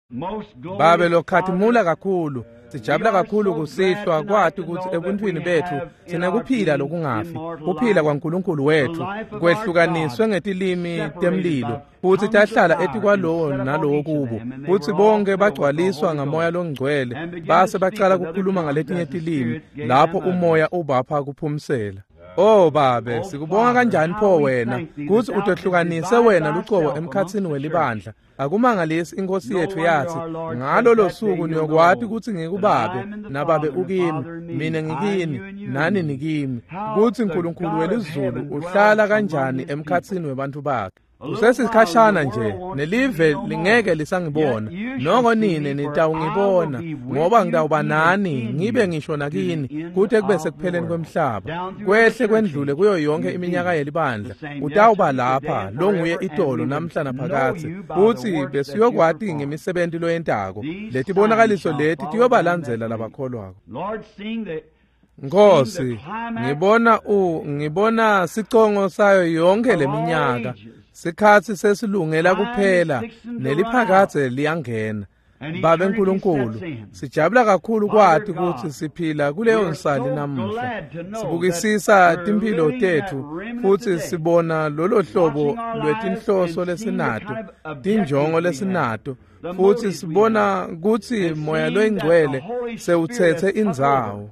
Babe lokhathimula kakhulu, sijabula kakhulu kusihlwa kwati kutsi ebuntwini betfu sinekuphila lokungafi, kuphila kwaNkulunkulu wetfu kwehlukaniswe ngetilimi temlilo, futsi tahlala etikwalowo nalowo kubo, futsi bonke bagcwaliswa ngaMoya loNgcwele, base bacala kukhuluma ngaletinye tilimi lapho umoya ubapha kuphumsela. Oh Babe, sikubonga kanjani pho wena kutsi utehlukanise wena lucobo emkhatsini welibandla. Akumangalisi inkosi yetfu yathi, ngalolo suku niyokwati kutsi ngikubabe, nababe ukimi, mina ngikini, nani nikimi, kutsi Nkulunkulu welizulu uhlala kanjani emkhatsini webantfu bakhe. Kusesikhashana nje, nelive lingeke lisangibona, noko nine nitawungibona, ngoba ngitawuba nani, ngibe ngisho nakini, kute kube sekupheleni kwemhlaba. Kwehle kwendlule kuyo yonke iminyaka yelibandla, utawuba lapha, longuye itolo namhla naphakadze, futsi besiyokwati ngemisebenti loyentako. Letibonakaliso leti tiyobalandzela labakholwako. Nkosi, ngibona sicongo sayo yonke leminyaka. Sikhatsi sesilungela kuphela, neliphakadze liyangena. Babe Nkulunkulu, sijabula kakhulu kwati kutsi siphila kuleyo nsali namuhla. Sibukisisa timphilo tetfu futsi sibona lolo hlobo lwetinhloso lesinato, tinjongo lesinato, futsi sibona kutsi Moya loyiNgcwele sewutsetse indzawo.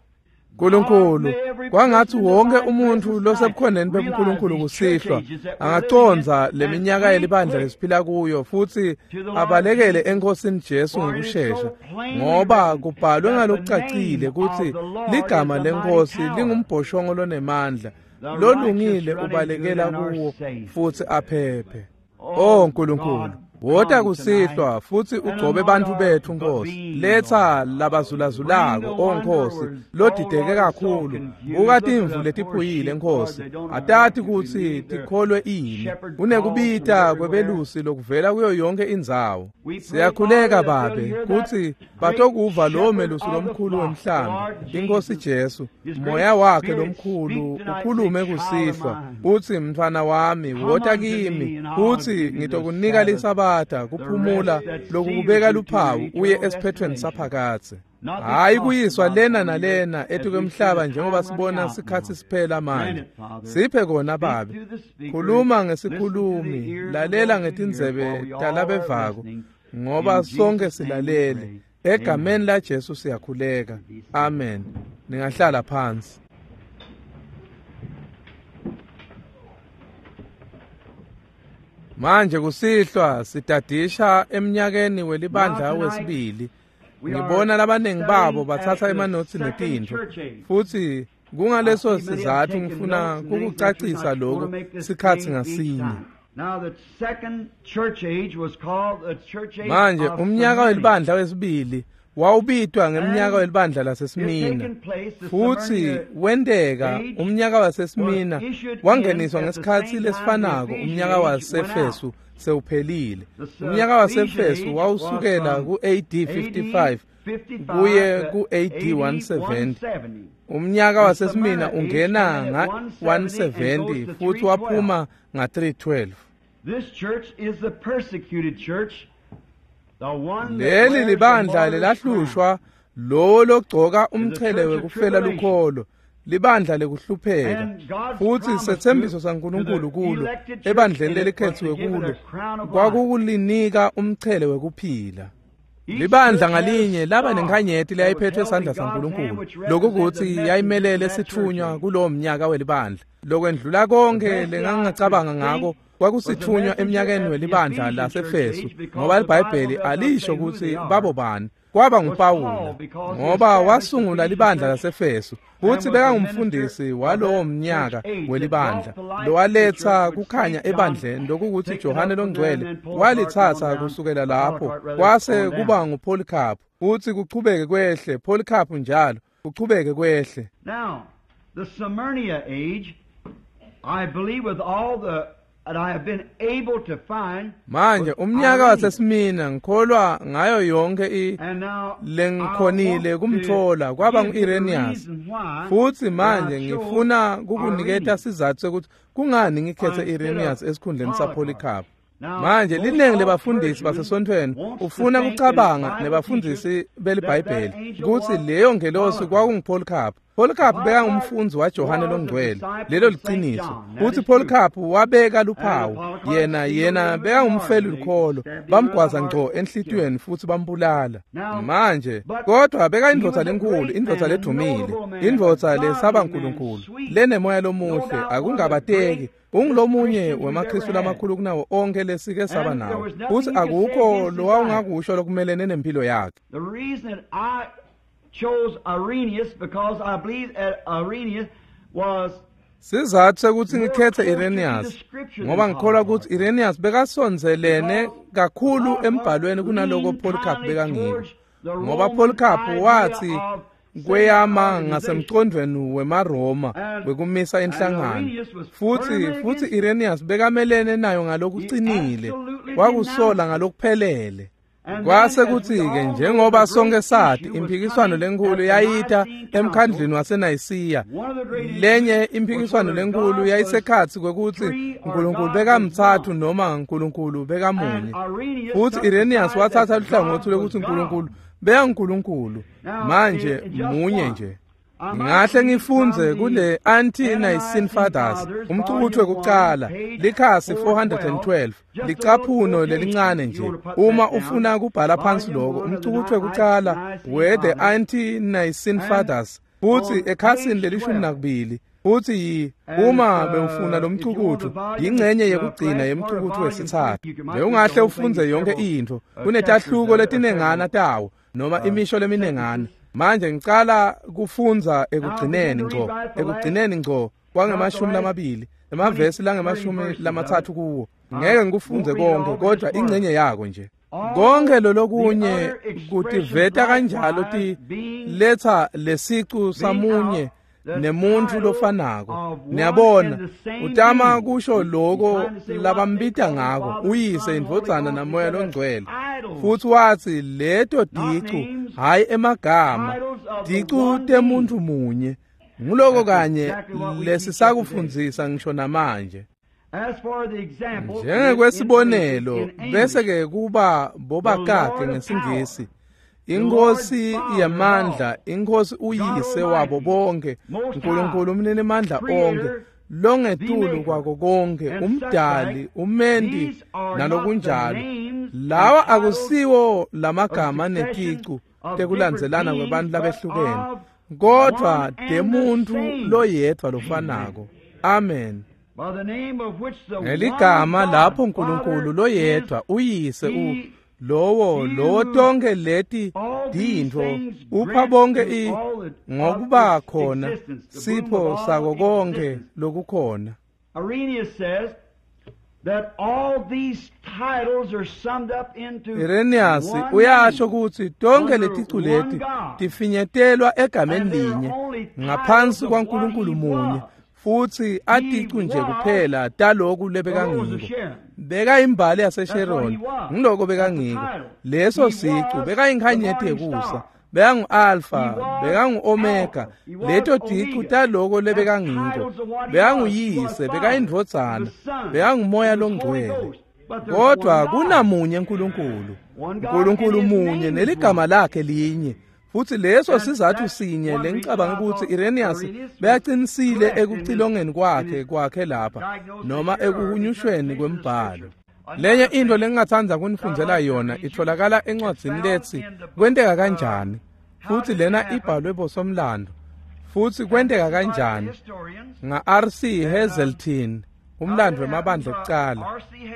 Nkulunkulu, kwangatsi wonke umuntfu losebukhoneni bebuNkulunkulu kusihlwa angacondza leminyaka yelibandla lesiphila kuyo futsi abalekele eNkhosini Jesu ngekushesha, ngoba kubhalwe ngalokucacile kutsi ligama leNkhosi lingumbhoshongo lonemandla, lolungile ubalekela kuwo futsi aphephe. Oh Nkulunkulu, wota kusihlwa futsi ugcobe bantfu betfu Nkosi. Letsa labazulazulako, oh Nkosi, lodideke kakhulu. Buka timvu letiphuyile Nkosi, atati kutsi tikholwe ini. Kunekubita kwebelusi lokuvela kuyo yonke indzawo. Siyakhuleka Babe kutsi batokuva lowo melusi lomkhulu wemhlambi, iNkosi Jesu, moya wakhe lomkhulu ukhulume kusihlwa, utsi mntfwana wami wota kimi, utsi ngitokunika lisabatha kuphumula lokukubeka luphawu uye esiphethweni saphakadze. Hayi kuyiswa lena nalena etikwemhlaba njengoba sibona sikhatsi siphela manje. Siphe kona Babe. Khuluma ngesikhulumi, lalela ngetindzebe talabevako, ngoba sonke silalele. Egameni la Jesu siyakhuleka. Amen. Ningahlala phansi. Manje kusihlwa sitadisha emnyakeni welibandla wesibili. Ngibona labaningi babo batsatsa emanotsi netintfo, futsi kungaleso sizatfu ngifuna kukucacisa lokhu sikhatsi ngasinye. Manje umnyaka welibandla wesibili wawubitwa ngemnyaka welibandla laseSmina, futsi wenteka umnyaka waseSmina wangeniswa ngesikhatsi lesifanako umnyaka waseEfesu sewuphelile. Umnyaka waseEfesu wawusukela ku-AD 55 kuye ku-AD 170. Umnyaka waseSmina ungena nga-170 futhi waphuma nga-312. This church is the persecuted church, the one that Leli wears the libandla martyr's crown. lelahlushwa, lowo logcoka umchele wekufela lukholo, libandla lekuhlupheka, futsi setsembiso saNkulunkulu kulo ebandleni lelikhethiwe kulo kwakukulinika umchele wekuphila. Libandla ngalinye laba nenkhanyeti leyayiphethwe sandla saNkulunkulu, lokukuthi yayimelele sitfunywa kulowo mnyaka welibandla. Lokwendlula konke lengangacabanga ngako kwakusitfunywa emnyakeni welibandla laseEfesu, ngoba iBhayibheli alisho kutsi babo bani. Kwaba nguPawula, ngoba wasungula libandla laseEfesu, futsi bekangumfundisi walowo mnyaka welibandla lowaletsa kukhanya ebandleni, lokukuthi Johane loNgcwele walitsatsa kusukela lapho kwase kuba nguPolycarp, futsi kuchubeke kwehle Polycarp njalo kuchubeke kwehle. Now, the Smyrna age, I believe with all the that I have been able to find. Manje umnyaka waseSmina ngikholwa ngayo yonke And now lengikhonile I want to kumthola kwaba give you the ngu-Irenaeus. reason why Futhi that manje I chose ngifuna kukuniketa Irenaeus. sizathu sokuthi kungani ngikhethe Instead of Irenaeus esikhundleni Polycarp. saPolycarp. Manje linengi lebafundisi basesontfweni ufuna kucabanga nebafundisi beliBhayibheli kutsi leyo ngelosi kwakunguPolycarp. Polycarp bekangumfundzi waJohane longcwele, lelo liciniso. Futsi Polycarp wabeka luphawu, yena bekangumfeli lukholo, bamgwaza ngco enhlitiyweni futsi bambulala. Manje kodwa bekayindvodza lenkulu, indvodza ledumile, indvodza lesaba uNkulunkulu, lenemoya lomuhle, akungabateki. Ungulomunye wemaKhristu lamakhulu kunawo onke lesike saba nawo, futsi akukho lowawungakusho lokumelene nempilo yakhe. The reason that I chose Irenaeus because I believe that Irenaeus was Sizathu sekuthi ngikhethe Irenaeus ngoba ngikholwa ukuthi Irenaeus bekasondzelene kakhulu embhalweni kunaloko Polycarp bekangiko, ngoba Polycarp wathi kweyama ngasemcondvweni wemaRoma wekumisa inhlangano, futsi Irenaeus bekamelene nayo ngalokucinile, wakusola ngalokuphelele. Kwase kuthi-ke njengoba sonke sathi imphikiswano lenkulu yayita emkhandlwini waseNayisiya. Lenye imphikiswano lenkulu yayisekhatsi kwekutsi uNkulunkulu bekamtsatfu noma uNkulunkulu bekamunye. Futsi Irenaeus watsatsa luhlangotsi lwekutsi uNkulunkulu beyanguNkulunkulu, manje munye nje. Ngahle ngifundze kule Anti-Nicene Fathers, umcukutfu wekucala, likhasi 412, licaphuno lelincane nje. Uma ufuna kubhala phansi lokho, umcukutfu wekucala we the Anti-Nicene Fathers, futsi ekhasini leli-12, futsi uma bewufuna lomcukutfu, yingcenye yekugcina yemcukutfu wesitsatfu. Bewungahle ufundze yonke intfo, kunetahluko letinengana tawo noma imisho leminengana. Manje ngicala kufundza ekugcineni ngco kwange-20, emavesi lange-30 kuwo. Ngeke ngikufundze konke, kodwa ingcenye yako nje. Konke lolokunye kutiveta kanjalo letsa lesicu samunye nemuntu lofanako. Niyabona, utama kusho loko labambita ngako, uyise, indvodzana namoya longcwele. Futsi watsi leto ticu, hayi emagama, ticu temuntu munye. Nguloko kanye lesisakufundzisa ngisho namanje. Njengekwesibonelo, bese ke kuba bobakakhe ngesiNgisi, Inkosi yamandla, inkosi uyise wabo bonke, uNkulunkulu umninimandla onke, longetulu kwako konke, umdali, umendi nalokunjalo. Lawa akusiwo lamagama neticu tekulandzelana kwebantu labehlukene, kodwa demuntu loyedvwa lofanako. Amen. Ngeligama lapho uNkulunkulu loyedvwa uyise lowo tonke leti tintfo upha bonke ngokuba khona sipho sako konke lokukhona. Irenaeus says that all these titles are summed up into Irenaeus uyasho kutsi tonke leticu leti tifinyetelwa egameni linye ngaphansi kwaNkulunkulu munye, futsi aticu nje kuphela taloku lebekangiko. Bekayimbali yaseSharon, ngiloko bekangiko. Leso sicu bekayinkhanyeti yekusa, bekangu-Alpha, bekangu-Omega. Leto ticu taloko lebekangiko. Bekanguyise, bekayindvodzana, bekangumoya longcwele. Kodwa kunamunye uNkulunkulu, uNkulunkulu munye neligama lakhe linye. Futsi leso sizathu sinye lengicabanga ukuthi Irenaeus beyaqinisile ekucilongeni kwakhe lapha noma ekuhunyushweni kwembhalo. Lenye into lengingathanda kunifundzela yona itholakala encwadzini letsi Kwenteka Kanjani, futsi lena ibhalwe bosomlando. Futsi kwenteka kanjani nga-R.C. Hazelton, umlando wemabandla ekucala.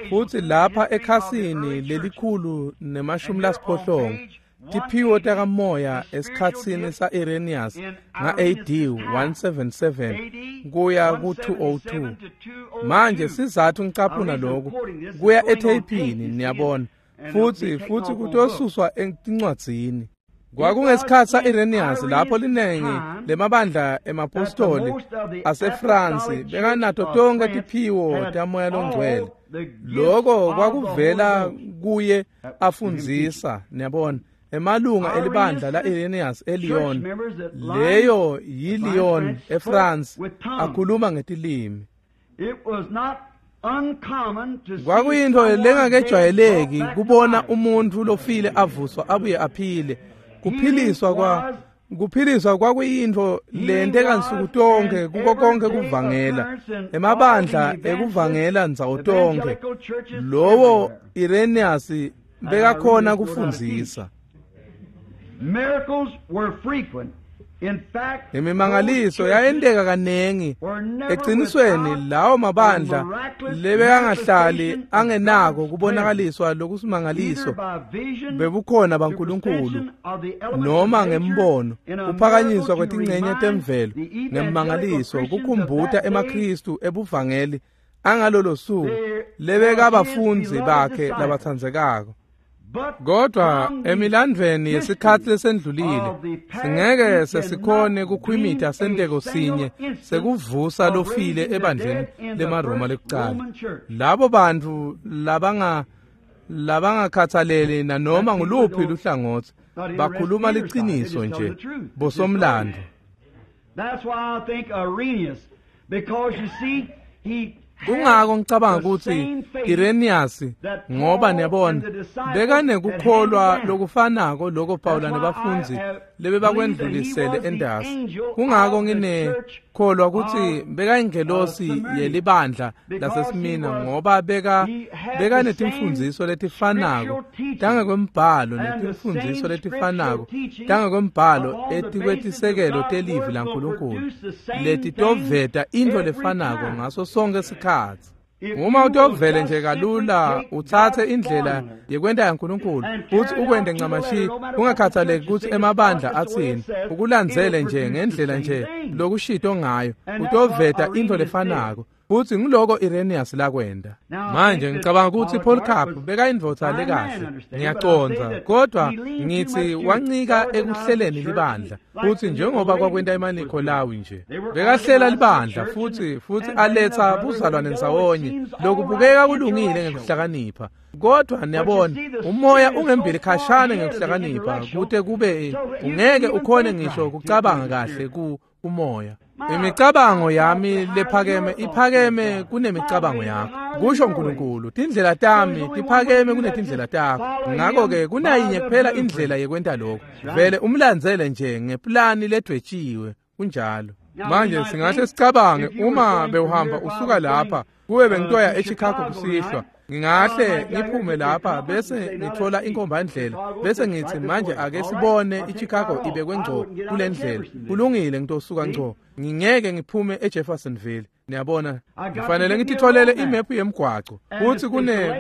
Futsi lapha ekhasini lelikhulu ne-80 tiphiwo takamoya esikhatsini sa-Irenaeus nga-AD 177 kuya ku-202. Manje sizathu ngicaphuna lokhu kuya etheyphini, niyabona, futsi kutosuswa etincwadzini. Kwakungesikhatsi sa-Irenaeus lapho linengi lemabandla emapostoli aseFrance bekanato tonke tiphiwo tamoya longcwele. Loko kwakuvela kuye afundzisa, niyabona, emalunga elibandla la-Irenaeus eLyon, leyo yiLyon eFrance, akhuluma ngetilimi. Kwakuyintfo lengakejwayeleki kubona umuntfu lofile avuswa abuye aphile. Kuphiliswa kwakuyintfo lenteka nsuku tonkhe kuko konke kuvangela. Emabandla ekuvangela ndzawo tonkhe. Lowo Irenaeus bekakhona kufundzisa. Miracles were frequent. In fact, Imimangaliso yayenteka kanengi. Eqinisweni lawo mabandla lebekangahlali angenako kubonakaliswa lokusimangaliso bebukhona baNkulunkulu noma ngembono, kuphakanyiswa kwetincenye temvelo ngemmangaliso kukhumbuta emaKhristu ebuvangeli angalolo suku lebekabafundzi bakhe labatsandzekako. Kodwa emilandvweni yesikhatsi lesendlulile singeke sesikhone kukhwimita senteko sinye sekuvusa lofile ebandleni lemaRoma lekucala. Labo bantfu labangakhathaleli nanoma nguluphi luhlangotsi bakhuluma liciniso nje bosomlando. That's why I think Irenaeus, because you see, he Kungako ngicabanga kutsi Irenaeus, ngoba niyabona bekanekukholwa lokufanako loko Pawula nebafundzi lebebakwendlulisele entasi. Kungako nginekholwa kutsi bekayingelosi yelibandla laseSmina, ngoba bekanetimfundziso letifanako tangekwembhalo netimfundziso letifanako tangekwembhalo etikwetisekelo telivi laNkulunkulu letitoveta intfo lefanako ngaso sonke sikhatsi. Uma utovele nje kalula utsatse indlela yekwenta yaNkulunkulu futsi ukwente ncamashi, ungakhathaleki kutsi emabandla atsini, ukulandzele nje ngendlela nje lokushito ngayo, utoveta intfo lefanako. Futsi ngiloko Irenaeus lakwenta. Manje ngicabanga kutsi Polycarp bekayindvodza lekahle, ngiyacondza, kodwa ngitsi wancika ekuhleleni libandla, futsi njengoba kwakwenta emaNikholawi nje. Bekahlela libandla futsi aletsa buzalwane ndzawonye lokubukeka kulungile ngekuhlakanipha. Kodwa niyabona, umoya ungembili khashane ngekuhlakanipha kute kube ungeke ukhone ngisho kucabanga kahle ku umoya. Imicabango yami lephakeme iphakeme kunemicabango yakho, kusho uNkulunkulu. Tindlela tami tiphakeme kunetindlela takho. Ngakho-ke kunayinye kuphela indlela yekwenta lokho, vele umlandzele nje ngeplani ledwetshiwe. Kunjalo. Manje singahle sicabange, uma bewuhamba usuka lapha kube bengitoya eChicago kusihlwa, ngingahle ngiphume lapha bese ngithola inkombandlela bese ngithi manje ake sibone iChicago ibekwe ngco kule ndlela. Kulungile, ngitosuka ngco, ngingeke ngiphume eJeffersonville. Niyabona, ngifanele ngititholele imephu yemgwaco kutsi kune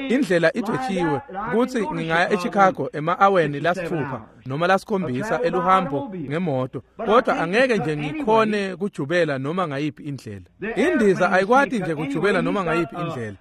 indlela idwetshiwe kutsi ngingaya eChicago ema-aweni lasitfupha noma lasikhombisa eluhambo ngemoto, kodwa angeke nje ngikhone kujubela noma ngayiphi indlela. Indiza ayikwati nje kujubela noma ngayiphi indlela.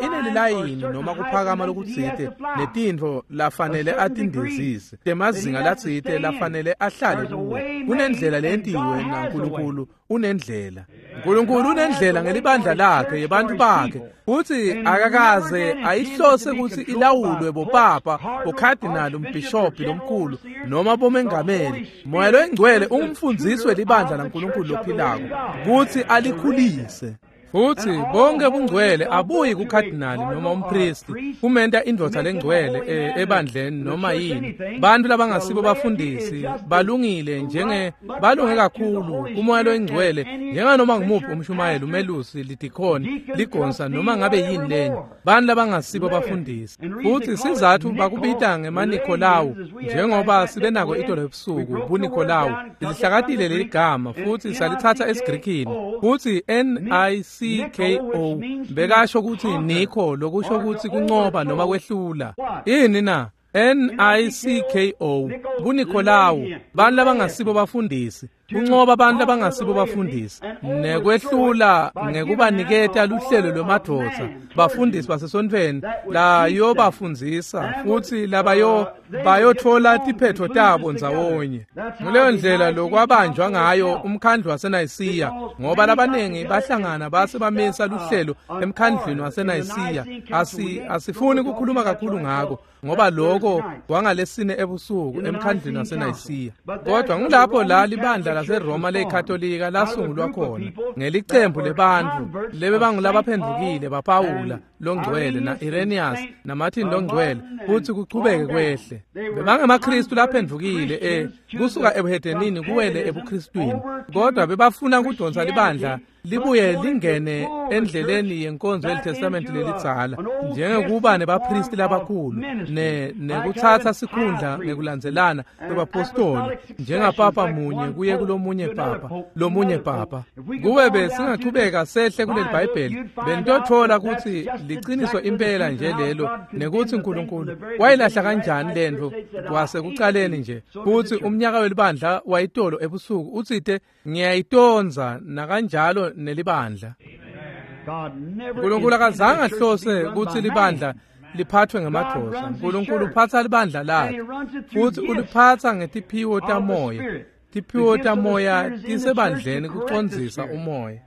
Inelilayini noma kuphakama lokutsite netintfo lafanele atindizise, temazinga latsite lafanele ahlale kuwo. Kunendlela leyentiwe naNkulunkulu unendlela. Nkulunkulu unendlela ngelibandla lakhe yebantfu bakhe, futsi akakaze ayihlose kutsi ilawulwe bopapa, bokhadinali, umbhishobhi lomkhulu noma bomengameli. Moya loyingcwele ungumfundzisi welibandla laNkulunkulu lophilako kutsi alikhulise. Futsi bonke bungcwele abuyi kukhadinali noma umpristi kumenta indvodza lengcwele ebandleni noma yini. Bantfu labangasibo bafundisi balungile balunge kakhulu kumoya loyingcwele njenganoma ngumuphi umshumayeli, umelusi, lidikhoni, ligonsa noma ngabe yini lenye. Bantfu labangasibo bafundisi. Futsi sizatfu bakubita ngemaNikholawu, njengoba sibe nako itolo ebusuku, buNikholawu lilihlakatile leligama futsi salithatha esiGrikini, futsi N-I-C-K-O bekasho kutsi Nikho, lokusho kutsi kuncoba noma kwehlula. Ini na? N-I-C-K-O, buNikholawu, bantfu labangasibo bafundisi, kuncoba bantfu labangasibo bafundisi nekwehlula ngekubaniketa luhlelo lwemadvodza, bafundisi basesontfweni layobafundzisa futsi labayo bayotfola tiphetfo tabo ndzawonye. Nguleyo ndlela lokwabanjwa ngayo umkhandlu waseNayisiya, ngoba labaningi bahlangana base bamisa luhlelo emkhandlwini waseNayisiya. Asifuni kukhuluma kakhulu ngako, ngoba loko kwangalesine ebusuku emkhandlwini waseNayisiya. Kodwa ngulapho la libandla laseRoma leyiKatolika lasungulwa khona ngelicembu lebantfu lebebangulabaphendvukile baPawula longcwele na-Irenaeus naMartin longcwele futsi kuchubeke kwehle. BebangemaKhristu laphendvukile kusuka ebuhedenini kuwele ebuKhristwini, kodwa bebafuna kudonsa libandla libuye lingene endleleni yenkonzo yeliTestamente lelidzala njengekuba nebaphristi labakhulu nekutsatsa sikhundla ngekulandzelana kwebapostoli njengapapa munye kuye kulomunye papa lomunye papa. Kube besingachubeka sehle kuleli Bhayibheli benitotfola kutsi liciniso impela nje lelo nekutsi uNkulunkulu wayilahla kanjani lentfo kwasekucaleni nje. Futsi umnyaka welibandla wayitolo ebusuku utsite ngiyayitondza nakanjalo nelibandla. Nkulunkulu akazange ahlose kutsi libandla liphathwe ngemadvodza. Nkulunkulu uphatsa libandla lakhe futsi uliphatsa ngetiphiwo tamoya. Tiphiwo tamoya tisebandleni kucondzisa umoya.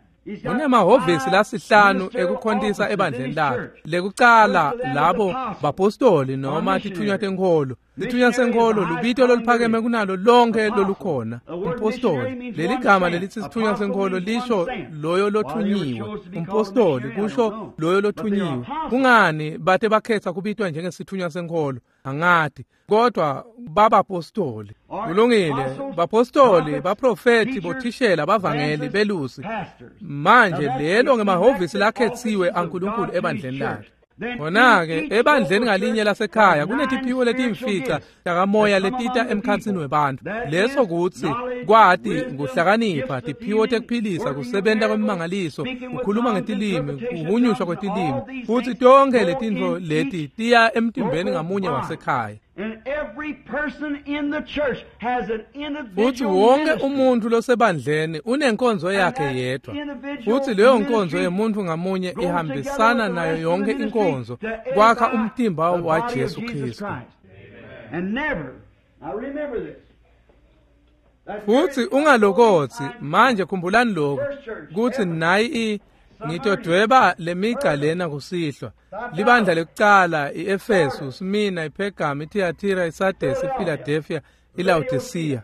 Kunemahhovisi lasihlanu ekukhontisa ebandleni lakhe. Lekucala labo bapostoli noma tithunywa tenkholo. Sithunywa senkholo lubito loluphakeme kunalo lonke lolukhona. Umpostoli, leligama lelitsi sithunywa senkholo lisho loyo lothunyiwe. Umpostoli kusho loyo lothunyiwe. Kungani bate bakhetha kubitwa njengesithunywa senkholo? Angati, kodwa babapostoli. Kulungile, bapostoli, baprofeti, bothishela, bavangeli, belusi. Manje lelo ngemahhovisi lakhetsiwe aNkulunkulu ebandleni lakhe. Khona-ke ebandleni ngalinye lasekhaya kunetiphiwo letimfica takamoya letita emkhatsini webantfu. Leso kutsi kwati, kuhlakanipha, tiphiwo tekuphilisa, kusebenta kwemimangaliso, kukhuluma ngetilimi, kuhunyushwa kwetilimi. Futsi tonkhe letintfo leti tiya emtimbeni ngamunye wasekhaya. Futsi wonke umuntfu losebandleni unenkonzo yakhe yedvwa. Futsi leyo nkonzo yemuntfu ngamunye ihambisana nayo yonke inkonzo kwakha umtimba wa Jesu Khristu. Futsi ungalokotsi manje khumbulani lokhu kutsi nayi ngitodweba lemigca lena kusihlwa. Libandla lekucala iEfesu, Smyrna, iPhergam, iThiatira, iSardesi, iPhiladelphia, iLaodicea.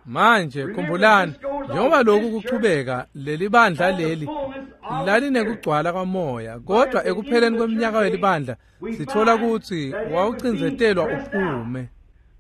Manje khumbulani njengoba lokhu kuchubeka leli bandla leli lalinekugcwala kwamoya, kodwa ekupheleni kweminyaka welibandla sithola kutsi wawucindzetelwa uphume.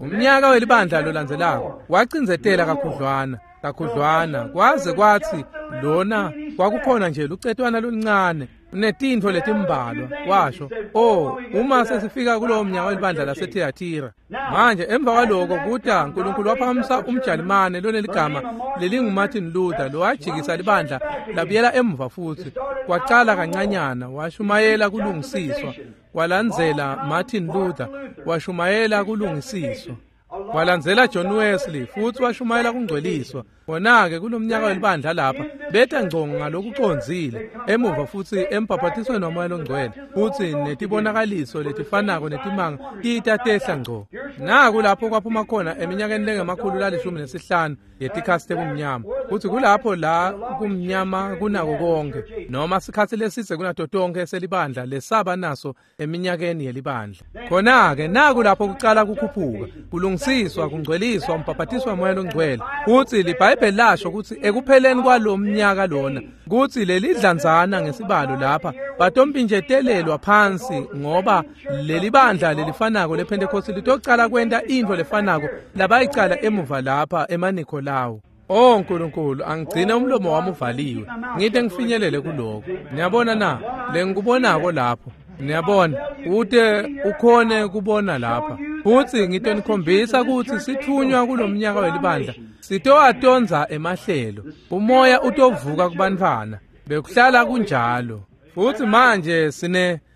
Umnyaka welibandla lolandzelako wacindzetela kakhudlwana kakhudlwana kwaze kwatsi lona kwakukhona nje lucetwana loluncane netintfo letimbalwa. Washo, oh, uma sesifika kulowo mnyaka welibandla laseThiatira. Manje emva kwaloko kuta uNkulunkulu waphakamisa umjalimane loneligama lelinguMartin Luther lowajikisa libandla labuyela emuva futsi kwacala kancanyana washumayela kulungisiswa. Walandzela Martin Luther washumayela kulungisiswa. Walandzela John Wesley futsi washumayela kungcweliswa. Khona-ke kulomnyaka welibandla lapha beta ngco ngalokucondzile emuva futsi embhaphatisweni waMoya loNgcwele futsi netibonakaliso letifanako netimanga tita tehla ngco. Naku lapho kwaphuma khona eminyakeni lengama-115 yetikhatsi tebumnyama. Futsi kulapho la kumnyama kunako konke noma sikhatsi lesidze kunato tonkhe selibandla lesaba naso eminyakeni yelibandla. Khona-ke naku lapho kucala kukhuphuka, kulungisiswa, kungcweliswa, umbhaphatiswa waMoya loNgcwele. Futsi liBhayibheli lasho kutsi ekupheleni kwalomnyaka lona kutsi lelidlanzana ngesibalo lapha batompinjetelelwa phansi ngoba lelibandla lelifanako lePhentekhosti litocala kwenta intfo lefanako labayicala emuva lapha emaNikolawu. Oh Nkulunkulu, angigcine umlomo wami uvaliwe ngite ngifinyelele kuloko. Niyabona na lengikubonako lapho? Niyabona, ute ukhone kubona lapha. Futsi ngitonikhombisa kutsi sithunywa kulomnyaka welibandla sitowatondza emahlelo. Umoya utovuka kubantfwana. Bekuhlala kunjalo. Futsi manje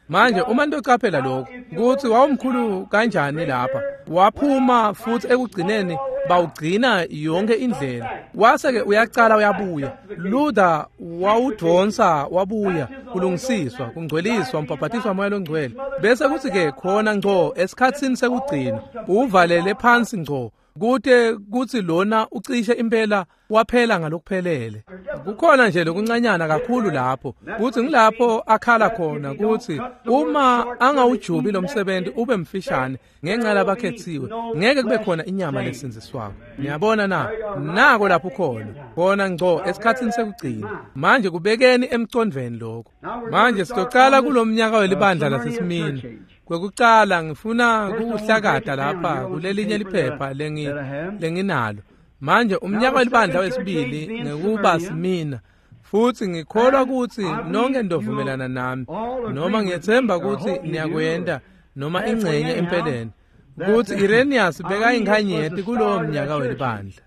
manje uma nitocaphela lokhu kutsi wawumkhulu kanjani lapha waphuma futsi ekugcineni bawugcina yonke indlela. Wase-ke uyacala uyabuya. Luther wawudvonsa wabuya. Kulungisiswa, kungcweliswa, umbhabhatiswa moya longcwele. Bese kuthi-ke khona ngco esikhatsini sekugcina uvalele phansi ngco kute kutsi lona ucishe impela waphela ngalokuphelele. Kukhona nje lokuncanyana kakhulu lapho kutsi ngilapho akhala khona kutsi uma angawujubi lo msebenzi ube mfishane ngenxa labakhethiwe ngeke kube khona inyama lesindziswako. Niyabona na? Nako lapho khona khona ngco esikhatsini sekugcina. Manje kubekeni emcondvweni lokho. Manje sitocala kulomnyaka welibandla laseSimina. Kwekucala ngifuna kuhlakata lapha kulelinye liphepha lenginalo. Manje umnyaka welibandla wesibili ngekuba Simina, futhi ngikholwa ukuthi nonke nidovumelana nami, noma ngiyethemba ukuthi niyakwenda noma ingcenye empeleni, ukuthi Irenaeus bekayinkhanyeti kulowo mnyaka welibandla.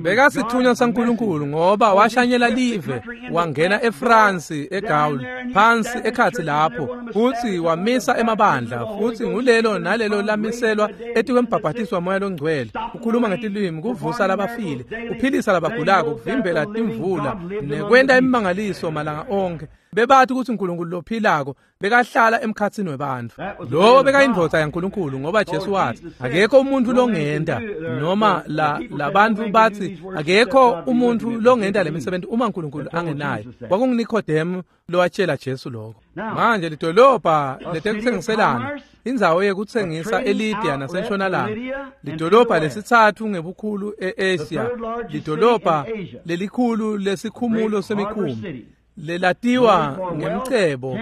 Bekasithunywa saNkulunkulu ngoba washanyela live, wangena eFrance, eGaul, phansi ekhathi lapho, futhi wamisa emabandla, futhi ngulelo nalelo lamiselwa etikwembhabhatiswa moya longcwele, ukhuluma ngetilwimi, kuvusa labafile, uphilisa labagulako, kuvimbela timvula, nekwenta imimangaliso malanga onke. Bebathi ukuthi uNkulunkulu lophilako bekahlala emkhatsini webantfu. Lo bekayindvodza yaNkulunkulu ngoba Jesu wathi akekho umuntu longenta, noma labantu bathi akekho umuntu longenta lemisebenzi uma uNkulunkulu angenayo. KwakunguNikodemu lowatshela Jesu lokho. Manje lidolobha letekuthengiselana, indzawo yekutsengisa eLydia nasentshonalanga, lidolobha lesitsatfu ngebukhulu e-Asia, lidolobha lelikhulu lesikhumulo semikhumbi, lelatiwa ngemcebo,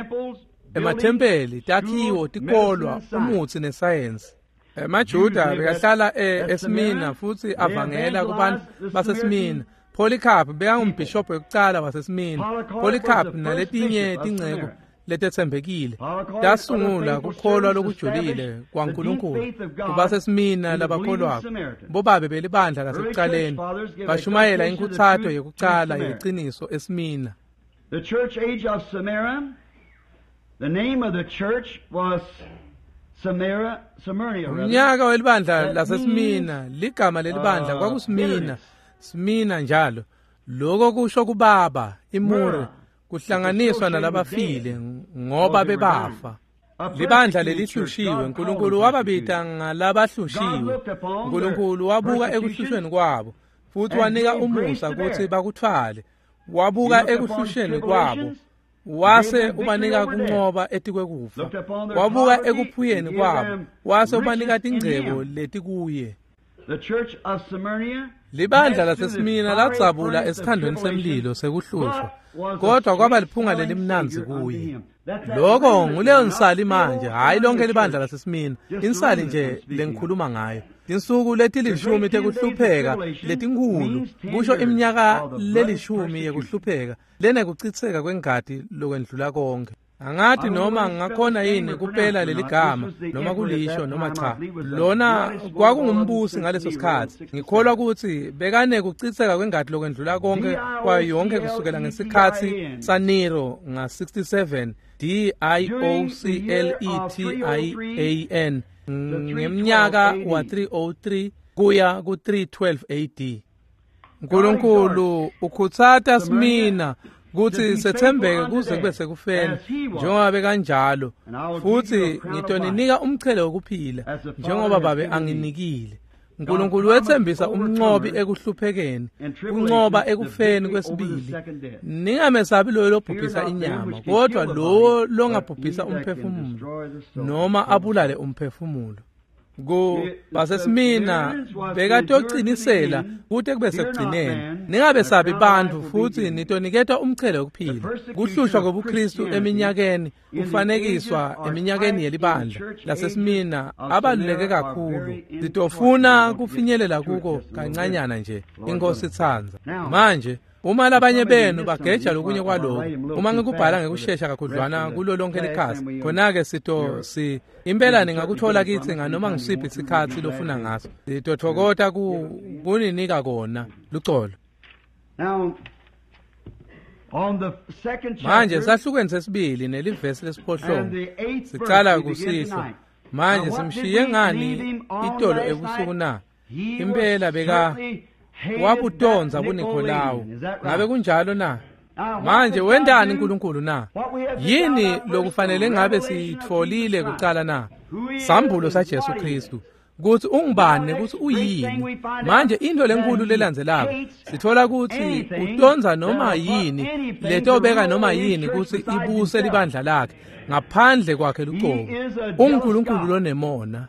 emathempeli, takhiwo, tikolwa, umutsi nesayensi. EmaJuda bekahlala eSmina futhi avangela kubantu baseSmina. Polycarp bekangumbhishobhi wekucala waseSmina. Polycarp naletinye tinceku letetsembekile tasungula kukholwa lokujulile kwaNkulunkulu kubaseSmina labakholwako. Bobabe belibandla lasekucaleni bashumayela inkhutsato yekucala yeliciniso eSmina. The church age of Smyrna, the name of the church was Smyrna. Umnyaka welibandla laseSmina, ligama lelibandla kwakuSmina, Smina njalo. Lokho kusho kubaba, imure, kuhlanganiswa nalabafile ngoba bebafa. Libandla lelihlushiwe, uNkulunkulu wababita ngalabahlushiwe. uNkulunkulu wabuka ekuhlushweni kwabo futhi wanika umusa ukuthi bakuthwale. Wabuka ekuhlusheni kwabo wase ubanika kunqoba etikwekufa. Wabuka ekuphuyeni kwabo wase ubanika tingcebo letikuye. Libandla laseSmina ladzabula esithandweni semlilo sekuhlushwa, kodwa kwaba liphunga lelimnandzi kuye. Lokho nguleyo nsali manje, hhayi lonke libandla laseSmina, insali nje lengikhuluma ngayo. Tinsuku letilishumi tekuhlupheka letinkhulu, kusho iminyaka lelishumi yekuhlupheka lenekucitseka kwengati lokwendlula konke. Angathi noma ngakhona yini kupela leligama noma kulisho noma cha. Lona kwakungumbusi ngaleso sikhathi. Ngikholwa ukuthi bekanekucitseka kwengati lokwendlula konke kwayo yonke kusukela ngesikhathi saNero nga-67 Diocletian ngeminyaka wa-303 kuya ku-312 AD. uNkulunkulu ukhutsata Smina kutsi sethembeke kuze kube sekufeni njengoba bekanjalo, futhi ngitoninika umchele wokuphila njengoba babe anginikile. uNkulunkulu wethembisa umnqobi ekuhluphekeni, kunqoba ekufeni kwesibili. Ningamesabi loyo lobhubhisa inyama, kodwa lowo longabhubhisa umphefumulo noma abulale umphefumulo. Basesimina bekatocinisela kute kube sekugcineni. Ningabesabi bantfu futhi nitoniketwa umchele wokuphila. Kuhlushwa kobuKristu eminyakeni kufanekiswa eminyakeni yelibandla laseSmina abaluleke kakhulu. Sitofuna kufinyelela kuko kancanyana nje, inkosi itsandza. Manje uma labanye benu bageja lokunye kwaloko, uma ngikubhala ngekushesha kakhudlwana kulo lonke likhasi, khona-ke sito impela ningakuthola kitsi nganoma ngisiphi isikhatsi lofuna ngaso. Sitothokota kuninika kona lucolo. Manje sahlukweni sesibili nelivesi lesiphohlongo sicala kusihlwa. Manje simshiye ngani itolo ebusuku na? Impela beka wabutonza buNikolawu. Ngabe kunjalo na? Manje wentani uNkulunkulu na? Yini lokufanele ngabe siyitfolile kucala na? Sambulo saJesu Kristu, kutsi ungubani nekutsi uyini. Manje into lenkulu lelandzelako sitfola kutsi utondza noma yini letobeka noma yini kutsi ibuse libandla lakhe ngaphandle kwakhe lucobo. UNkulunkulu lonemona.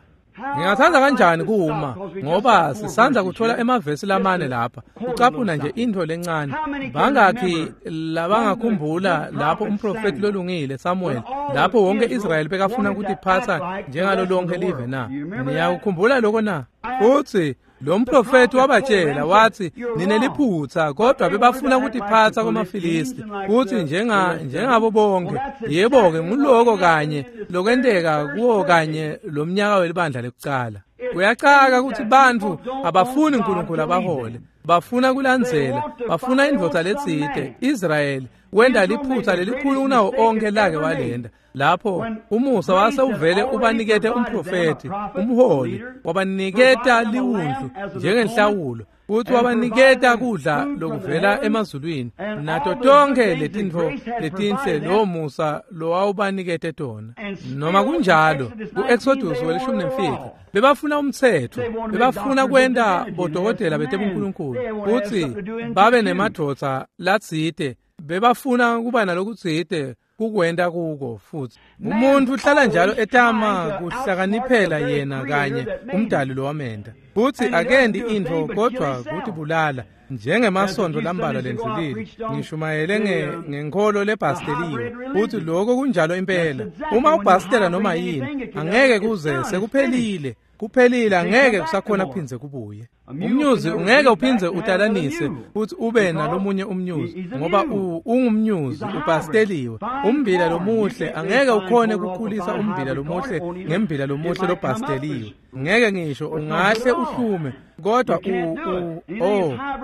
Ngingathanda kanjani kuma, ngoba sisandza kuthola emavesi lamane lapha ucaphuna nje intfo lencane. Bangakhi labangakhumbula lapho umprofethi lolungile Samuel, lapho wonke Israyeli bekafuna kutiphatsa njengalo lonke live na? Niyakukhumbula lokho na? Futsi lo mprofethi wabatshela wathi, nineliphutha, kodwa bebafuna kutiphatsa kwamaFilisti kutsi njengabo bonke. Yebo-ke, nguloko kanye lokwenteka kuwo kanye lo mnyaka welibandla lekucala. Kuyacaka kutsi bantfu abafuni uNkulunkulu abahole, bafuna kulandzela, bafuna indvodza letsite. Israyeli wenta liphutha lelikhulu kunawo onke lake walenda, lapho umusa wase uvele ubanikete umprofethi, umholi, wabaniketa liwundlu njengenhlawulo, futhi wabaniketa kudla lokuvela emazulwini nato tonke letintfo letinhle lowo musa lowawubanikete tona. Noma kunjalo, ku-Exodus welishumi nemfica bebafuna umtsetfo, bebafuna kwenta bodokotela betebunkulunkulu futsi babe nemadvodza latsite, bebafuna kuba nalokutsite kukwenta kuko. Futhi umuntu uhlala njalo etama kuhlakaniphela yena kanye umdali lowamenda, futhi akendi intfo kodvwa kutibulala. Njengemasonto lambalwa lendlulile ngishumayele ngenkholo lebhasteliwe, futhi lokho kunjalo impela. Uma ubhastela noma yini, angeke kuze sekuphelile, kuphelile, angeke kusakhona kuphindze kubuye. Umnyuzi ungeke uphindze utalanise futhi ube nalomunye umnyuzi, ngoba ungumnyuzi ubhasteliwe. Umbila lomuhle angeke ukhone kukhulisa umbila lomuhle ngembila lomuhle lobhasteliwe, ngeke ngisho ungahle uhlume, kodwa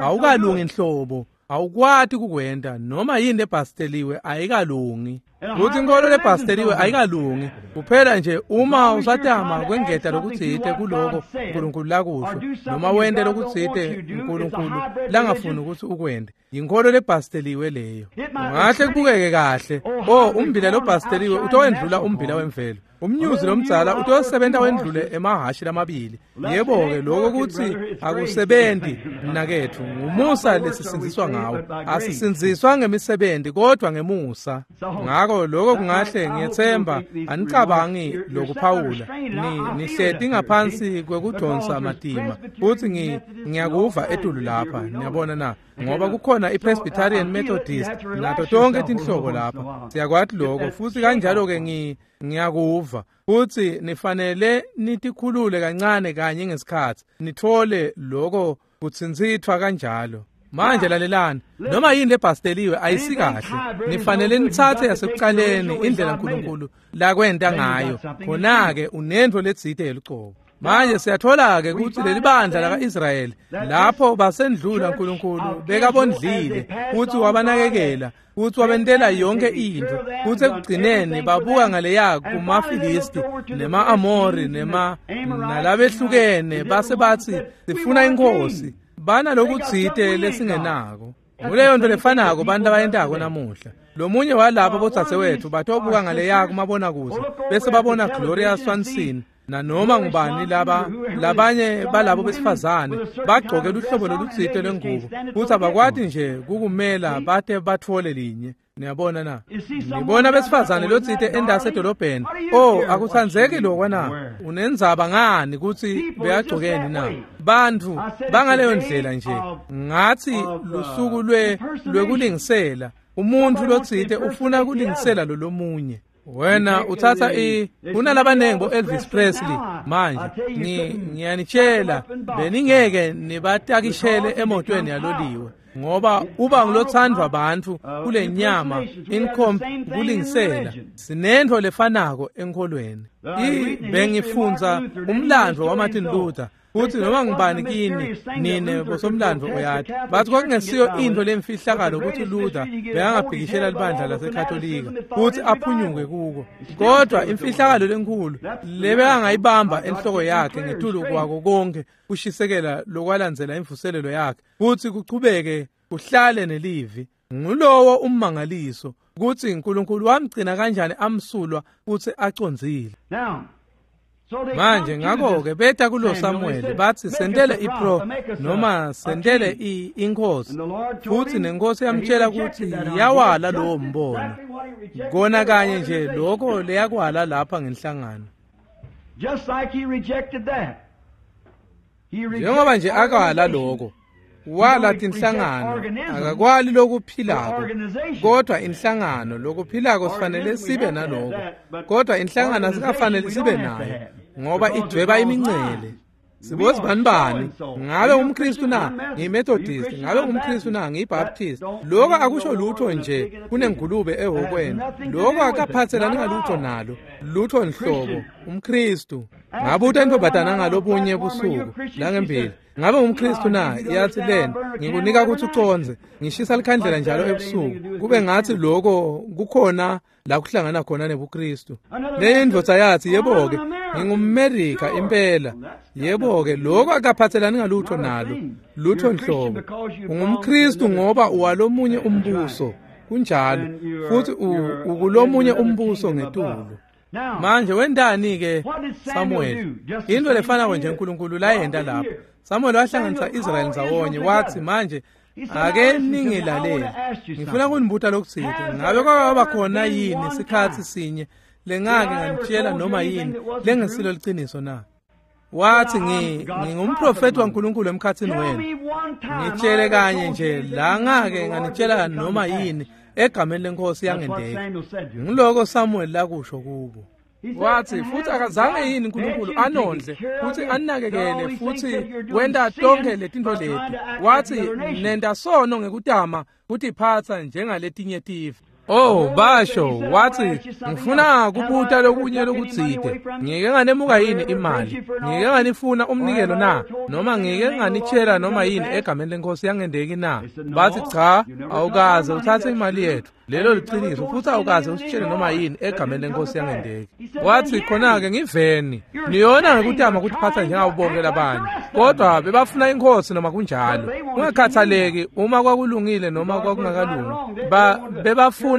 awukalungi nhlobo, awukwati kukwenta. Noma yini lebhasteliwe ayikalungi, kutsi inkholo lebhasteliwe ayikalungi. Kuphela nje uma usatama kwengeta lokutsite kuloko uNkulunkulu lakusho, noma wente lokutsite uNkulunkulu langafuni ukuthi ukwente, yinkholo lebhasteliwe leyo. Ungahle kubukeke kahle, umbila lobhasteliwe utowendlula umbila wemvelo, umnyuzi lomdzala utosebenta wendlule emahhashi lamabili. Yebo-ke, lokho kutsi akusebenzi mnaketfu, ngumusa lesisindziswa ngawo. Asisindziswa ngemisebenzi kodwa ngemusa. Ngako lokho kungahle, ngiyethemba anicabangi lokuphawula, nihleti ngaphansi kwekudonsa matima, futhi ngiyakuva etulu lapha, niyabona na, ngoba kukhona iPresbyterian, Methodist nato tonke tinhlobo lapha, siyakwati lokho. Futhi kanjalo-ke ngiyakuva futhi nifanele nitikhulule kancane kanye ngesikhathi nithole lokho kutsintsithwa kanjalo. Manje lalelani, noma yini lebhasteliwe ayisikahle, nifanele nitsatse yasekucaleni indlela uNkulunkulu lakwenta ngayo, khona-ke unentfo letsite yelucobo. Manje siyathola-ke kutsi leli bandla laka-Israyeli lapho basendlula uNkulunkulu bekabondlile futhi wabanakekela futhi wabentela yonke intfo, futsi ekugcineni babuka ngaleya kumaFilisti nema-Amori nalabehlukene, base batsi sifuna inkosi, banalokutsite lesingenako. Nguleyo nto lefanako bantu abayentako namuhla. Lomunye walabo bodzadzewethu batobuka ngaleya kumabonakuze bese babona Gloria Swanson nanoma ngubani laba labanye balabo besifazane bagcoke luhlobo lolutsite lwengubo, futhi abakwati nje kukumela bate batfole linye. Niyabona na? Ngibona besifazane lotsite endasi edolobheni, akutsandzeki lokwa na? Unendzaba ngani kutsi beyagcokeni na? Bantfu bangaleyo ndlela nje. Ngathi lusuku lwekulingisela, umuntfu lotsite ufuna kulingisela lo lomunye. Wena uthatha kunalabanengi bo-Elvis Presley manje, ngiyanitshela beningeke nibatakishele emotweni yaloliwe, ngoba uba ngulothandwa bantfu kule nyama kulingisela. Sinentfo lefanako enkholweni. Bengifundza umlandvo waMartin Luther, futhi noma ngubani kini nine bosomlandvo uyati, bathi kwakungesiyo intfo lemfihlakalo ukuthi Luther bekangabhikishela libandla laseKatolika futhi aphunyuke kuko, kodwa imfihlakalo lenkhulu lebekangayibamba enhloko yakhe ngetulu kwako konke kushisekela lokwalandzela imvuselelo yakhe futhi kuchubeke kuhlale nelivi. Ngulowo ummangaliso kutsi uNkulunkulu wamgcina kanjani amsulwa futsi acondzile. Manje ngakho-ke beta kulo Samuel bathi sentele ipro noma sentele inkosi, futhi nenkosi yamtshela ukuthi yawala lowo mbono. Kona kanye nje lokho leyakwala lapha ngenhlangano. Njengoba nje akwala lokho, wala tinhlangano, akakwali lokuphilako, kodwa inhlangano lokuphilako sifanele sibe naloko, kodwa inhlangano asikafanele sibe nayo ngoba idweba imincele. Sibozi bani bani, ngabe umKristu na ngiyiMethodist, ngabe umKristu na ngiyiBaptist. Lokho akusho lutho nje kunengulube ehokweni. Lokho akaphathelani ngalutho nalo, lutho nhlobo. UmKristu ngabuta intombazana ngalobunye busuku langembili, ngabe umKristu na? Yathi lena, ngikunika ukuthi uconze, ngishisa likhandlela njalo ebusuku, kube ngathi lokho kukhona la kuhlangana khona nebuKristu. Le ndvodza yathi, yebo-ke, ngingumMerika impela. Yebo-ke, lokho akaphathelani ngalutho nalo, lutho nhlobo. UngumKristu ngoba uwalomunye umbuso, kunjalo, futhi ukulomunye umbuso ngetulu. Manje wendani-ke Samuel? Into lefanako nje uNkulunkulu layenta lapho. Samuel wahlanganisa Israyeli ndzawonye, wathi manje ake ningilalele, ngifuna kunibuta lokutsite. Ngabe kwaba khona yini sikhatsi sinye lengake nganitshela noma yini lengesilo liciniso na? Wathi ngingumprofeti waNkulunkulu emkhathini wenu. Ngitshele kanye nje la ngake nganitshela noma yini egameni lenkosi yangendeka. Ngiloko Samuel lakusho kubo. Wathi futhi akazange yini uNkulunkulu anondle futhi anakekele futhi wenta tonke letinto leti. Wathi nenta sono ngekutama kutiphatsa njengaletinye tive. Oh, basho, wathi ngifuna kubuta lokunye lokutsite. Ngike nganemuka yini imali? Ngike nganifuna umnikelo na? Noma ngike nganitshela noma yini egameni lenkosi yangendeki na? Bathi cha, awukaze uthathe imali yethu. Lelo liciniso, futhi awukaze usitshele noma yini egameni lenkosi yangendeki. Wathi khona-ke ngiveni, niyona ngekutama kutiphatsa njengabo bonke labanye. Kodwa bebafuna inkosi noma kunjalo. Kungakhathaleki uma kwakulungile noma kwakungakalungi. Bebafuna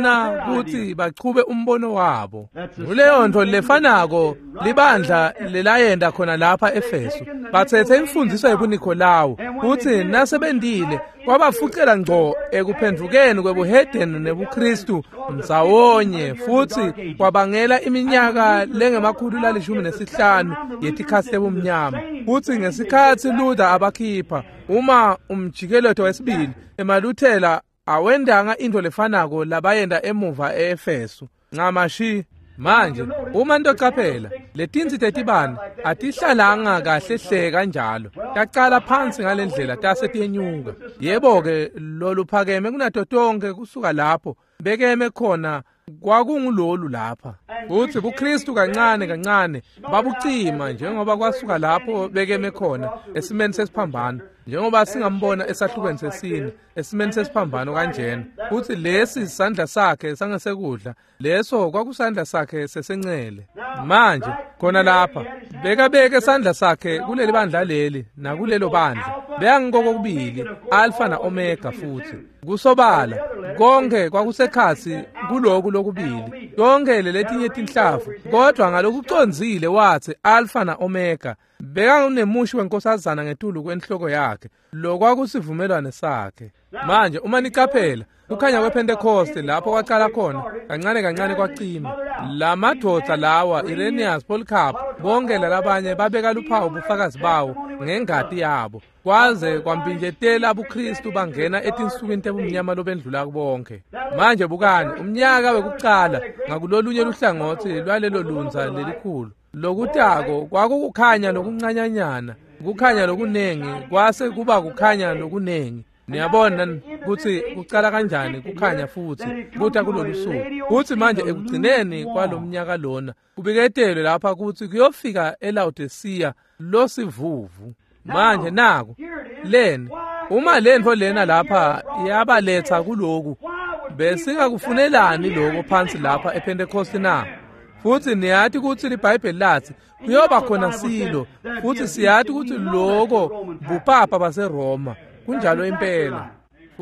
ukuthi bachube umbono wabo. Nguleyo nto lefanako libandla lelayenda khona lapha eFeso. Bathethe imfundiso yebuNikolawu futhi nasebendile kwabafucela ngco ekuphendukeni kwebuhedeni nebuKristu ndzawonye, futhi kwabangela iminyaka lengama-115 yetikhatsi tebumnyama. Futhi ngesikhatsi Luther abakhipha uma umjikeleto wesibili, emaLuthela awendanga into lefanako labayenda emuva eEfeso. Ncamashi. Manje uma ntocaphela letinsi tetibane atihlalanga kahle hle kanjalo, tacala phansi ngalendlela tase tiyenyuka. Yebo-ke, loluphakeme kunato tonke kusuka lapho bekeme khona kwakungulolu lapha. Futhi buKristu kancane kancane babucima njengoba kwasuka lapho bekeme khona esimeni sesiphambano, njengoba singambona esahlukweni sesine esimeni sesiphambano kanjena. Futhi lesi sandla sakhe sangesekudla, leso kwakusandla sakhe sesencele. Manje khona lapha bekabeke sandla sakhe kuleli bandla leli nakulelo bandla, beyangikokubili Alpha na Omega. Futhi kusobala konke kwakusekhatsi kuloku lokubili, konke leletinye tinhlavu, kodwa ngalokucondzile wathi Alpha na Omega. Bekanemushi wenkosazana ngetulu kwenhloko yakhe, lokwakusivumelwane sakhe. Manje uma nicaphela kukhanya kwePentecost lapho kwacala khona kancane kancane kwacima. Lamadvodza lawa, Irenaeus, Polycarp, bonke lalabanye babeka luphawu bufakazi bawo ngengati yabo, kwaze kwampinjetela buKristu bangena etinsukwini tebumnyama lobendlula bonke. Manje bukani umnyaka wekucala ngakulolunye luhlangothi lwalelo lunza lelikhulu lokutako kwakukukhanya lokuncanyanyana, kukhanya lokunengi kwase kuba kukhanya lokunengi. Niyabona kutsi kucala kanjani kukhanya futhi kuta kulolu suku. Futhi manje ekugcineni kwalomnyaka lona kubiketelwe lapha kutsi kuyofika eLaodicea losivuvu. Manje naku leni uma lentfo lena lapha yabaletha kuloku, besingakufunelani lokho phansi lapha ePentecost na? Futhi niyati kutsi liBhayibheli lathi kuyoba khona silo, futhi siyati kutsi loko bupapa baseRoma. Kunjalo impela.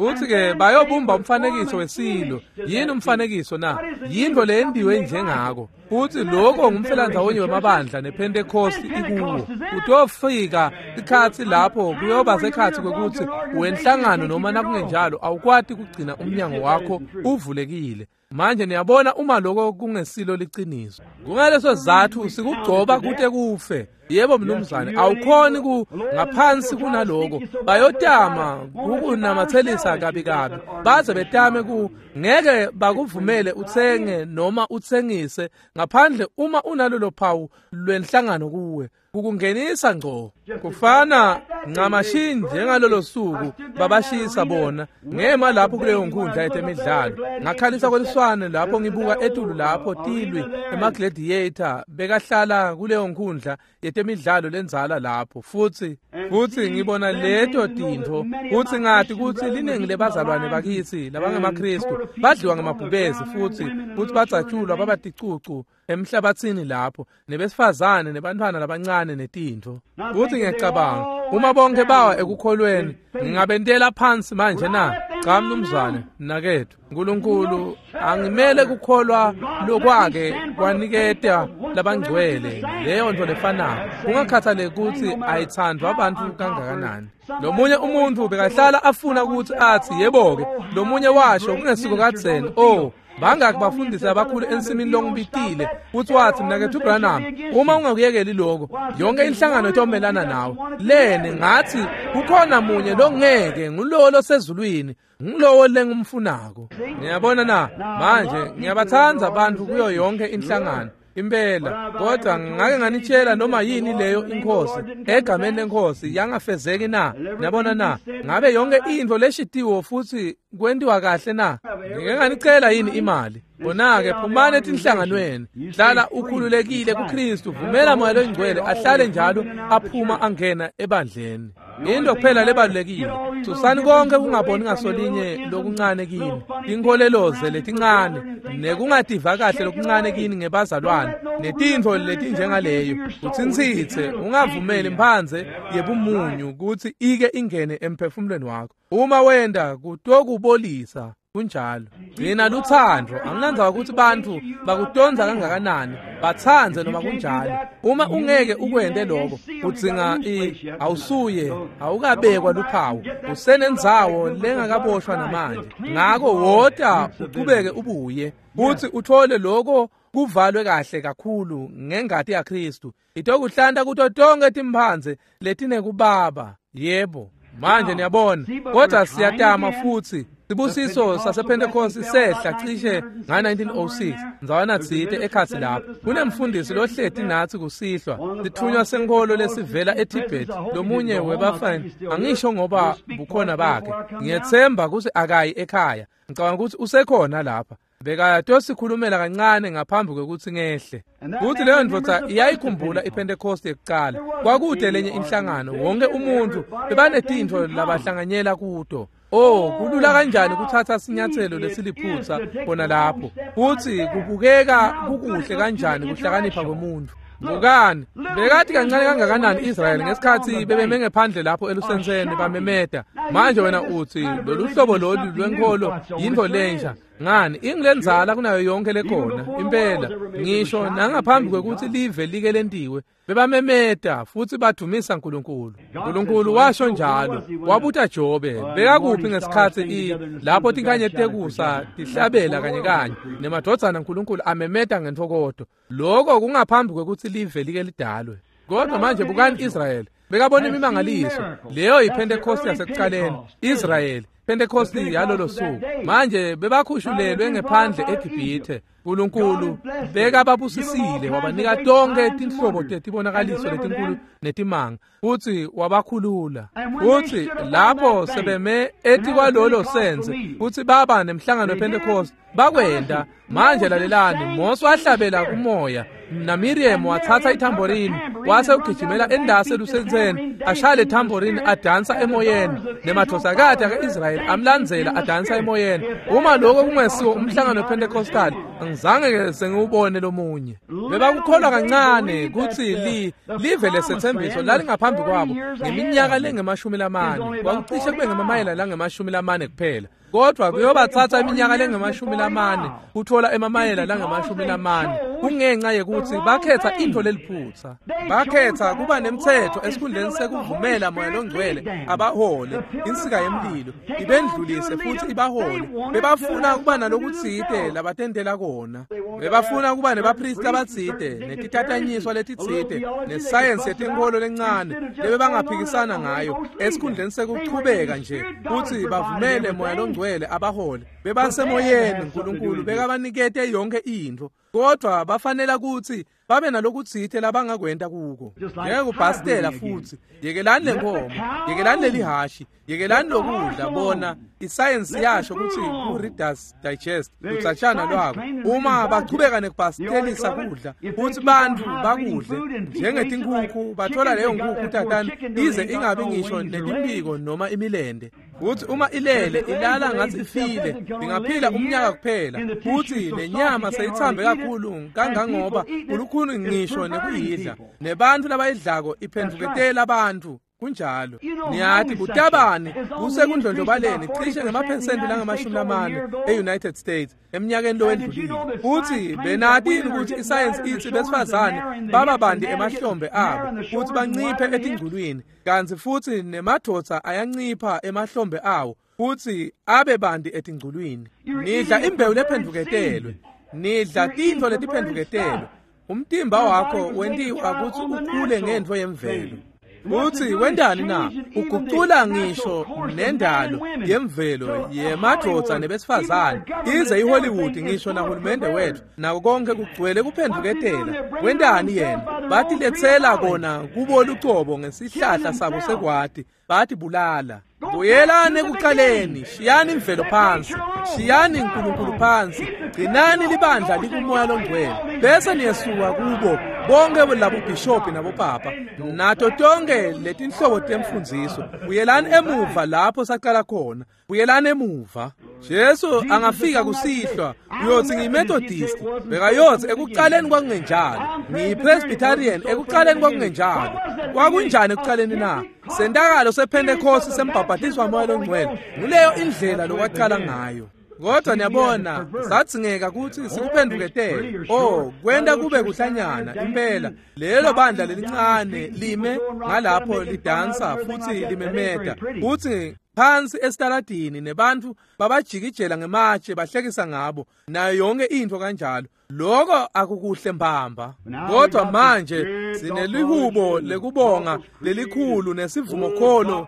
Futhi-ke bayobumba umfanekiso wesilo. Yini umfanekiso na? Yinto leyendiwe njengako. Futhi lokho ngumfelandzawonye wemabandla nePhentekosti ikuwo. Kutofika sikhatsi lapho kuyoba sekhatsi kwekutsi wenhlangano noma nakungenjalo awukwati kugcina umnyango wakho uvulekile. Manje niyabona uma lokho kungesilo liciniso. Kungaleso sizatfu sikugcoba kute kufe. Yebo mnumzane, awukhoni ku ngaphansi kunaloko. Bayotama kukunamathelisa kabi kabi. Baze betame ku ngeke bakuvumele utsenge noma utsengise ngaphandle uma unalolo phawu lwenhlangano kuwe. Kukungenisa ngco. Kufana ncamashi njengalolo suku babashisa bona ngema lapho kuleyo nkundla yetemidlalo. Ngakhalisa kweliswane lapho ngibuka etulu lapho tilwi emagladiator bekahlala kuleyo nkundla yetemidlalo lendzala lapho futhi ngibona leto tintfo futhi ngati kutsi liningi lebazalwane bakithi labangemaKristu badliwa ngemabhubezi futhi badzatshulwa baba ticucu emhlabathini lapho nebesifazane nebantfwana labancane netintfo. Futhi ngiyacabanga uma bonke bawa ekukholweni ngingabentela phansi manje na? Cha mnumzane, mnaketfu, uNkulunkulu angimele kukholwa lokwake kwaniketa labangcwele leyo nto lefanako kungakhathaleki kutsi ayithandwa abantu kangakanani. Lomunye umuntu bekahlala afuna ukuthi athi yebo-ke, lomunye washo kungesiko kadzeni, oh bangaki bafundisi abakhulu ensimini longibitile futhi wathi mnaketfu Branham, uma ungakuyekeli lokho yonke inhlangano itomelana nawe. Lene ngathi kukhona munye longeke, ngulowo losezulwini, ngulowo lengumfunako. Ngiyabona na? Manje ngiyabathanda abantu kuyo yonke inhlangano impela, kodwa ngake nganitshela noma yini leyo inkosi egameni lenkosi yangafezeki na? Niyabona na? Ngabe yonke intfo leshitiwo futhi kwentiwa kahle na? Ngike nganicela yini imali? Bona-ke phumani etinhlanganweni, hlala ukhululekile kuKristu, vumela Moya loyiNgcwele ahlale njalo aphuma angena ebandleni. Into kuphela lebalulekile, susani konke kungaboni ngasolinye lokuncane kini, tinkholeloze letincane nekungativa kahle lokuncane kini ngebazalwane netintfo letinjengaleyo. Utsintsitse, ungavumeli imphandze yebumunyu kutsi ike ingene emphefumulweni wakho. Uma wenda kutokubolisa. Kunjalo. Gcina luthando, anginandzaba ukuthi bantfu bakutondza kangakanani, batsandze noma kunjalo. Uma ungeke ukwente lokho, udzinga awusuye, awukabekwa luphawu, usenendzawo lengakaboshwa namanje. Ngako wota uchubeke ubuye, futhi uthole lokho kuvalwe kahle kakhulu ngengati yaKristu. Itokuhlanta kuto tonke timphandze letinekubaba. Yebo. Manje niyabona, kodwa siyatama futhi. Sibusiso sasePhentekosti sehla cishe nga-1906 ndzawana tsite ekhatsi lapho. Kunemfundisi lohleti natsi kusihlwa, sitfunywa senkholo lesivela eTibet, lomunye webafana, angisho ngoba bukhona bakhe. Ngiyetsemba kutsi akayi ekhaya. Ngicabanga kutsi usekhona lapha. Bekatosikhulumela kancane ngaphambi kwekutsi ngehle. Kuthi leyo ndvodza iyayikhumbula iPhentekosti yekucala. Kwakude lenye inhlangano, wonke umuntu bebanetintfo labahlanganyela kuto. Oh, kulula kanjani kuthatha sinyathelo lesiliphutsa khona lapho. Futhi kubukeka kukuhle kanjani kuhlakanipha kwemuntu. Bukani, bekathi kancane kangakanani Israyeli ngesikhatsi bebeme ngephandle lapho elusenseni bamemeta. Manje wena uthi lolu hlobo lolu lwenkholo yintfo lensha. Ngani, ingilenzala kunayo yonke lekhona impela. Ngisho nangaphambi kwekutsi live like lentiwe, bebamemeta futhi badumisa uNkulunkulu. uNkulunkulu washo njalo, wabuta Jobe, bekakuphi ngesikhatsi lapho tinkanyeti tekusa tihlabela kanye kanye nemadvodzana uNkulunkulu amemeta ngentfokoto. Lokho kungaphambi kwekutsi live like lidalwe. Kodwa manje bukani Israyeli, bekabona imimangaliso. Leyo yiPhentekosti yasekucaleni, Israyeli, Pentekosti yalolo suku. Manje bebakhushulelwe ngephandle eGibhithe. uNkulunkulu bekababusisile, wabanika tonke tinhlobo tetibonakaliso letinkulu netimanga, futhi wabakhulula. Futhi lapho sebeme etikwalolo senze, futhi baba nemhlangano wePhentekosti, bakwenda. Manje lalelani, Mose wahlabela kumoya, naMiriam wathatha ithamborini, Wase ugijimela endase lusentseni, ashaya le tambourine adansa emoyeni, nemadvodzakati aka-Israyeli amlandzela adansa emoyeni. Uma lokho kungesiwo umhlangano wePentecostal, angizange sengiwubone lomunye. Bebakukholwa kancane kutsi live lesetsembiso lalingaphambi kwabo ngeminyaka lengemashumi lamane, kwakucishe kube ngemamayela langemashumi lamane kuphela. Kodwa kuyobatsatsa iminyaka lengemashumi lamane kutfola emamayela langemashumi lamane, kungenxa yekutsi bakhetsa intfo leliphutsa. Bakhetsa kuba nemtsetfo esikhundleni sekuvumela Moya Longcwele abahole, insika yemlilo ibendlulise futsi ibahole. Bebafuna kuba nalokutsite labatentela kona. Bebafuna kuba nebaphristi labatsite, netitatanyiswa letitsite, nesayensi yetenkholo lencane lebebangaphikisana ngayo, esikhundleni sekuchubeka nje kutsi bavumele Moya Longcwele abahole. Bebasemoyeni, Nkulunkulu bekabanikete yonkhe intfo, kodvwa bafanela kutsi babe nalokutsite labangakwenta kuko, njengekubhastela futsi. Yekelani lenkomo, yekelani lelihashi, yekelani lokudla. Bona isayensi yasho kutsi ku-Reader's Digest lutsatshana lwako, uma bachubeka nekubhastelisa kudla futsi bantfu bakudle njengetinkhukhu, batfola leyo nkhukhu tatane ize ingabi ngisho netimphiko noma imilende. Futsi uma ilele, ilala ngathi ifile, ingaphila umnyaka kuphela, futhi lenyama seyithambe kakhulu kangangoba kulukhuni ngisho nekuyidla, nebantfu labayidlako iphendvuketela abantu. Kunjalo. Niyati butabani busekundlondlobaleni cishe ngemaphesenti langamashumi lamane e-United States eminyakeni lowendlulile. Futhi benati yini ukuthi isayensi itsi besifazane baba bandi emahlombe abo futhi banciphe etingculwini, kantsi futhi nemadvodza ayancipha emahlombe awo futhi abe bandi etingculwini? Nidla imbewu lephendvuketelwe, nidla tintfo letiphendvuketelwe. Umtimba wakho wentiwa kutsi ukhule ngentfo yemvelo. Futsi wentani na? Ugucula ngisho nendalo yemvelo yemadvodza nebesifazane, ize iHollywood ngisho nahulumende wetfu nako konke kugcwele kuphendvuketela. Wentani yena? Batiletsela kona kubo lucobo ngesihlahla sabo sekwati, batibulala. Buyelani ekuqaleni, shiyani imvelo phansi, shiyani Nkulunkulu phansi, gcinani libandla likuMoya Longcwele, bese niyesuka kubo bonke labobhishobhi nabopapa nato tonke letinhlobo temfundziso. Buyelani emuva lapho saqala khona, buyelani emuva. Jesu angafika kusihlwa, uyotsi ngiyiMethodist, bekayotsi ekuqaleni kwakungenjalo. Ngiyi-Presbyterian, ekuqaleni kwakungenjalo. Kwakunjani ekuqaleni na? Sentakalo sePhentekhosti sembhabhatiswa Moya Longcwele, nguleyo indlela lokwaqala ngayo. Kodwa niyabona, sadzingeka kutsi sikuphendvuketele, oh, kwenta kube kuhlanyana impela. Lelo bandla lelincane lime ngalapho lidansa futhi limemeta futsi phansi esitaladini, nebantfu babajikijela ngematshe, bahlekisa ngabo nayo yonke intfo kanjalo. Lokho akukuhle mbamba. Kodwa manje sinelihubo lekubonga lelikhulu nesivumokholo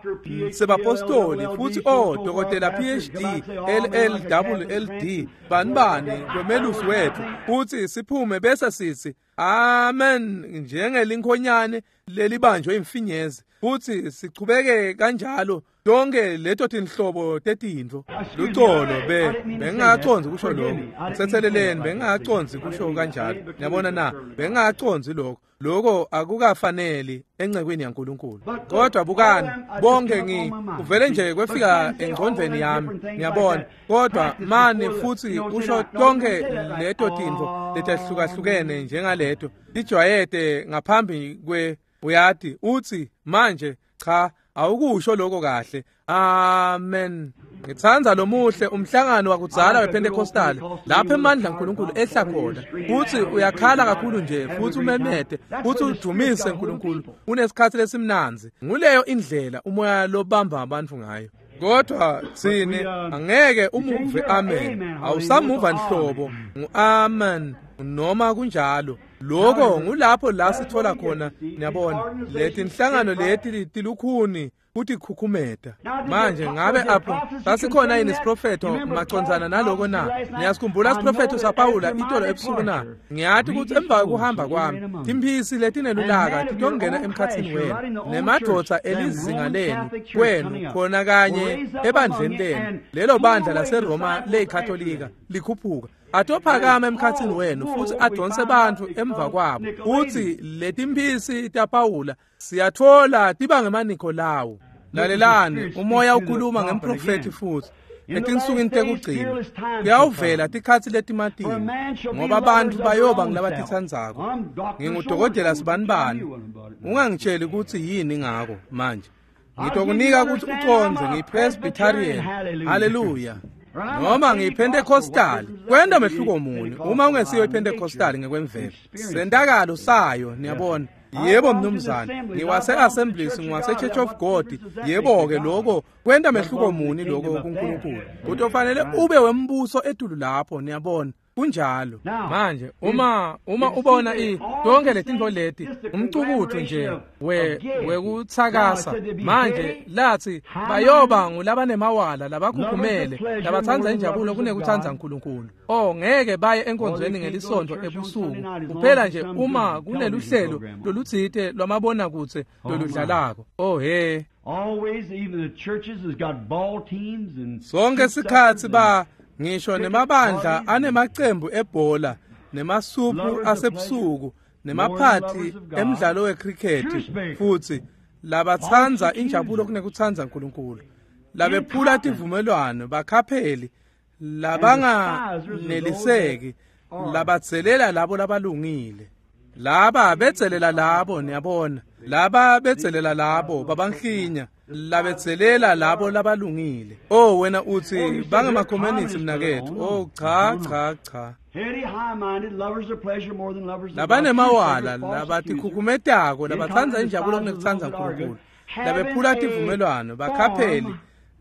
sebapostoli futhi oh dokotela PhD LL LLD bani bani kwemelusi wethu, futhi siphume bese sithi amen njengelinkhonyane lelibanjwe imfinyezi, futhi sichubeke kanjalo, tonke leto tinhlobo tetintfo. Lucolo, be bengingacondzi kusho lokho, ngitsetseleleni, bengingacondzi kusho kanjalo. Niyabona na? Bengingacondzi lokho, lokho akukafaneli encekwini yaNkulunkulu. Kodwa bukani, bonke ngi kuvele nje kwefika engcondvweni yami, ngiyabona. Kodwa mani futhi usho tonke leto tintfo letahlukahlukene njengaleto lijwayete ngaphambi kwe, uyati, uthi manje cha, awukusho lokho kahle, amen. Ngitsandza lomuhle umhlangano wakudzala wePentecostal lapho emandla kaNkulunkulu ehla khona, futhi uyakhala kakhulu nje futhi umemete futhi udumise uNkulunkulu, unesikhathi lesimnandzi. Nguleyo indlela umoya lobamba abantu ngayo. Kodwa tsine angeke umuve amen, awusamuva nhlobo, ngu-amen noma kunjalo. Lokho ngulapho la sithola khona, niyabona, leti inhlangano leti tilukhuni. kutikhukhumeta. Manje ngabe apho sasikhona yini isiprofetho macondzana naloko na? Niyasikhumbula isiprofetho saPawula itolo ebusuku na? Ngiyati kutsi emva kwekuhamba kwami timphisi letinelulaka titongena emkhatsini wenu, nemadvodza elizinga lenu kwenu khona kanye ebandleni lenu, lelo bandla laseRoma leyikatolika likhuphuka, atophakama emkhatsini wenu futsi adonse bantfu emva kwabo. Utsi letimphisi taPawula siyatfola tiba ngemaNikolawu. Lalelani, umoya ukhuluma ngemprofethi futsi etinsukwini tekugcina kuyawuvela tikhatsi letimatima, ngoba bantfu bayoba ngilabatitsandzako. Ngingudokotela sibanibani, ungangitsheli kutsi yini ngako manje. Ngitokunika kutsi ucondze, ngiyiPresbyterian, haleluya, noma ngiyiPentecostal. Kwenta mehluko muni uma ungesiyo iPentecostal ngekwemvelo? Sentakalo sayo, niyabona. Yebo mnumzane, ngiwase-Assemblies, ngiwase-Church of God. Yebo-ke, lokho kwenta mehluko muni lokho kuNkulunkulu? Kutofanele ube wembuso etulu lapho, niyabona. Kunjalo. Manje uma ubona yonke letintfo leti, umcukutfu nje wekutsakasa. Manje lathi bayoba ngulabanemawala, labakhukhumele, labatsandza injabulo kunekutsandza uNkulunkulu. Oh, ngeke baye enkonzweni ngelisonto ebusuku kuphela nje uma kuneluhlelo lolutsite lwamabonakudze loludlalako. Oh he, sonke sikhatsi ba ngisho nemabandla anemacembu ebhola, nemasuphu asebusuku, nemaphathi emidlalo wecricket, futsi labatsandza injabulo kunekutsandza uNkulunkulu, labephula tivumelwano, bakhapheli, labanganeliseki, labatselela labo labalungile. Laba betselela labo, niyabona. Laba betselela labo babanklinya, labetselela labo labalungile. Oh, wena utsi bangemakhomanisi mnaketfu. Oh, cha cha cha. Labanemawala, labatikhukhumetako, labatsandza injabulo kunekutsandza uNkulunkulu, labephula tivumelwano, bakhapheli,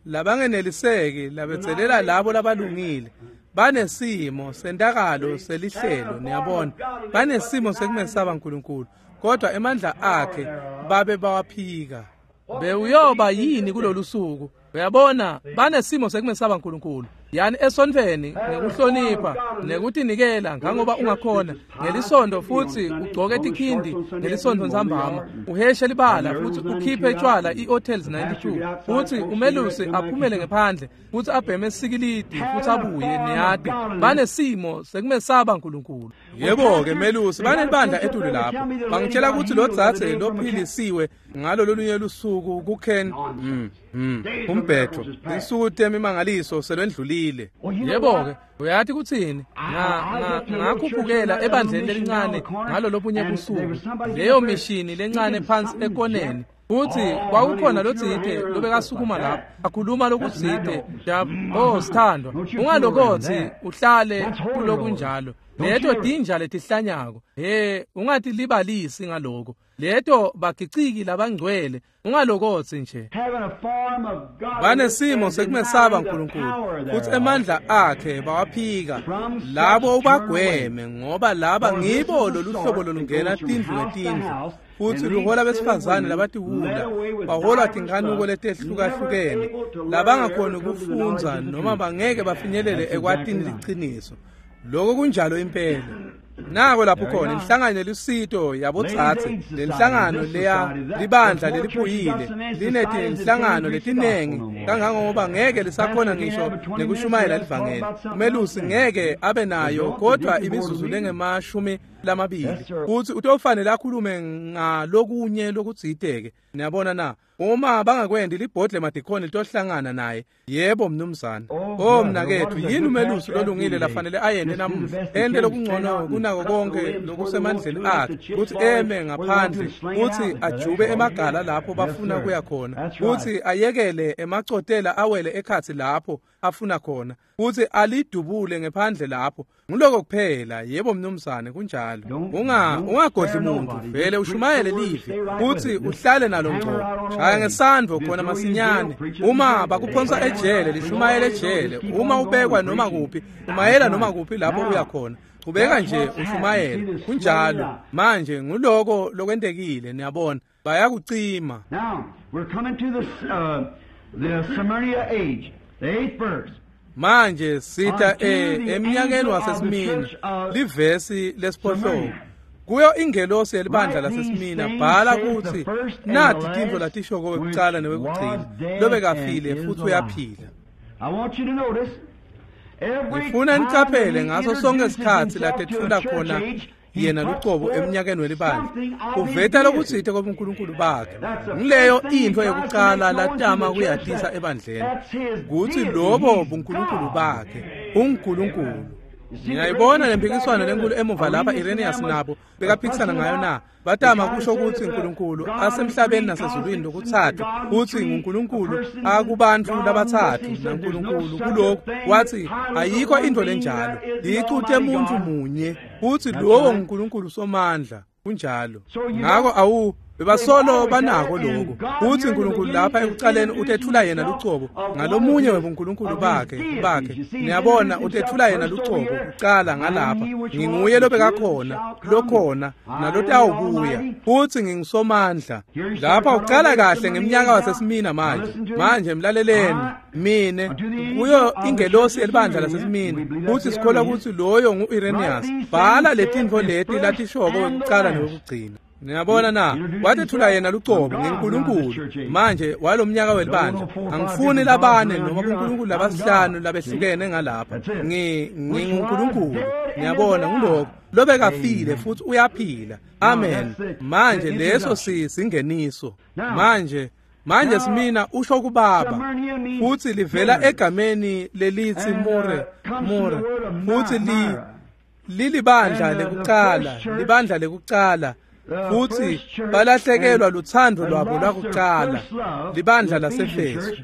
labangeneliseki, labetselela labo labalungile. Banesimo sentakalo selihlelo, niyabona. Banesimo sekumesaba uNkulunkulu, kodwa emandla akhe babe bawaphika. Bewuyoba yini kulolu suku? Uyabona, banesimo sekumesaba uNkulunkulu. Yani esontfweni ngekuhlonipha nekutinikela ngangoba ungakhona ngelisondo, futsi ugcoke tikhindi ngelisondo ntsambama, uheshe libala futsi ukhiphe tshwala i-Hotels 92, futsi umelusi aphumele ngephandle futsi abheme sikilidi futsi abuye, niyati. Banesimo sekumesaba uNkulunkulu. Yebo-ke melusi, banelibandla etulu lapho. Bangitshela kutsi lo dzadze lophilisiwe ngalo lolunye lusuku kuKen umbhetho, tinsuku temimangaliso selwendlulile. Yebo-ke, uyati kutsini? Ngakhuphukela ebandleni lelincane ngalo lobunye busuku, leyo mishini lencane phansi ekoneni, futsi kwakukhona lotsite lobekasukuma lapho akhuluma lokutsite. Oh sithandwa, ungalokotsi uhlale kulokunjalo. Leto tinja letihlanyako, he, ungatilibalisi ngaloko. Leto bagiciki labangcwele, ungalokotsi nje. Banesimo sekumesaba uNkulunkulu, futsi emandla akhe bawaphika. Labo ubagweme, ngoba laba ngibo loluhlobo lolungena tindlu ngetindlu, futsi luhola besifazane labatiwula, baholwa tinkanuko letehlukahlukene, labangakhoni kufundza noma bangeke bafinyelele ekwatini liciniso. Lokho kunjalo impela. Nako lapho khona inhlangano yelusito yabotsatse, lenhlangano leya libandla leliphuyile, linetinhlangano letinengi kangangoba ngeke lisakhona ngisho nekushumayela livangeli. Umelusi ngeke abe nayo kodwa imizuzu lengemashumi lamabili, futsi utofanele akhulume ngalokunye lokutsite-ke. Niyabona na? Uma bangakwendi, libhodle madikhoni litohlangana naye. Yebo mnumzane. Oh mnaketfu, yini umelusi lolungile lafanele ayente namuhla? Ente lokungcono kunako konke lokusemandleni akhe, kutsi eme ngaphandle, kutsi ajube emagala lapho bafuna kuya khona, kutsi ayekele emacotela awele ekhatsi lapho afuna khona, kutsi alidubule ngephandle lapho. Nguloko kuphela. Yebo mnumzane, kunjalo. Ungagodli muntu, vele ushumayele livi, kutsi uhlale nalo ngco. Shaya ngesandvo khona masinyane. Uma bakuphonsa ejele, lishumayele ejele. Uma ubekwa noma kuphi, umayela noma kuphi lapho uya khona. Chubeka nje ushumayele. Kunjalo. Manje nguloko lokwentekile, niyabona. Bayakucima. Now, we're coming to the Smyrna age, the 8th verse. Manje sita eminyakeni waseSmina, livesi lesiphohlongo. Kuyo ingelosi yelibandla laseSmina bhala kutsi nati tintfo latishoko wekucala newekugcina, lobekafile futhi uyaphila. Ngifuna nicaphele ngaso sonke isikhatsi latetfula khona yena lucobo eminyakeni welibandla, uveta lokutsite kobuNkulunkulu bakhe. Ngileyo intfo yekucala latama kuyatisa ebandleni, kutsi lobo buNkulunkulu bakhe, unguNkulunkulu. Ngiyayibona lempikiswano lenkulu emuva lapha Irenaeus nabo bekaphikisana ngayo na. Batama kusho kutsi uNkulunkulu asemhlabeni nasezulwini lokutsatfu, kutsi nguNkulunkulu akubantfu labatsatfu naNkulunkulu kulokhu. Wathi ayikho intfo lenjalo, licute muntfu munye, kutsi lowo nguNkulunkulu somandla. Kunjalo. Ngako bebasolo banako lokho kutsi uNkulunkulu lapha ekucaleni utethula yena lucobo ngalomunye webuNkulunkulu bakhe. Niyabona, utethula yena lucobo kucala ngalapha, nginguye lobekakhona, lokhona nalotawubuya, futhi ngingisomandla. Lapha ucala kahle ngemnyaka waseSmina. Manje mlaleleni mine kuyo ingelosi yelibandla laseSmina, futhi sikholwa kutsi loyo ngu-Irenaeus. Bhala letintfo leti latishoko wekucala newekugcina. Niyabona na, watethula yena lucobo ngeNkulunkulu. Manje walomnyaka welibandla angifuni labane noma kuNkulunkulu labasihlanu labehlukene ngalapha. NginguNkulunkulu. Niyabona, nguloko lobekafile futhi uyaphila. Amen. Manje leso singeniso. Manje Smina usho kubaba, futhi livela egameni lelithi More, futhi lilibandla lekucala, libandla lekucala. Futhi balahlekelwa luthando lwabo lwakucala, libandla laseFesu.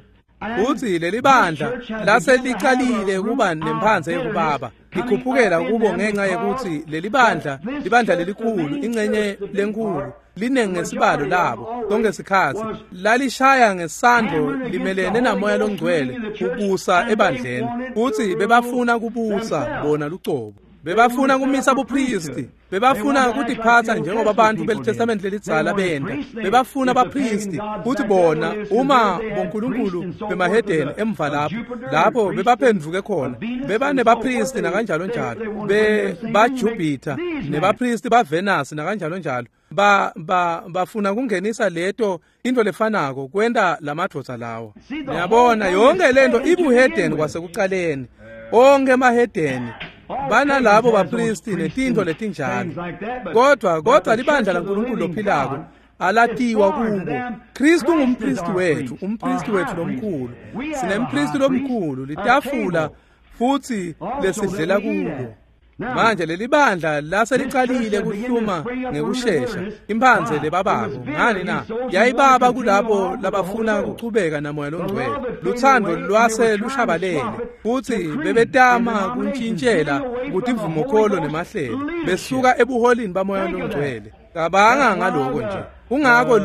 Futhi lelibandla laselicalile kuba nemphandze yekubaba, likhuphukela kubo ngenxa yekuthi lelibandla, libandla lelikhulu, ingcenye lenkulu, linengi ngesibalo labo sonke sikhatsi lalishaya ngesandlo limelene namoya longcwele kubusa ebandleni. Futhi bebafuna kubusa bona lucobo, bebafuna kumisa bupristi, bebafuna kutiphatsa njengoba abantu beliTestament lelidzala benta. Bebafuna bapristi kuthi bona uma bonkulunkulu bemahedeni emva lapho bebaphendvuke khona, bebanebapristi nakanjalo njalo, baJupiter nebapristi baVenus nakanjalo njalo. Bafuna kungenisa leto into lefanako kwenta lamadvodza lawo. Niyabona, yonke lento ibuhedeni kwasekucaleni. Onke emahedeni banalabo bapristi netintfo letinjalo, kodwa libandla laNkulunkulu lophilako alatiwa kubo. Kristu ngumpristi wethu, umpristi wethu lomkhulu. Sinempristi lomkhulu, litafula futhi lesidlela kulo. Manje lelibandla laselicalile kuhluma ngekushesha imphandze lebabako. Ngani na? Yayibaba kulabo labafuna kuchubeka namoya longcwele. Luthando lwase lushabalele, futhi bebetama kuntshintshela kutimvumokholo nemahlelo, besuka ebuholini bamoya longcwele. Cabanga ngaloko nje. Kungako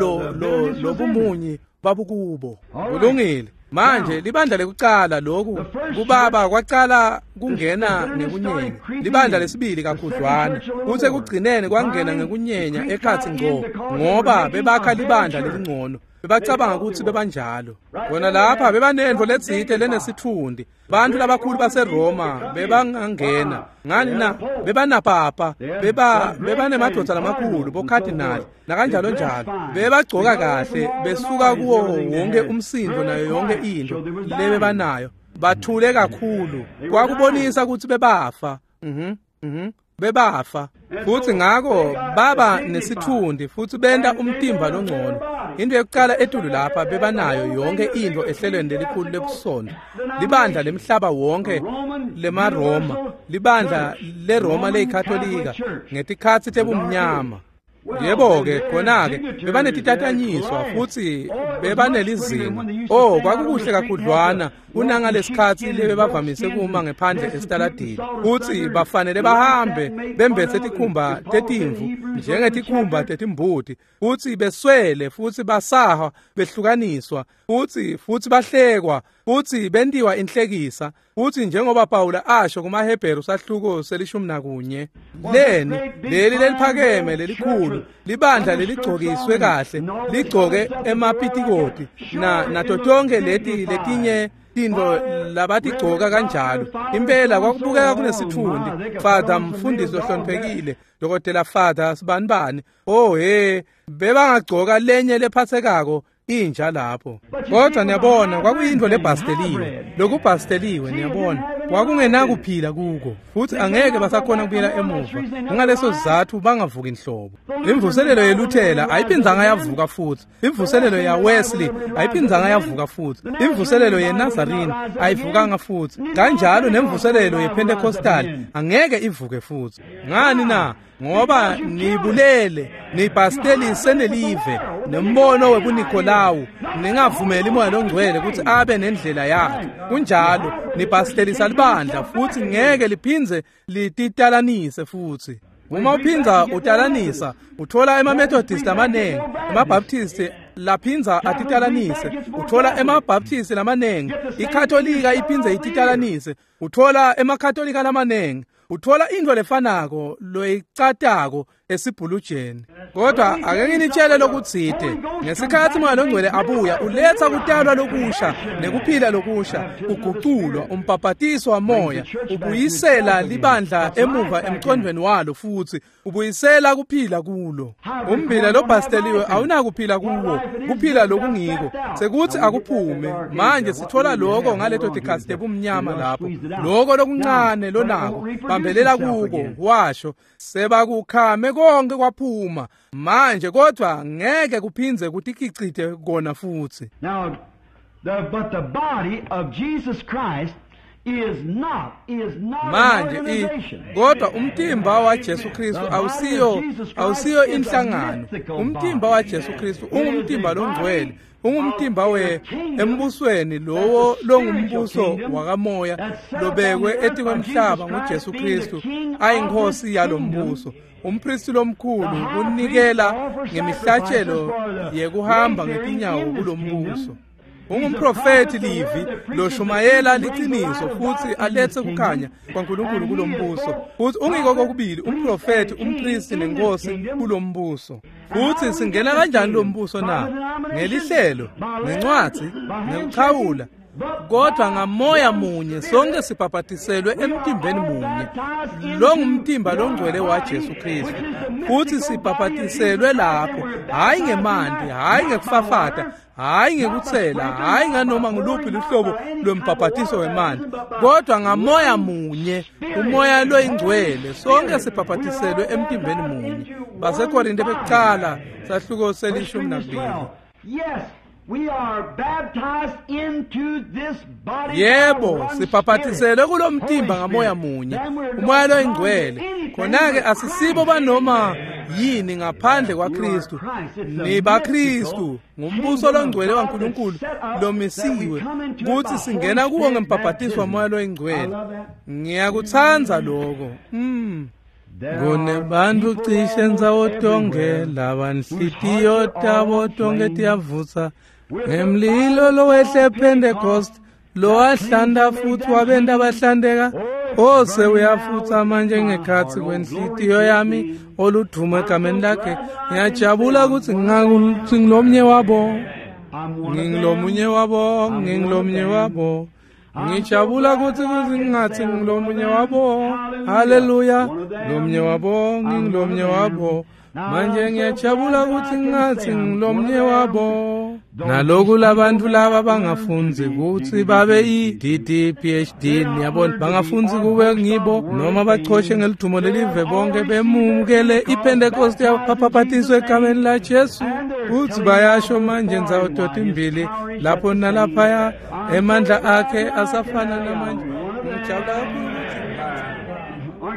lobumunyi babukubo. Kulungile. Manje libandla lekucala lokhu kubaba kwacala kungena ngekunyenya, libandla lesibili kakhudlwana, kuthe kugcineni kwangena ngekunyenya ekhatsi ngco, ngoba bebakha libandla lelingcono. Bebacabanga kutsi bebanjalo. Kona lapha bebanentfo letsite lenesitfundi. Bantfu labakhulu baseRoma bebangangena. Ngani na? Bebanapapa, bebanemadvodza lamakhulu, bokhadinali nakanjalo njalo. Bebagcoka kahle, besuka kuwo wonke umsindo nayo yonke into lebebanayo. Bathule kakhulu. Kwakubonisa kutsi bebafa. Bebafa. Futhi ngako baba nesitfundi futhi benta umtimba longcono. Into yokucala etulu lapha bebanayo yonke into ehlelweni lelikhulu lebusondo, libandla lemhlaba wonke lemaRoma, libandla leRoma leyikatolika ngetikhatsi tebumnyama. Yebo-ke, khona-ke bebanetitatanyiswa futsi bebanelizinga. Oh, kwakukuhle kakhudlwana kunangalesikhatsi lebebavamise kuma ngephandle esitaladini, futsi bafanele bahambe bembetse tikhumba tetimvu njengetikhumba tetimbuti, futsi beswele, futsi basahwa, behlukaniswa, futsi bahlekwa, futsi bentiwa inhlekisa. Futsi njengoba Pawula asho kumaHebheru sahluko se-11, leni leli leliphakeme lelikhulu libandla leligcokiswe kahle ligcoke emapitikoti nato tonke leti letinye tintfo labatigcoka kanjalo. Impela kwakubukeka kunesitfundi. Father mfundisi ohloniphekile, Dokotela Father sibanibani, oh he, bebangagcoka lenye lephatsekako inja lapho. Kodwa niyabona kwakuyintfo lebhasteliwe, lokubhasteliwe, niyabona kwakungenakuphila kuko, futsi angeke basakhona kubuyela emuva. Kungaleso sizatfu bangavuki inhlobo. Imvuselelo yeLuthela ayiphindzanga yavuka futsi, imvuselelo yaWesley ayiphindzanga yavuka futsi, imvuselelo yeNazarene ayivukanga futsi, kanjalo nemvuselelo yePentecostal angeke ivuke futsi. Ngani na? Ngoba nibulele, nibhastelise nelive nembono webuNikolawu, ningavumeli Moya loNgcwele kutsi abe nendlela yakhe. Kunjalo, nibhastelisa libandla futsi ngeke liphindze lititalanise futsi. Uma uphindza utalanisa, uthola emaMethodist amanengi, emaBaptist laphinza atitalanise, uthola emaBaptist lamanengi, iKatolika iphindze ititalanise, uthola emaKatolika lamanengi, uthola intfo lefanako loyicatako esibhulujeni. Kodwa ake nginitshele lokutsite, ngesikhatsi Moya loNgcwele abuya, uletsa kutalwa lokusha nekuphila lokusha, uguculwa, umbhabhatiso wamoya, ubuyisela libandla emuva emcondvweni walo futsi ubuyisela kuphila kulo. Umbila lobhasteliwe awunakuphila kuwo, kuphila lokungiko sekutsi akuphume. Manje sithola lokho ngaleto tikhatsi tebumnyama lapho lokho lokuncane lonako bambelela kuko, washo sebakukhame konke kwaphuma manje, kodwa ngeke kuphindze kutikicite kona futsi. Now, but the body of Jesus Christ is not manje kodwa umtimba waJesu Kristu awusiyo inhlangano. Umtimba waJesu Kristu ungumtimba longcwele, ungumtimba we embusweni lowo longumbuso wakamoya lobekwe etikwemhlaba nguJesu Kristu ayinkosi yalombuso. Umpristi lomkhulu kunikela ngemihlatshelo yekuhamba ngetinyawo kulombuso. Ungumprofeti livi loshumayela liciniso futsi aletse kukhanya kwaNkulunkulu kulombuso. Futsi ungiko kokubili umprofeti, umpristi nenkosi kulombuso. Futsi singena kanjani lombuso na? Ngelihlelo, ngencwadzi, ngekuchawula. Kodwa ngamoya munye sonke sibhabhatiselwe emtimbeni munye, lo ngumtimba longcwele waJesu Kristu. Futsi sibhabhatiselwe lapho, hhayi ngemanti, hhayi ngekufafata, hhayi ngekutsela, hhayi nganoma nguluphi luhlobo lwembhabhatiso wemanti, kodwa ngamoya munye, umoya loyingcwele, sonke sibhabhatiselwe emtimbeni munye. BaseKorinte bekucala sahluko se-12. Yes, we are baptized into this body. Yebo, sibhabhatiselwe kulomtimba ngamoya munye, umoya loyingcwele. Khona-ke asisibo banoma yini ngaphandle kwaKristu. NibaKristu, ngumbuso longcwele waNkulunkulu lomisiwe kutsi singena kuwo ngembhabhatiso wamoya loyingcwele. Ngiyakutsandza lokho. Kunebantu cishe ndzawo tonke labanhlitiyo tabo tonke tiyavutsa ngemlilo lowehle Pentecost lowahlanda futsi wabenta bahlandeka. Ose uyafutsa manje ngekhatsi kwenhlitiyo yami oludumo egameni lakhe. Ngiyajabula kutsi ngingilomnye wabo, ngingilomnye wabo, ngingilomnye wabo. Ngijabula kutsi ngingathi ngilomunye wabo. Haleluya, lomnye wabo, ngingilomnye wabo. Manje ngiyajabula kutsi ngingathi ngilomnye wabo. Naloku labantu laba bangafundzi kutsi babe i-DD PhD, niyabona, bangafundzi kube ngibo noma bachoshe ngelithumo lelive bonke bemukele iPentecost yabhabhatiswe egameni la Jesu. Kutsi bayasho manje ndzawo totimbili lapho nalaphaya, emandla akhe asafana namanje. Ngijabula kakhulu kutsi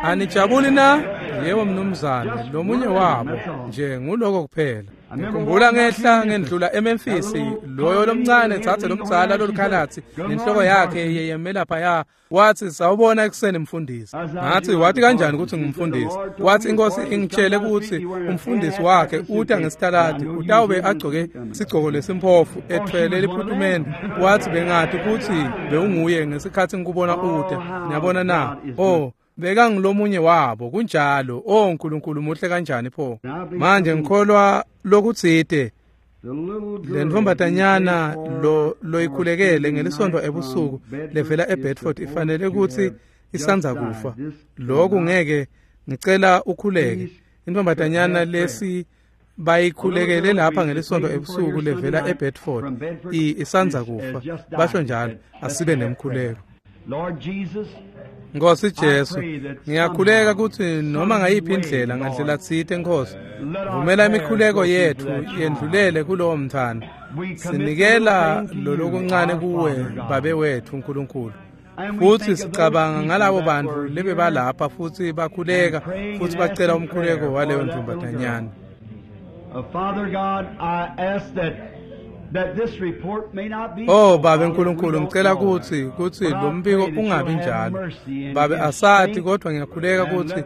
Anijabuli na? Yebo mnumzane, lomunye wabo nje nguloko kuphela. Ngikhumbula ngehla ngendlula eMemphis, loyo lomncane tsatse lomdzala lolukhalatsi nenhloko yakhe yeyeme laphaya, wathi sawubona ekuseni mfundisi. Ngathi wathi kanjani ukuthi ngumfundisi? Wathi inkosi ingitshele ukuthi umfundisi wakhe uta ngesitaladi utawube agcoke sigcoko lesimphofu ethwele liphutumende. Wathi bengathi ukuthi bewunguye ngesikhathi ngikubona uta. Niyabona na? Oh, bekangilomunye wabo kunjalo. Oh uNkulunkulu muhle kanjani pho. Manje ngikholwa lokutsite le ntombatanyana lo loyikhulekele ngelisonto ebusuku levela eBedford ifanele ukuthi isanza kufa. Lokhu ngeke, ngicela ukhuleke. Intombatanyana lesi bayikhulekele lapha ngelisonto ebusuku levela eBedford isanza kufa, basho njalo. Asibe nemkhuleko. Nkosi Jesu, ngiyakhuleka ukuthi noma ngayiphi indlela, ngandlela tsite Nkosi, vumela imikhuleko yethu yendlulele kulowo mntwana. Sinikela lolokuncane kuwe, Babe wethu uNkulunkulu. Futhi sicabanga ngalabo bantu lebebalapha futhi bakhuleka futhi bacela umkhuleko waleyo ntombatanyana. Father God, I ask that this report may not be. Oh Babe uNkulunkulu, ngicela kuthi lo mbiko ungabi njalo. Babe asathi, kodwa ngiyakhuleka ukuthi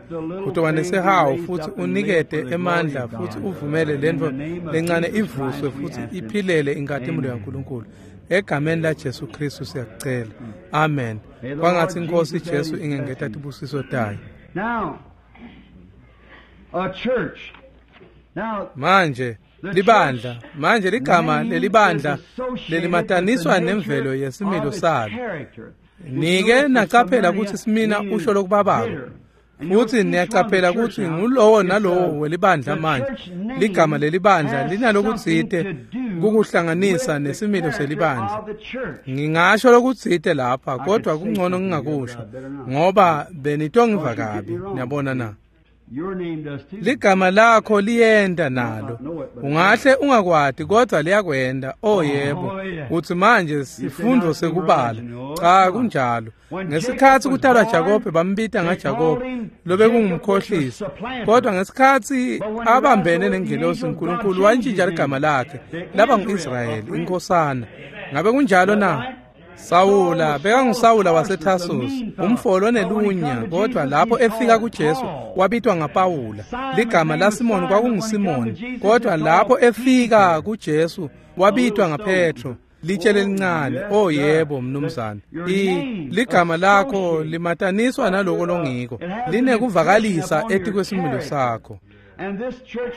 utoba nesihawu futhi unikete emandla futhi uvumele lento lencane ivuswe futhi iphilele inkazimulo yaNkulunkulu. Egameni la Jesu Kristu siyakucela. Amen. Kwangathi inkosi Jesu ingengeta tibusiso tayo. Now, a church. Now, manje libandla, manje ligama lelibandla lelimataniswa nemvelo yesimilo salo. Nike nacaphela ukuthi simina usho lokubabako, futhi niyacaphela ukuthi ngulowo nalowo welibandla. Manje ligama lelibandla linalokutsite kukuhlanganisa nesimilo selibandla. Ngingasho lokutsite lapha, kodwa kungcono ngingakusho ngoba benitongiva kabi. Niyabona na? Ligama lakho liyenda nalo. Ungahle ungakwati kodwa liyakwenda. Oh yebo. Uthi manje sifundo sekubala. Cha, kunjalo. Ngesikhathi kutalwa Jakobe bambita ngaJakobe lobekungumkhohlisi. Kodwa ngesikhathi abambene nengelosi uNkulunkulu wantshintsha ligama lakhe laba nguIsrayeli, inkosana. Ngabe kunjalo na? Sawula bekangusawula waseTarsus, umfolo onelunya, kodwa lapho efika kuJesu wabitwa ngaPawula. Ligama laSimoni kwakunguSimoni, kodwa lapho efika kuJesu wabitwa ngaPetro, litshe lelincane. Oh yebo mnumzane. Ligama lakho limataniswa naloko longiko, linekuvakalisa etikwesimilo sakho.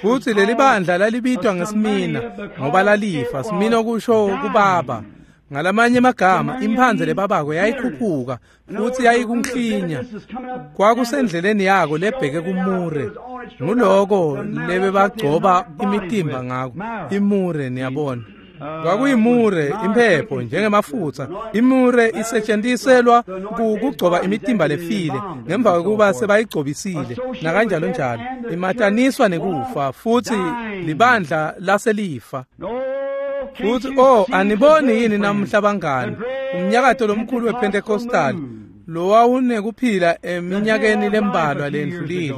Futhi leli bandla lalibitwa ngesimina ngoba lalifa. Simina kusho kubaba. Ngalamanye amagama, imphanze lebabako yayikhuphuka futhi yayikunhlinya. Kwakusendleleni yako lebheke kumure. Nguloko lebebagcoba imitimba ngako, imure, niyabona. Kwakuyimure, imphepho njengemafutha. Imure isetshentiselwa kugcoba imitimba lefile ngemva kokuba sebayigcobisile nakanjalo njalo. Imataniswa nekufa futhi libandla laselifa. Futhi oh, aniboni yini namuhla bangani, umnyakato lomkhulu wePentecostal lowawunekuphila eminyakeni lembalwa lendlulile?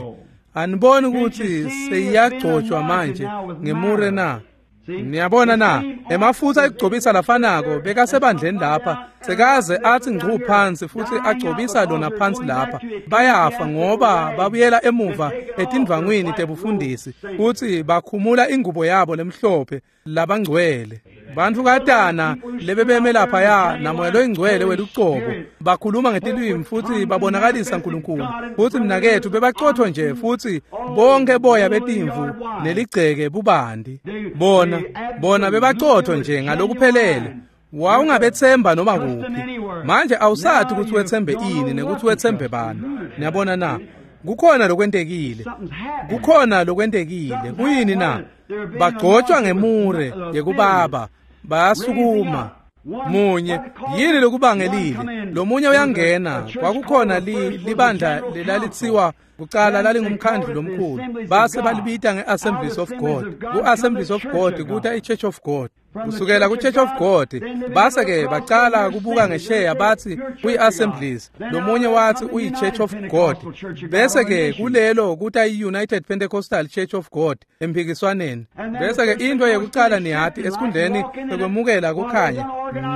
Aniboni ukuthi seyiyagcotshwa manje ngemure na? Niyabona na? Emafutha ekugcobisa lafanako bekasebandleni lapha sekaze athi ngcu phansi futhi agcobisa lona phansi lapha. Bayafa ngoba babuyela emuva etindvangwini tebufundisi futhi bakhumula ingubo yabo lemhlophe labangcwele. Bantfu katana lebebeme laphaya namoya loyingcwele welucobo bakhuluma ngetilwimi futhi babonakalisa uNkulunkulu. Futhi mnakethu bebacotho nje futhi bonke boya betimvu neligceke bubandi. Bona bebacotho nje ngalokuphelele. Wawungabethemba noma kuphi. Manje awusathi ukuthi wethembe ini nekuthi wethembe bani. Niyabona na? Kukhona lokwentekile. Kukhona lokwentekile. Kuyini na? Bagcotshwa ngemure yekubaba, bayasukuma. Munye yini lokubangelile? Lomunye uyangena. Kwakukhona libandla lelalithiwa kucala lalingumkhandlu lomkhulu, base balibita nge-Assemblies of God. Ku-Assemblies of God kuta i-Church of God. Kusukela ku-Church of God base-ke bacala kubuka ngesheya bathi kuyi-Assemblies, lomunye wathi uyi-Church of God, bese-ke kulelo kuta i-United Pentecostal Church of God emphikiswaneni. Bese-ke into yekucala niyati esikhundleni sekwemukela kukhanya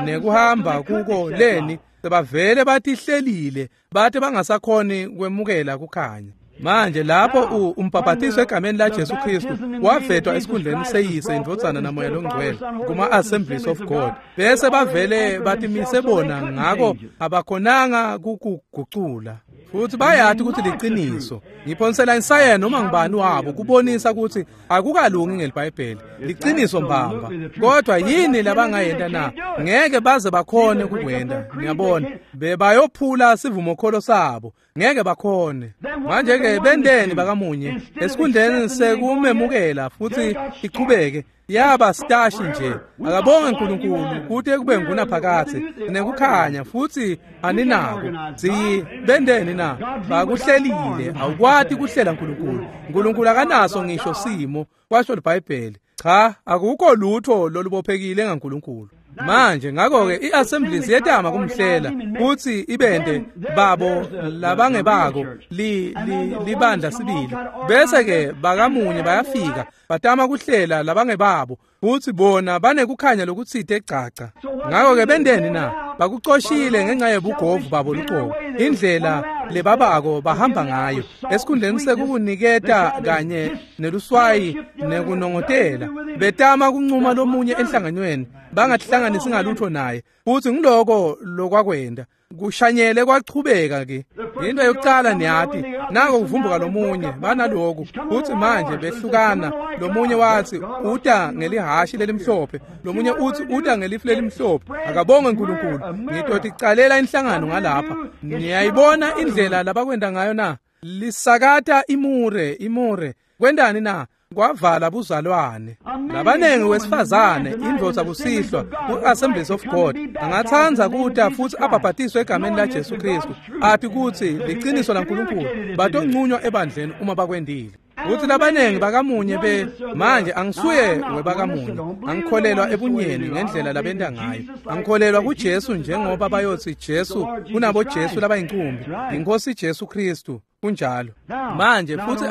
nekuhamba kuko leni sebavele batihlelile bathi bangasakhoni kwemukela kukhanya. Manje lapho umbhaphathiso egameni la Jesu Kristu wavetwa esikhundleni seyise indvodzana namoya longcwele kuma Assemblies of God, bese bavele batimise bona ngako abakhonanga kukugucula. Futhi bayathi ukuthi liqiniso. Ngiphonsela insayena noma ngibani wabo kubonisa ukuthi akukalungi ngelibhayibheli, liqiniso mbamba. Kodwa yini labangayenta na? Ngeke baze bakhone ukukwenda. Ngiyabona bebayophula sivumokholo sabo, ngeke bakhone. Manje ke bendeni bakamunye esikhundleni sekumemukela futhi iqhubeke yaba stashi nje. Akabonge uNkulunkulu kuthi kube ngunaphakathe nekukhanya futhi aninako. Siyibendeni na? Bakuhlelile. Awukwati kuhlela uNkulunkulu. uNkulunkulu akanaso ngisho simo, kwasho iBhayibheli. Cha, akukho lutho lolubophekile ngaNkulunkulu. Manje ngakho-ke i-Assemblies yetama kumhlela kuthi ibende babo labangebako libandla sibili. Bese-ke bakamunye bayafika batama kuhlela labangebabo futhi bona banekukhanya lokutsite gcaca. Ngakho-ke bendeni na? Bakucoshile ngenxa yebugovu babo luqobo, indlela lebabako bahamba ngayo esikhundleni sekukuniketa kanye neluswayi nekunongotela. Betama kuncuma lomunye enhlanganweni bangatihlanganisi ngalutho naye, futhi ngiloko lokwakwenda kushanyele kwachubeka ke. Into yokucala niyati nako kuvumbuka lomunye banaloku futhi manje behlukana. Lomunye wathi uta ngelihashi lelimhlophe, lomunye uthi uta ngelifu lelimhlophe. Akabonge uNkulunkulu, ngitoticalela inhlangano ngalapha. Niyayibona indlela labakwenda ngayo na? Lisakata imure kwendani na? Kwavala buzalwane. Labanengi wesifazane indvodza kusihlwa ku-Assemblies of God angathanza kuta futhi abhabhatiswe egameni la Jesu Kristu, athi kuthi liqiniso laNkulunkulu, batoncunywa ebandleni uma bakwendile. Kuthi labanengi bakamunye be manje angisuye webakamunye, angikholelwa ebunyeni ngendlela labenda ngayo, angikholelwa kuJesu njengoba bayothi Jesu kunabo Jesu labayincumbi, inkosi Jesu Kristu. Kunjalo. Manje futhi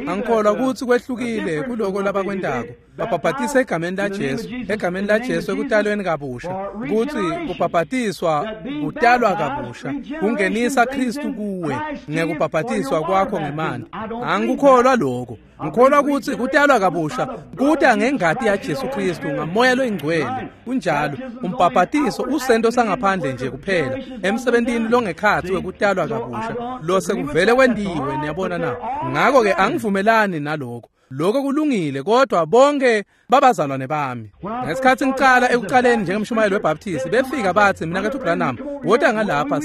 angikholwa ukuthi kwehlukile kuloko labakwendako. Babhabhatisa egameni la Jesu, egameni la Jesu ekutalweni kabusha, ukuthi kubhabhatiswa kutalwa kabusha, kungenisa Kristu kuwe ngekubhabhatiswa kwakho ngemanti. Angikukholwa lokho. Ngikholwa ukuthi kutalwa kabusha kuta ngengati ya Jesu Kristu ngamoya loyingcwele. Kunjalo. Umbhabhatiso usento sangaphandle nje kuphela emsebentini longekhathi wekutalwa kabusha lo sekuvele kwendiwe. Niyabona na? Ngakho ke angivumelani nalokho. Lokho kulungile, kodwa bonke babazalwane bami. Ngesikhathi ngicala ekuqaleni njengemshumayeli weBaptist, befika bathi mina kethu Branham, wota ngalapha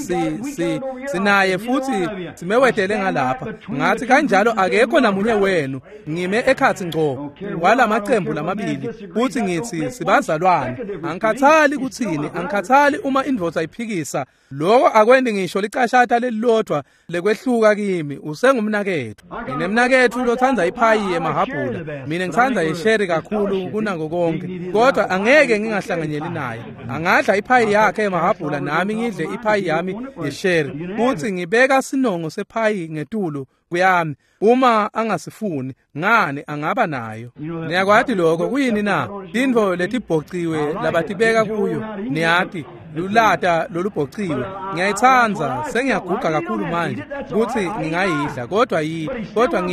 sinaye futhi simewetele ngalapha. Ngathi kanjalo akekho namunye wenu, ngime ekhathi ngco walamaqembu lamabili futhi ngithi sibazalwane. Angikhathali kuthini, angikhathali uma indvodza iphikisa. Lokho akwendi ngisho licashata lelilodwa lekwehluka kimi, usengumnakethu. Nginemnakethu lothanda iphayi emahabhula, mina ngithanda isheri kakhulu kunako konke, kodwa angeke ngingahlanganyeli naye. Angadla iphayi yakhe emahabhula nami ngidle iphayi yami yesheri, futhi ngibeka sinongo sephayi ngetulu kuyami. Uma angasifuni ngani angaba nayo. Niyakwati lokho kuyini na? Tintfo letibhociwe labatibeka kuyo, niyati lulata lolubhociwe. Ngiyayithanda, sengiyaguga kakhulu manje ukuthi ngingayidla, kodwa kodwa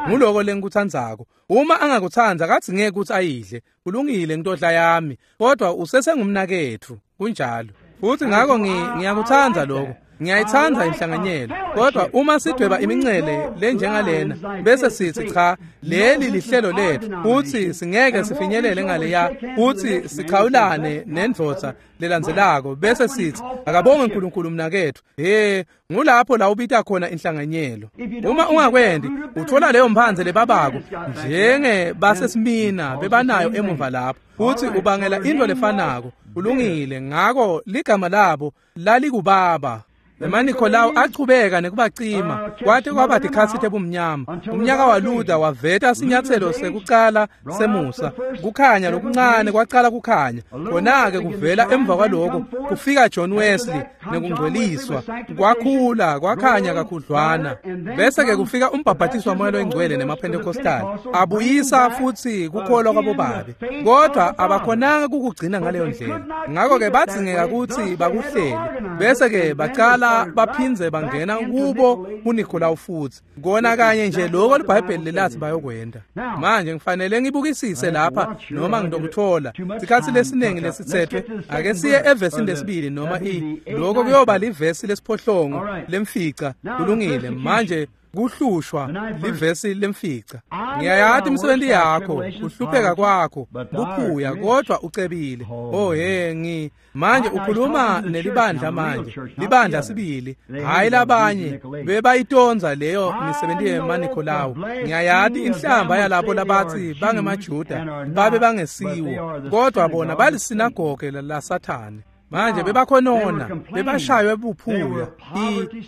nguloko lengikuthandzako. Uma angakuthandza kathi ngeke ukuthi ayidle, kulungile ngitodla yami, kodwa usesengumnaketfu. Kunjalo. Futhi ngakho ngiyakuthanda lokho. Ngiyayithanda inhlanganyelo, kodwa uma sidweba imincele lenjengalena bese sithi cha, leli lihlelo lethu futhi singeke sifinyelele ngaleya, futhi sichawulane nendvodza lelandzelako bese sithi akabonge uNkulunkulu mnakethu. He, ngulapho la ubita khona inhlanganyelo. Uma ungakwendi uthola leyo mphandze lebabako njenge basesimina bebanayo emuva lapho, futhi ubangela into lefanako. Kulungile. Ngako ligama labo lalikubaba. EmaNikholawu achubeka nekubacima kwate kwaba tikhatsi tebumnyama. Umnyaka waLuther waveta sinyatselo sekucala semusa, kukhanya lokuncane kwacala kukhanya. Khona-ke kuvela emva kwaloko kufika John Wesley nekungcweliswa, kwakhula kwakhanya kakhudlwana. Bese-ke kufika umbhabhatiso waMoya loyiNgcwele nemaPentecostal, abuyisa futsi kukholwa kwabobabe, kodwa abakhonanga kukugcina ngaleyo ndlela. Ngakho-ke badzingeka kutsi bakuhlele, bese-ke bacala baphindze bangena kubo kuNikholawu futsi. Kona kanye nje lokho liBhayibheli lelathi bayokwenta. Manje ngifanele ngibukisise lapha noma ngitokuthola sikhatsi lesiningi lesitsethwe. Ake siye evesini lesibili noma lokho kuyoba livesi lesiphohlongo lemfica. Kulungile. Manje kuhlushwa livesi lemfica. Ngiyayati imisebenzi yakho, kuhlupheka kwakho, buphuya, kodwa ucebile. Oh he, manje ukhuluma nelibandla manje, libandla sibili, hayi labanye bebayitonza leyo misebenzi yemaNikholawu. Ngiyayati inhlamba yalabo labathi bangemaJuda babe bangesiwo, kodwa bona balisinagoge laSathane. Manje bebakhonona, bebashaywe buphuya,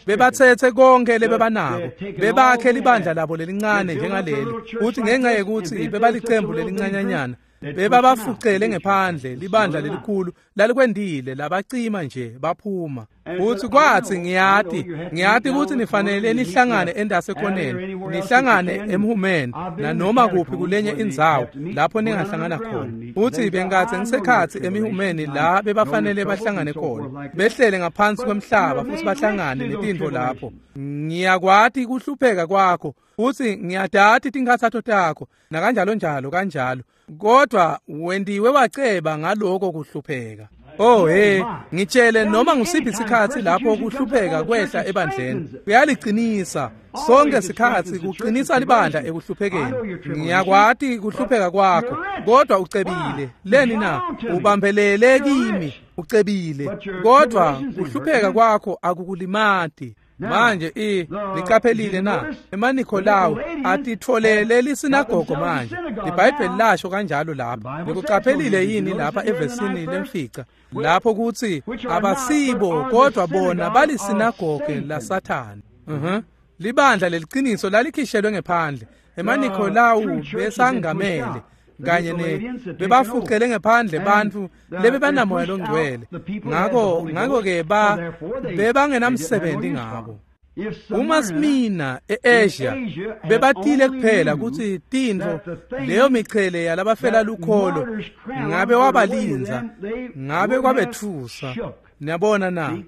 bebathethe konke lebebanako, bebakhe libandla labo lelincane njengaleli, kuthi ngenxa yekuthi bebalicembu lelincanyanyana, bebabafucele ngephandle libandla lelikhulu lalikwendile, labacima nje baphuma. Futhi kwathi ngiyati ukuthi nifanele nihlangane endasekhoneni, nihlangane emhumeni nanoma kuphi kulenye indzawo lapho ningahlangana khona. Futhi bengathe ngisekhatsi emihumeni la bebafanele bahlangane khona, behlele ngaphansi kwemhlaba futhi bahlangane netintfo lapho. Ngiyakwati kuhlupheka kwakho, futhi ngiyadati tinkhatsato takho nakanjalo njalo kanjalo, kodwa wendiwe waceba ngaloko kuhlupheka. Oh he, ngitshele noma ngusiphi isikhatsi lapho kuhlupheka kwehla ebandleni, kuyaliqinisa sonke sikhatsi, kuqinisa libandla ekuhluphekeni. Ngiyakwati kuhlupheka kwakho, kodwa ucebile. Leni na? Ubambelele kimi, ucebile, kodwa kuhlupheka kwakho akukulimati. Manje niqaphelile na? EmaNikholawu atitfolele lisinagogo manje. LiBhayibheli lasho kanjalo lapha. Nikuqaphelile yini lapha evesini lemfica lapho kuthi abasibo kodwa bona balisinagoge laSathane. Libandla leliqiniso lalikhishelwe ngephandle. EmaNikholawu besangamele kanye bebafucele ngephandle bantfu lebebanamoya longcwele. Ngakho-ke bebangenamsebenzi ngabo. Uma Smina e-Asia bebatile kuphela kutsi tintfo leyo michele yalabafela lukholo ngabe wabalindza, ngabe kwabetfusa. Niyabona na?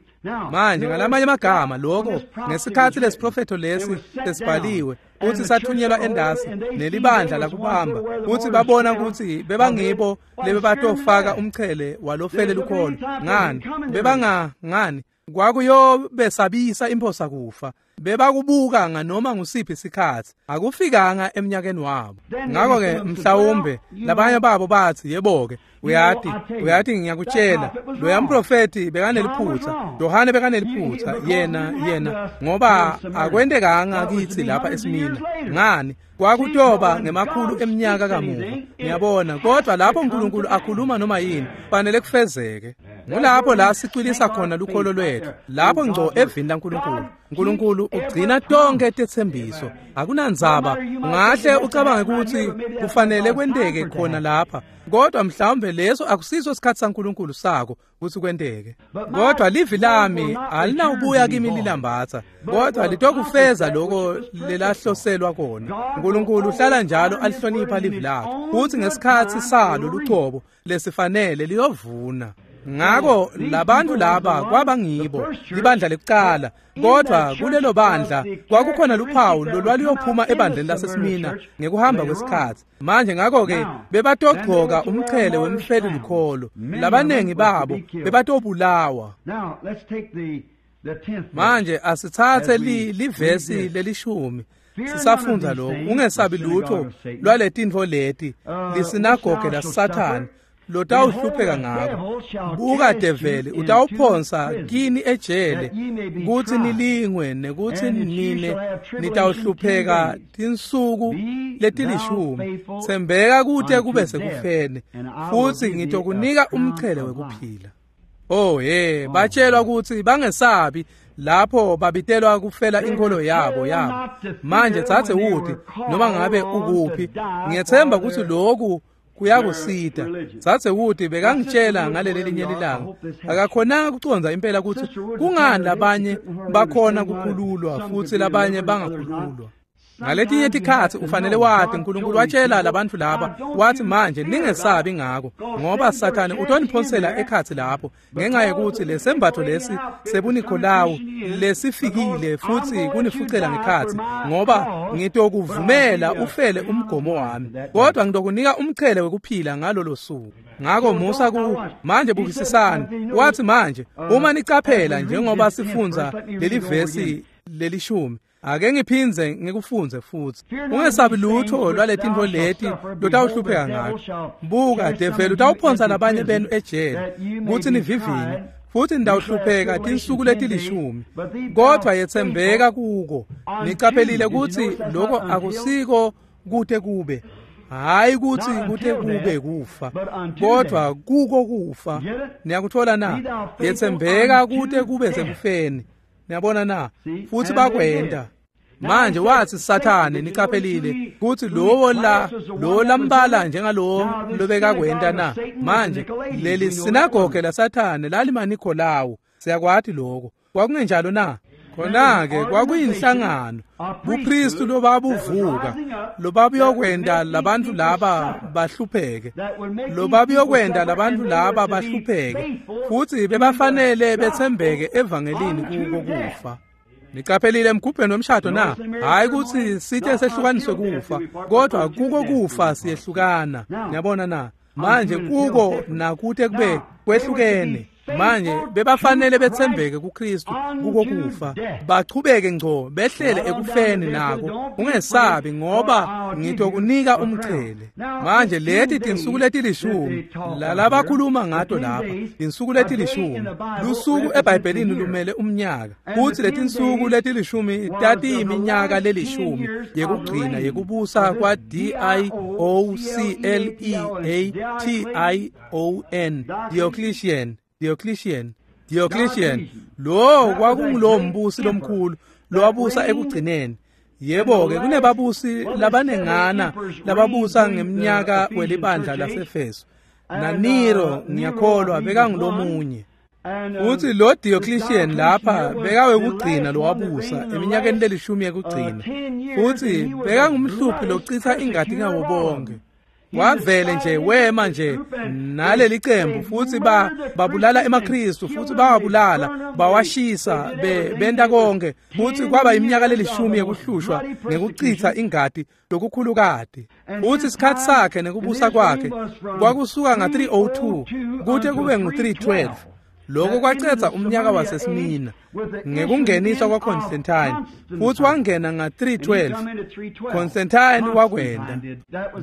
Manje ngalamanye amagama lokho ngesikhatsi lesiprofetho lesi lesibhaliwe uthi sathunyelwa endasi nelibandla lakubamba, uthi babona ukuthi bebangibo lebebatofaka umchele walofele lukholo. Ngani bebangangani? Kwakuyobesabisa imphosa kufa. Bebakubuka nganoma ngusiphi isikhatsi, akufikanga eminyakeni wabo. Ngakho-ke mhlawumbe labanye babo bathi, yebo-ke, uyati ngiyakutshela, loya mprofethi bekaneliphutha, Yohane bekaneliphutha, yena ngoba akwentekanga kitsi lapha eSmina. Ngani? Kwakutoba ngemakhulu eminyaka kamuva. Ngiyabona, kodwa lapho uNkulunkulu akhuluma noma yini, fanele kufezeke. Ngulapho la sicwilisa khona lukholo lwethu, lapho ngco evini laNkulunkulu. uNkulunkulu ugcina tonke tetsembiso. Akunandzaba, ungahle ucabange ukuthi kufanele kwenteke khona lapha, kodwa mhlawumbe leso akusiso isikhathi saNkulunkulu sako ukuthi kwenteke. Kodwa livi lami alinawubuya kimi lilambatha, kodwa litokufeza lokho lelahloselwa kona. uNkulunkulu uhlala njalo alihlonipha livi lakhe, futhi ngesikhathi salo lucobo lesifanele liyovuna. Ngakho labantu laba kwabangibo libandla lekucala, kodwa kulelo bandla kwakukhona luphawu lolwaliyophuma ebandleni laseSmina ngekuhamba kwesikhatsi. Manje ngakho-ke bebatogcoka umchele wemfeli lukholo, labanengi babo bebatobulawa. Manje asitsatse livesi lelishumi sisafundza lokhu. Ungesabi lutho lwaletintfo leti, lisinagoge laSathane lotawuhlupheka ngako. Buka develi utawuphonsa kini ejele kutsi nilingwe, nekutsi nine nitawuhlupheka tinsuku letilishumi. Tsembeka kute kube sekufeni, futsi ngitokunika umchele wekuphila. Oh he, batshelwa ukuthi bangesabi lapho babitelwa kufela inkolo yabo. Manje thathe uthi noma ngabe ukuphi, ngiyethemba ukuthi lokhu kuyakusita. Thathe uthi bekangitshela ngaleli linye lilanga, akakhonanga ukucondza impela ukuthi kungani labanye bakhona kukhululwa futhi labanye bangakhululwa. Ngaletinye tikhatsi ufanele wati uNkulunkulu watshela labantu laba, wathi manje ningesabi ngako, ngoba Sathane utoniphonsela ekhatsi lapho ngenxa yokuthi lesembatho lesi sebuNikolawu lesifikile futhi kunifucela ngekhatsi, ngoba ngitokuvumela ufele umgomo wami, kodwa ngitokunika umchele wekuphila ngalolo suku. Ngako musa ku manje bukisisani. Wathi manje uma nicaphela njengoba sifundza leli vesi lelishumi, ake ngiphindze ngikufunze futhi. Ungesabi lutho lwaletintfo leti lotawuhlupheka ngato. Buka, develi utawuphonsa labanye benu ejele kutsi nivivinye, futhi nitawuhlupheka tinsuku letilishumi, kodwa yetsembeka kuko. Nicaphelile kutsi loko akusiko kute kube, hayi kutsi kute kube kufa, kodwa kuko kufa. Niyakuthola na? Yetsembeka kute kube sekufeni. Niyabona na? Futhi bakwenda. Manje wathi Sathane, nicaphelile kutsi lowo la lo lambala njengalowo lobekakwenta na? Manje leli sinagoge la Sathane lalimaNikolawu, siyakwati lokho. Kwakungenjalo na? Khona-ke kwakuyinhlangano, bupristu lobabuvuka, lobabuyokwenta labantu laba bahlupheke, lobabuyokwenta labantu laba bahlupheke, futhi bebafanele betsembeke evangelini kuko kufa. Nicaphelile emgubheni wemshado na? Hayi ukuthi sithe sehlukaniswe kufa, kodwa kuko kufa siyehlukana. Niyabona na? Manje kuko nakute kube kwehlukene. Manje bebafanele betsembeke kuKristu kuko kufa, bachubeke ngco behlele ekufeni nako. Ungesabi ngoba ngitokunika umchele. Manje leti tinsuku letilishumi lalabakhuluma ngato lapha, tinsuku letilishumi, lusuku eBhayibhelini lumele umnyaka, futhi letinsuku letilishumi tatiyiminyaka lelishumi yekugcina yekubusa kwa Diocleation, Diocletian. Lo kwakungulo mbusi lomkhulu lowabusa ekugcineni. Yebo-ke kunebabusi labanengana lababusa ngeminyaka welibandla laseFeso, na Nero ngiyakholwa bekangulomunye. Futhi lo Diocletian lapha bekawekugcina lowabusa eminyakeni lelishumi yekugcina, futhi bekangumhluphi lochitha ingati ngabo bonke. Wavele nje wema nje naleli cembu futhi babulala emaKristu, futhi bawabulala, bawashisa, benta konke, futhi kwaba iminyaka lelishumi yekuhlushwa ngekuchitha ingati lokukhulukati. Futhi isikhathi sakhe nekubusa kwakhe kwakusuka nga-302 kute kube ngu-312. Lokho kwacedza umnyaka waseSmina ngekungeniswa kwaConstantine, futhi wangena nga-312. Constantine wakwenda.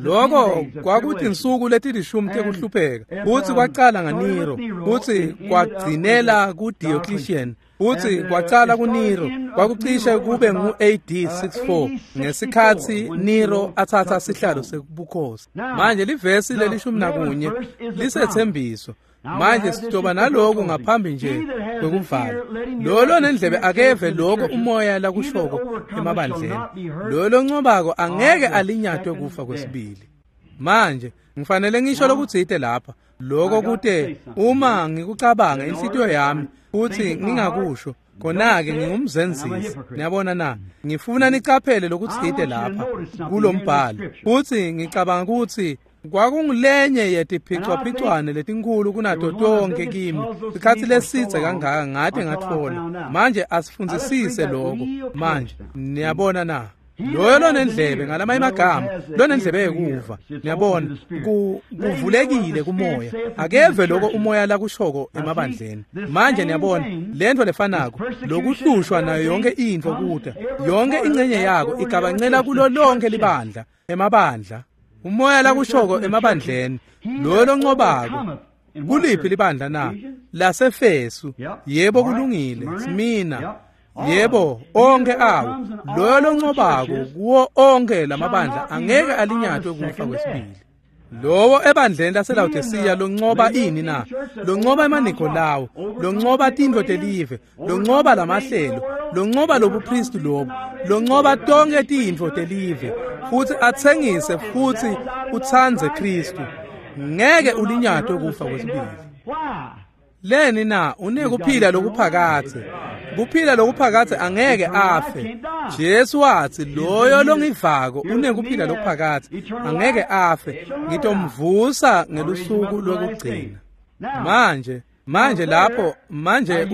Lokho kwakuthi insuku letilishumi tekuhlupheka, futhi kwacala ngaNero, futhi kwagcinela kuDiocletian, futhi kwacala kuNero, kwakucishe kube ngu-AD 64 ngesikhathi Nero athatha sihlalo sebukhosi. Manje livesi lelishumi nakunye lisethembiso. Manje sitoba naloko ngaphambi nje kwekuvala. Lo lonendlebe akeve lokho umoya lakushoko emabandleni. Lo loncobako angeke alinyatwe kufa kwesibili. Manje ngifanele ngisho lokutsite lapha, lokho kute uma ngikucabanga inhlitiyo yami futhi ngingakusho, khona-ke ngingumzenzisi. Niyabona na? Ngifuna nicaphele lokutsite lapha kulombhalo, futhi ngicabanga ukuthi kwakungulenye yetiphicwaphicwane letinkulu kunato tonke kimi sikhathi lesidze kangaka ngade ngatfola. Manje asifundzisise lokho. Manje niyabona na? Loyo lonendlebe, ngalamanye amagama, lonendlebe yekuva, niyabona, kuvulekile kumoya, akeve lokho umoya lakushoko emabandleni. Manje niyabona lento lefanako, lokuhlushwa nayo yonke intfo kuta, yonke ingcenye yako igabancela kulo lonke libandla, emabandla. Umoya lakushoko emabandleni, loyo loncobako. Kuliphi libandla na? Lasefesu. Yebo kulungile, Smina. Yebo, onke awo. Loyo loncobako kuwo onke lamabandla angeke alinyatwe kufa kwesibili. Lowo ebandleni laseLawodisiya loncoba ini na? Loncoba emaNikolawo, loncoba tintfo telive, loncoba lamahlelo, loncoba lobupristi lobu, loncoba tonke tintfo telive, futhi atsengise futhi utsandze Kristu. Ngeke ulinyatwe kufa kwesibili. Leni na? Unekuphila lokuphakadze. Kuphila lokuphakadze angeke afe. Jesu wathi loyo longivako unekuphila lokuphakadze angeke afe, ngitomvusa ngelusuku lwekugcina. Manje lapho manje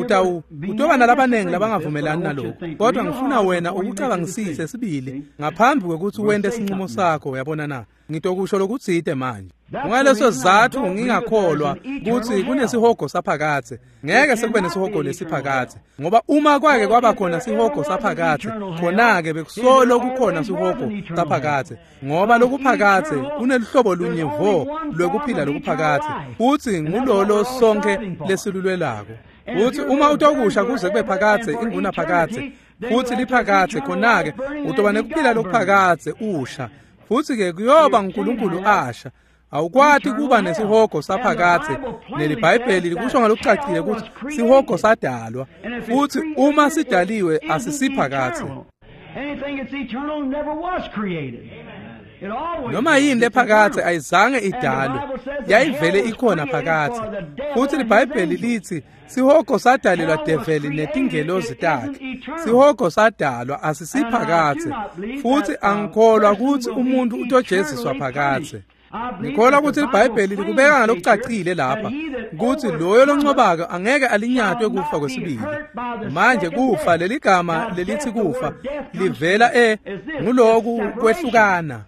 utoba nalabanengi labangavumelani nalokho, kodwa ngifuna wena ukucabangisise sibili ngaphambi kwekutsi wente sinqumo sakho. Uyabona na? Ngitokusho lokutsite manje. Kungaleso sizatfu ngingakholwa kutsi kunesihogo saphakadze. Ngeke sekube nesihogo lesiphakadze, ngoba uma kwake kwaba khona sihogo saphakadze, khona-ke bekusolo kukhona sihogo saphakadze, ngoba lokuphakadze kuneluhlobo lunye vo lwekuphila lokuphakadze, futsi ngulolo sonkhe lesilulwelako. Futsi uma utokusha kuze kube phakadze, ingunaphakadze, futsi liphakadze, khona-ke utoba nekuphila lokuphakadze usha, futsi-ke kuyoba nguNkulunkulu asha. Awukwati kuba nesihogo saphakadze. NeliBhayibheli likusho ngalokucacile kutsi sihogo sadalwa, futhi uma sidaliwe asisiphakadze. Noma yini lephakadze ayizange idalwe, yayivele ikhona phakadze. Futhi liBhayibheli lithi sihogo sadalelwa develi netingelozi takhe. Sihogo sadalwa asisiphakadze, futhi angikholwa kutsi umuntu utojeziswa phakadze. Ngikholwa kutsi liBhayibheli likubeka ngalokucacile lapha kutsi loyo loncobako angeke alinyatwe kufa kwesibili. Manje kufa, leligama lelithi kufa livela nguloku kwehlukana.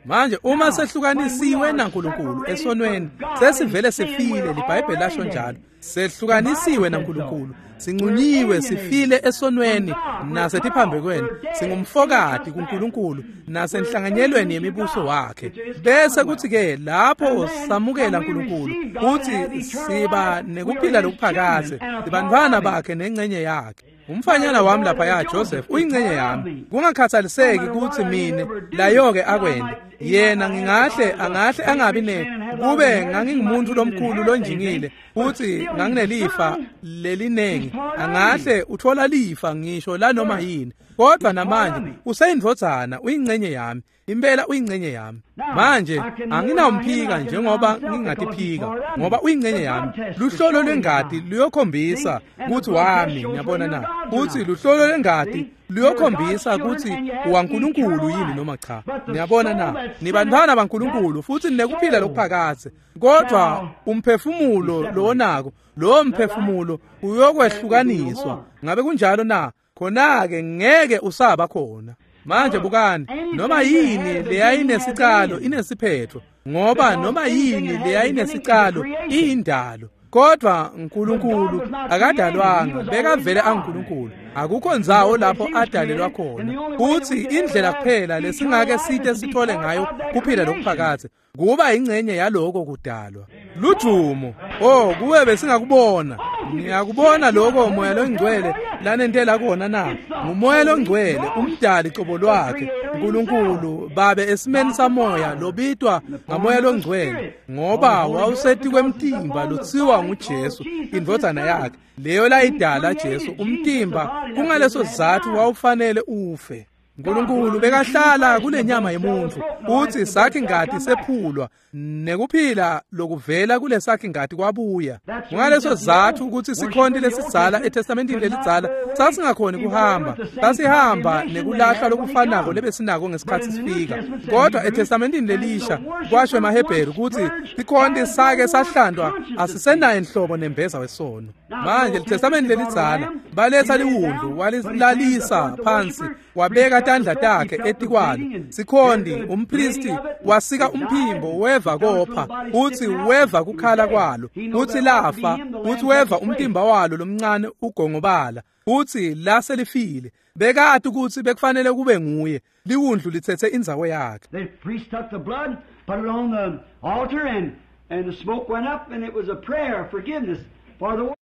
Manje uma sehlukanisiwe naNkulunkulu esonweni, sesivele sifile, liBhayibheli lasho njalo. Sehlukanisiwe naNkulunkulu, sinqunyiwe, sifile esonweni nasetiphambekweni, singumfokati kuNkulunkulu nasenhlanganyelweni yemibuso wakhe. Bese kuthi-ke lapho samukela uNkulunkulu, kuthi siba nekuphila lokuphakadze, sibantfwana bakhe nengcenye yakhe. Umfanyana wami laphaya Joseph uyingcenye yami, kungakhathaliseki kutsi mine layo-ke akwente yena, ngingahle angahle angabi ne kube ngangingumuntu lomkhulu lonjingile futhi nganginelifa lelinengi, angahle uthola lifa ngisho lanoma yini, kodwa namanje useyindvodzana, uyingcenye yami. Impela uyingcenye yami. Manje anginawumphika njengoba ngingatiphika, ngoba uyingcenye yami. Luhlolo lwengati luyokhombisa kutsi wami, ngiyabona na? Kutsi luhlolo lwengati luyokhombisa kutsi uwaNkulunkulu yini noma cha. Niyabona na? Nibantfwana baNkulunkulu futhi ninekuphila lokuphakadze. Kodwa umphefumulo lowonako, lowo mphefumulo uyokwehlukaniswa. Ngabe kunjalo na? Khona-ke ngeke usaba khona. Manje bukani, noma yini leyayinesicalo inesiphetho, ngoba noma yini leyayinesicalo iyindalo. Kodwa uNkulunkulu akadalwanga, bekavele anguNkulunkulu. Akukho ndzawo lapho adalelwa khona. Futhi indlela kuphela lesingake site sithole ngayo kuphila lokuphakadze kuba ingcenye yaloko kudalwa. Lujumo, oh kuwe besingakubona. Ngiyakubona lokho Moya loNgcwele lanentela kona na. NguMoya loNgcwele, umdali qobo lwakhe, uNkulunkulu babe esimeni samoya lobitwa ngaMoya loNgcwele, ngoba wawuseti kwemtimba lotsiwa nguJesu indvodzana yakhe, leyo layidala Jesu umtimba. Kungaleso sizatfu wawufanele ufe. uNkulunkulu bekahlala kulenyama yemuntfu, uthi sakhi ngati sephulwa nekuphila lokuvela kulesakhi ngati kwabuya. Kungaleso sizatfu ukuthi sikhonti lesidzala eTestamentini lelidzala sasingakhoni kuhamba, sasihamba nekulahlwa lokufanako lebesinako ngesikhatsi sifika. Kodwa eTestamentini lelisha kwasho emaHebheru ukuthi sikhonti sake sahlandwa asisenayo inhlobo nembeza wesono. Manje liTestamenti lelidzala baletha liwundlu, walilalisa phansi, wabeka tandla takhe etikwalo. Sikhonti umpristi wasika umphimbo, weva kopha, uthi weva kukhala kwalo, uthi lafa, uthi weva umtimba walo lomncane ugongobala, uthi laselifile. Bekati ukuthi bekufanele kube nguye, liwundlu lithethe indzawo yakhe. The priest took the blood, put it on the altar, and the smoke went up, and it was a prayer of forgiveness for the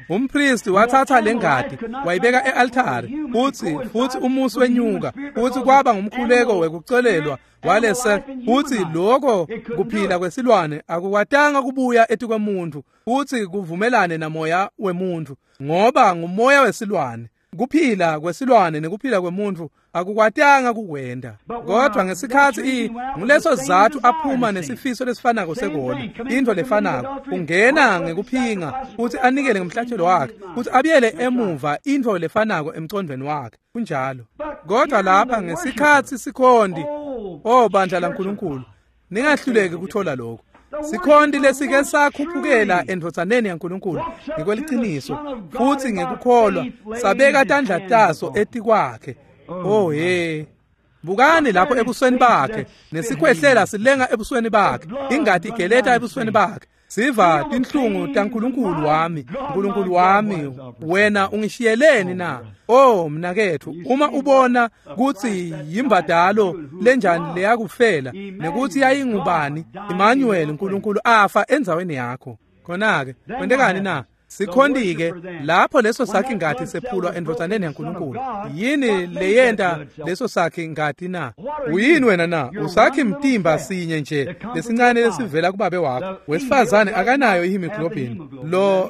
Umpristi wathatha lengati wayibeka ealtari futhi umusi wenyuka futhi kwaba ngumkhuleko wekucolelwa walese futhi lokho kuphila kwesilwane akukwatanga kubuya etikwemuntu futhi kuvumelane namoya wemuntu ngoba ngumoya wesilwane. Kuphila kwesilwane nekuphila kwemuntu akukwatanga kukwenda. Kodwa ngesikhathi nguleso sizathu aphuma nesifiso lesifanako sekona, into lefanako, ungena ngekuphinga futhi anikele ngomhlatshelo wakhe futhi abuyele emuva into lefanako emcondweni wakhe. Kunjalo. Kodwa lapha ngesikhathi sikhonti, oh bandla laNkulunkulu, ningahluleki ukuthola lokho. Sikhonti lesike sakhuphukela endvodzaneni yaNkulunkulu ngekweliciniso futhi ngekukholwa sabeka tandla taso etikwakhe. Oh he, bukani lapho ebusweni bakhe, nesikhwehlela silenga ebusweni bakhe, ingati igeleta ebusweni bakhe. Siva tinhlungu taNkulunkulu wami, Nkulunkulu wami, wena ungishiyeleni na? Oh mnakethu, uma ubona kutsi yimbadalo lenjani leyakufela nekuthi yayingubani, Emmanuel, Nkulunkulu afa endzaweni yakho. Khona-ke kwentekani na? Sikhonti-ke lapho leso sakhi ngati sephulwa endvodzaneni yaNkulunkulu. Yini leyenta leso sakhi ngati na? Uyini wena na? Usakhi mtimba sinye nje lesincane lesivela kubabe wakho. Wesifazane akanayo ihemoglobin.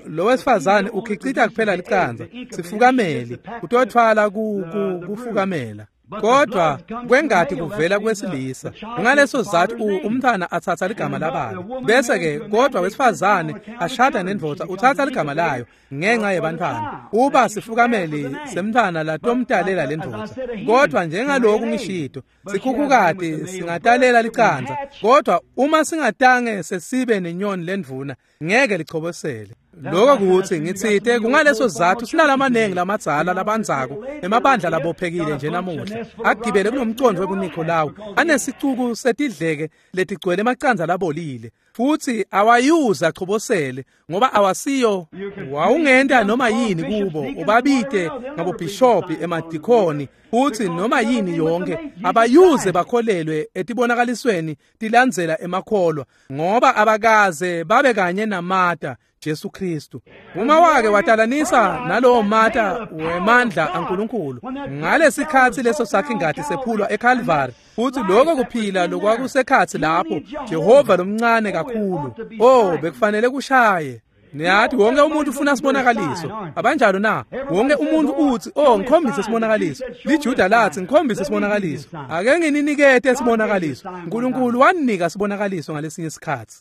Lo wesifazane ukhicita kuphela licandza. Sifukameli utothwala kufukamela. Kodwa kwengati kuvela kwesilisa. Ngaleso sizathu umntwana athatha ligama lababe. Bese ke kodwa wesifazane ashada nendvodza uthatha ligama layo ngenxa yebantwana. Uba sifukameli semntwana latomtalela lendvodza. Kodwa njengaloku ngishito, sikhukhukati singatalela licandza. Kodwa uma singatange sesibe nenyoni lendvuna ngeke lichobosele. Lokho kuthi ngitsite kungaleso sizathu sinalamanengi lamadzala labandzako emabandla labophekile nje namuhla agibele kulomcondvo webuNikolawu anesicuku setidleke letigcwele emacandza labolile futhi awayuza achobosele ngoba awasiyo. Wawungenta noma yini kubo, ubabite ngabobhishobhi, emadikoni futhi noma yini yonke, abayuze bakholelwe etibonakalisweni tilandzela emakholwa ngoba abakaze babe kanye namata Jesu Kristu. Uma wake watalanisa nalowo mata wemandla aNkulunkulu ngalesikhathi leso sakhe ingati sephulwa eCalvary futhi lokho kuphila lokwakusekhathi lapho Jehova lomncane kakhulu, oh bekufanele kushaye. Niyathi wonke umuntu ufuna sibonakaliso, abanjalo na? Wonke umuntu uthi, oh ngikhombise sibonakaliso. LiJuda lathi ngikhombise sibonakaliso. Ake ngininikete sibonakaliso. uNkulunkulu wanika sibonakaliso ngalesinye isikhathi.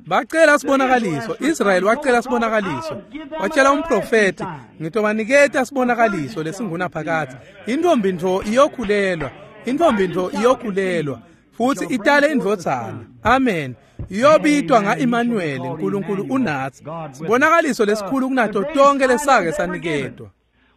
Bacela sibonakaliso. Israel wacela sibonakaliso. Watshela umprofeti, ngitobaniketa sibonakaliso lesingunaphakadze. Intombi ntfo iyokhulelwa. Intombi ntfo iyokhulelwa futhi itale indvodzana. Amen. Iyobitwa nga-Emmanuel, uNkulunkulu unatsi. Sibonakaliso lesikhulu kunato tonke lesake saniketwa.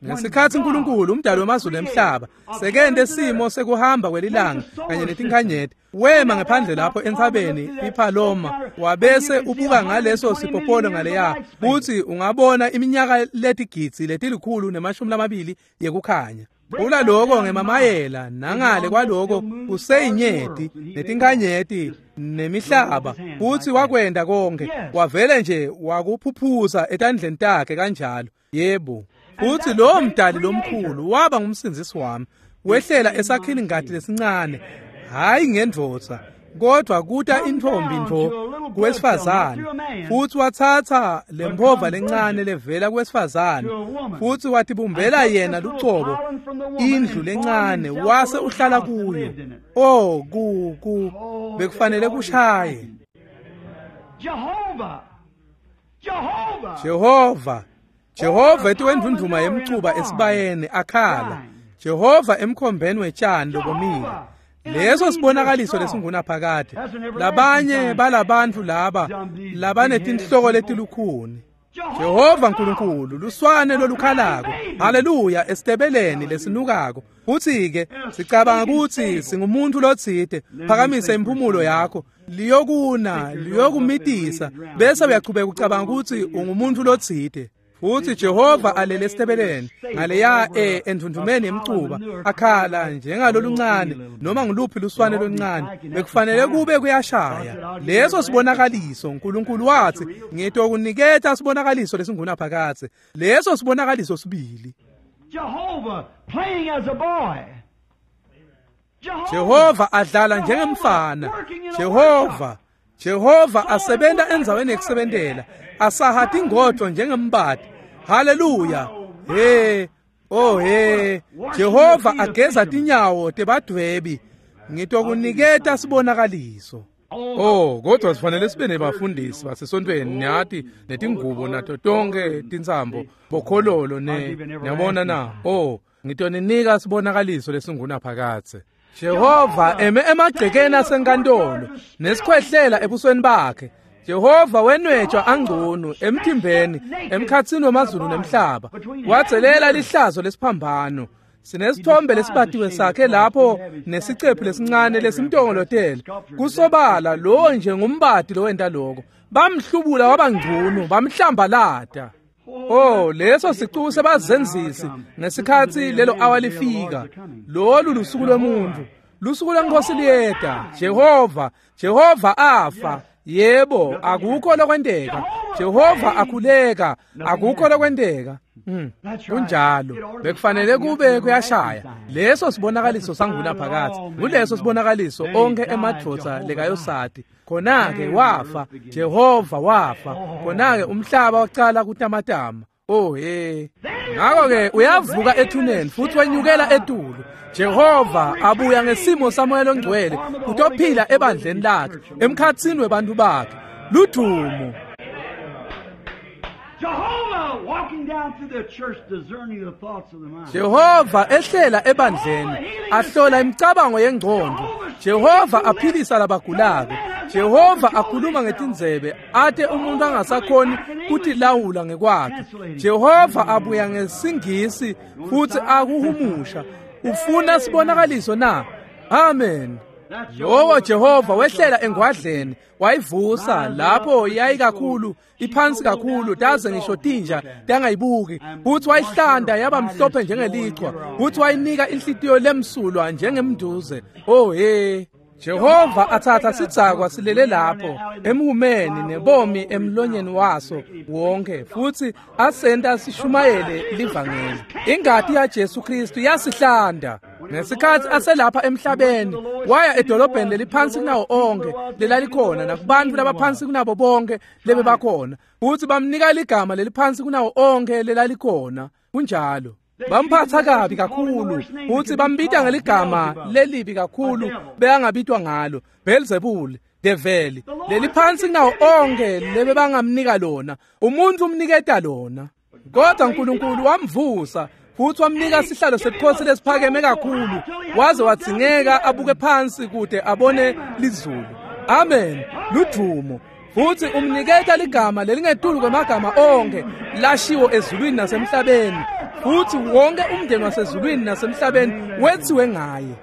Ngesikhathi uNkulunkulu umdali wamazulu emhlaba sekende simo sekuhamba kwelilanga kanye netinkhanyeti, wema ngephandle lapho entsabeni iPaloma wabese ubuka ngaleso sipopolo ngaleya futhi ungabona iminyaka letigidzi letilikhulu nemashumi lamabili yekukhanya. Ula lokho ngemamayela nangale kwaloko kuseyinyeti netinkhanyeti nemihlaba futhi wakwenda konke wavele nje wakuphuphuza etandleni takhe kanjalo. Yebo. Futhi lo mdali lomkhulu waba ngumsindzisi wami, wehlela esakhini ngati lesincane, hayi ngendvodza kodwa kuta intombi ntfo kuwesifazane, futhi wathatha lempova lencane levela kuwesifazane futhi watibumbela yena lucobo indlu lencane wase uhlala kuyo. Oh ku bekufanele kushaye. Jehova, Jehova etiwendvundvuma yemcuba esibayeni akhala, Jehova emkhombeni wetshani lobomile. Leso sibonakaliso lesingunaphakade. Labanye balabantu laba labanetinhloko letilukhuni. Jehova Nkulunkulu luswane lolukhalako, haleluya, esitebeleni lesinukako. Futhi-ke sicabanga ukuthi singumuntu lotsite. Phakamise impumulo yakho, liyokuna liyokumitisa, bese uyachubeka ucabanga ukuthi ungumuntu lotsite. Futhi Jehova alele esitebeleni ngaleya endvundvumeni yemcuba akhala njengaloluncane noma ngiluphi luswane loluncane, bekufanele kube kuyashaya. Leso sibonakaliso uNkulunkulu wathi ngitokuniketa sibonakaliso lesingunaphakadze. Leso sibonakaliso sibili. Jehovah playing as a boy. Jehova adlala njengemfana. Jehova asebenta endzaweni yekusebentela, asaha tingodvo njengembati. Haleluya. He, oh he. Jehova ageza tinyawo tebadwebi. Ngitokuniketa sibonakaliso. Oh, kodwa sifanele sibe nebafundisi basesontweni niyati netingubo nato tonke tintsambo bokhololo ne niyabona na. Oh, ngitoninika sibonakaliso lesingunaphakadze. Jehova eme emagcekeni asenkantolo nesikhwehlela ebusweni bakhe. Jehova wenwetshwa angcono emthimbeni emkhatsini wamazulu nemhlaba, wadzelela lihlazo lesiphambano. Sinesithombe lesibatiwe sakhe lapho nesicephu lesincane lesimtongolotele. Kusobala lo nje ngumbati lowenta lokho. Bamhlubula wabangcono, bamhlambalata. Oh, leso sicuku sebazenzisi ngesikhathi lelo awa lifika. Lolu lusuku lwemuntu, lusuku lwenkosi liyeta. Jehova afa. Yebo, akukho lokwenteka. Jehova akhuleka, akukho lokwenteka. Kunjalo, bekufanele kube kuyashaya. Leso sibonakaliso sangunaphakadze. Nguleso sibonakaliso onke emadvodza lekayosati. Khona-ke wafa, Jehova wafa. Khona-ke umhlaba wacala kutamatama. Oh he. Ngakho-ke uyavuka ethuneni futhi wenyukela etulu. Jehova abuya ngesimo saMoya loNgcwele kutophila ebandleni lakhe, emkhatsini webantu bakhe. Ludumo. Jehovah walking down through the church discerning the thoughts of the mind. Jehova ehlela ebandleni ahlola imicabango yengqondo. Jehova aphilisa labagulako. Jehova akhuluma ngetindzebe ate umuntu angasakhoni kutilawula ngekwakhe. Jehova abuya ngesingisi futhi akuhumusha. Ufuna sibonakaliso na? Amen. Lowo Jehova wehlela engwadleni wayivusa lapho yayikakhulu iphansi kakhulu taze ngisho tinja tangayibuki, futhi wayihlanda yaba mhlophe njengelichwa, futhi wayinika inhlitiyo lemsulwa njengemnduze. Oh he. Jehova athatha sidzakwa silele lapho emhumeni nebomi emlonyeni waso wonke, futhi asenta sishumayele livangeli. Ingati yaJesu Kristu yasihlanda. Ngesikhathi aselapha emhlabeni waya edolobheni leliphansi kunawo onke lelalikhona nakubantu labaphansi kunabo bonke lebebakhona, futhi bamnika ligama leliphansi kunawo onke lelalikhona. Kunjalo. Bamphatha kabi kakhulu futhi bambita ngeligama lelibi kakhulu beyangabitwa ngalo, Beelzebul, develi leliphansi kunawo onke lebebangamnika lona. Umuntu umniketa lona. Kodwa uNkulunkulu wamvusa futhi wamnika sihlalo sebukhosi lesiphakeme kakhulu, waze wadzingeka abuke phansi kude abone lizulu. Amen. Ludumo. Futhi umniketa ligama lelingetulu kwemagama onke lashiwo ezulwini nasemhlabeni, futhi wonke umndeni wasezulwini nasemhlabeni wethiwe ngaye.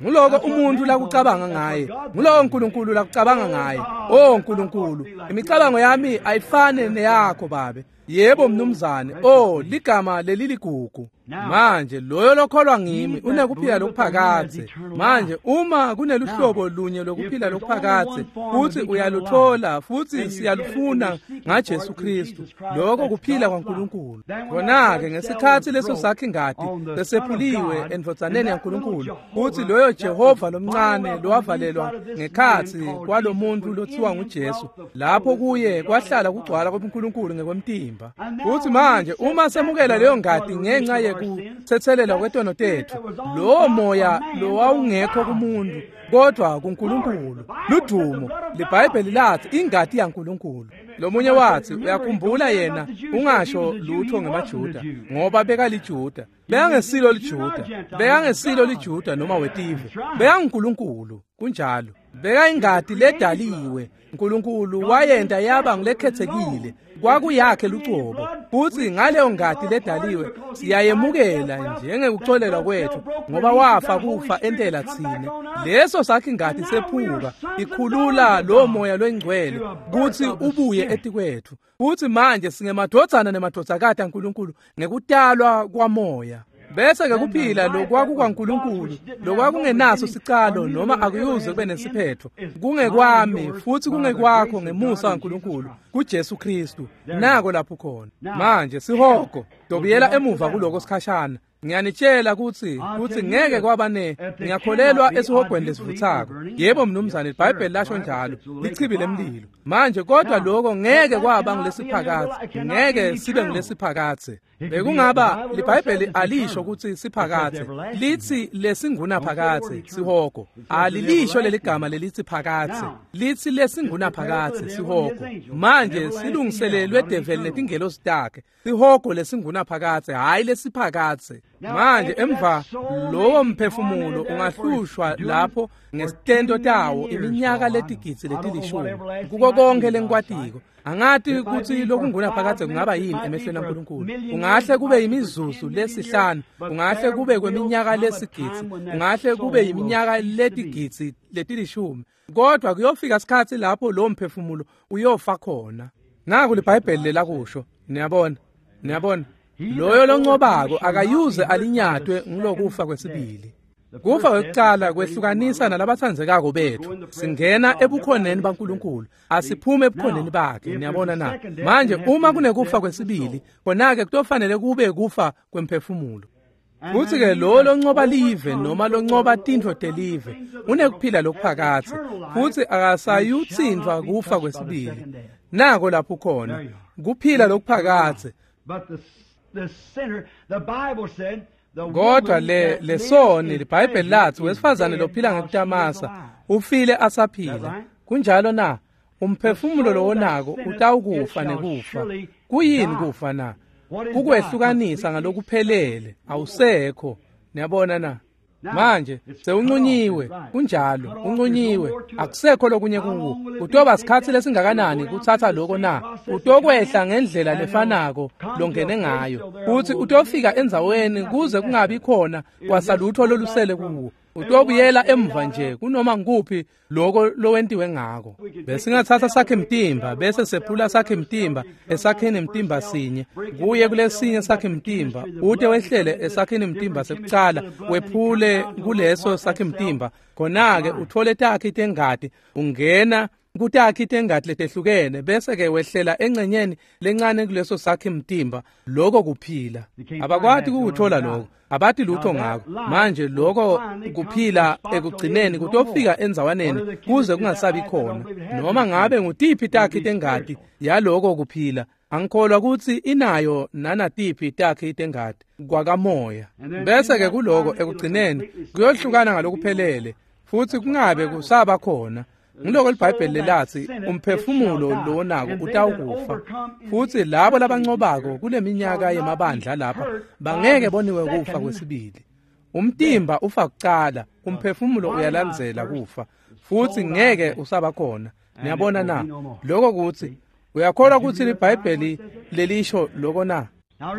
Nguloko umuntu lakucabanga ngaye, nguloko uNkulunkulu lakucabanga ngaye. Oh Nkulunkulu, imicabango yami ayifane neyakho babe. Yebo mnumzane. Oh, ligama leliligugu. Manje loyo lokholwa ngimi unekuphila lokuphakadze. Manje uma kuneluhlobo lunye lokuphila lokuphakadze futhi uyaluthola futhi siyalufuna ngaJesu Kristu, lokho kuphila kwaNkulunkulu. Khona-ke ngesikhathi leso sakhe ingati sesephuliwe endvodzaneni yaNkulunkulu, futhi loyo Jehova lomncane lowavalelwa ngekhatsi kwalomuntu lothiwa nguJesu, lapho kuye kwahlala kugcwala kwebuNkulunkulu ngekwemtimba. Futhi manje uma semukela leyo ngati ngenxa yekuthethelelwa kwetono tethu, lowo moya lowawungekho kumuntu kodwa kuNkulunkulu. Ludumo. LiBhayibheli lathi ingati yaNkulunkulu. Lomunye wathi uyakhumbula yena ungasho lutho ngemaJuda ngoba bekaliJuda. Bekangesilo liJuda, bekangesilo liJuda noma wetive, bekanguNkulunkulu. Kunjalo. Bekayingati ledaliwe. uNkulunkulu wayenta yaba ngulekhethekile, kwakuyakhe lucobo. Futhi ngaleyo ngati ledaliwe siyayemukela njengekuxolelwa kwethu, ngoba wafa kufa entela tsine. Leso sakhe ingati sephuka ikhulula lo moya lwengcwele kutsi ubuye etikwethu. Futhi manje singemadvodzana nemadvodzakati aNkulunkulu ngekutalwa kwamoya. Bese ke kuphila lokwakukaNkulunkulu lokwakungenaso sicalo noma akuyuze kube nesiphetho, kungekwami futhi kungekwakho ngemusa waNkulunkulu kuJesu Kristu. Nako lapho khona manje sihogo. Dobiyela emuva kuloko sikhashana. Ngiyanitshela kutsi ngeke kwaba ne ngiyakholelwa esihogweni lesivuthako. Yebo mnumzane, iBhayibheli lasho njalo, lichibi lemlilo. Manje kodwa lokho ngeke kwaba ngulesiphakadze, ngeke sibe ngulesiphakadze. Bekungaba liBhayibheli alisho kutsi siphakadze, litsi lesingunaphakadze sihogo. Alilisho leligama lelithi phakadze, litsi lesingunaphakadze sihogo. Manje silungiselelwe develi netingelosi takhe, sihogo lesingunaphakadze, hhayi lesiphakadze. Manje emva lowo mphefumulo ungahlushwa lapho ngesitento tawo iminyaka letigidzi letilishumi. Kuko konke lengikwatiko, angati kutsi lokungunaphakadze kungaba yini emehlweni aNkulunkulu. Kungahle kube imizuzu lesihlanu, kungahle kube kweminyaka lesigidzi, kungahle kube iminyaka letigidzi letilishumi, kodwa kuyofika isikhatsi lapho lo mphefumulo uyofa khona. Naku liBhayibheli lelakusho. Niyabona, niyabona, loyo loncobako akayuze alinyatwe ngulokufa kwesibili. Kufa kwekucala kwehlukanisa nalabatsandzekako bethu. Singena ebukhoneni baNkulunkulu, asiphume ebukhoneni bakhe. Niyabona na? Manje uma kunekufa kwesibili, khona-ke kutofanele kube kufa kwemphefumulo. Futsi-ke lo loncoba live noma loncoba tintfo telive unekuphila lokuphakadze, futsi akasayutsintfwa kufa kwesibili. Nako lapho khona kuphila lokuphakadze. Kodwa lesoni, liBhayibheli lathi wesifazane lophila ngekutamasa ufile asaphila. Kunjalo na? Umphefumulo lowonako utawukufa nekufa. Kuyini kufa na? Kukwehlukanisa ngalokuphelele, awusekho. Niyabona na? Manje sewuncunyiwe, kunjalo, uncunyiwe, akusekho lokunye kuwo. Utoba sikhatsi lesingakanani kutsatsa loko na? Utokwehla ngendlela lefanako longene ngayo, futsi utofika endzaweni kuze kungabi khona kwasalutho lolusele kuwo. Utobuyela emva nje kunoma nguphi loko lowentiwe ngako. Besingatsatsa sakhe mtimba bese sephula sakhe mtimba esakheni mtimba sinye kuye kulesinye sakhe mtimba, ute wehlele esakheni mtimba sekucala, wephule kuleso sakhe mtimba, khona-ke uthole takhe tengati, ungena kutakhi tengati letehlukene, bese ke wehlela engcenyeni lencane kuleso sakhe mtimba. Lokho kuphila. Abakwati ukuthola lokho, abati lutho ngako. Manje lokho kuphila ekugcineni kutofika endzawaneni kuze kungasabi khona. Noma ngabe ngutiphi takhi tengati yaloko kuphila, angikholwa kutsi inayo nanatiphi takhi tengati kwakamoya. Bese ke kuloko ekugcineni kuyohlukana ngalokuphelele, futhi kungabe kusaba khona. Ngiloko liBhayibheli lelathi umphefumulo lowonako utawukufa, futhi labo labancobako kuleminyaka yemabandla lapha bangeke boniwe kufa kwesibili. Umtimba ufa kucala, umphefumulo uyalandzela kufa, futhi ngeke usaba khona. Niyabona na? Lokho kuthi uyakholwa ukuthi liBhayibheli lelisho lokho na?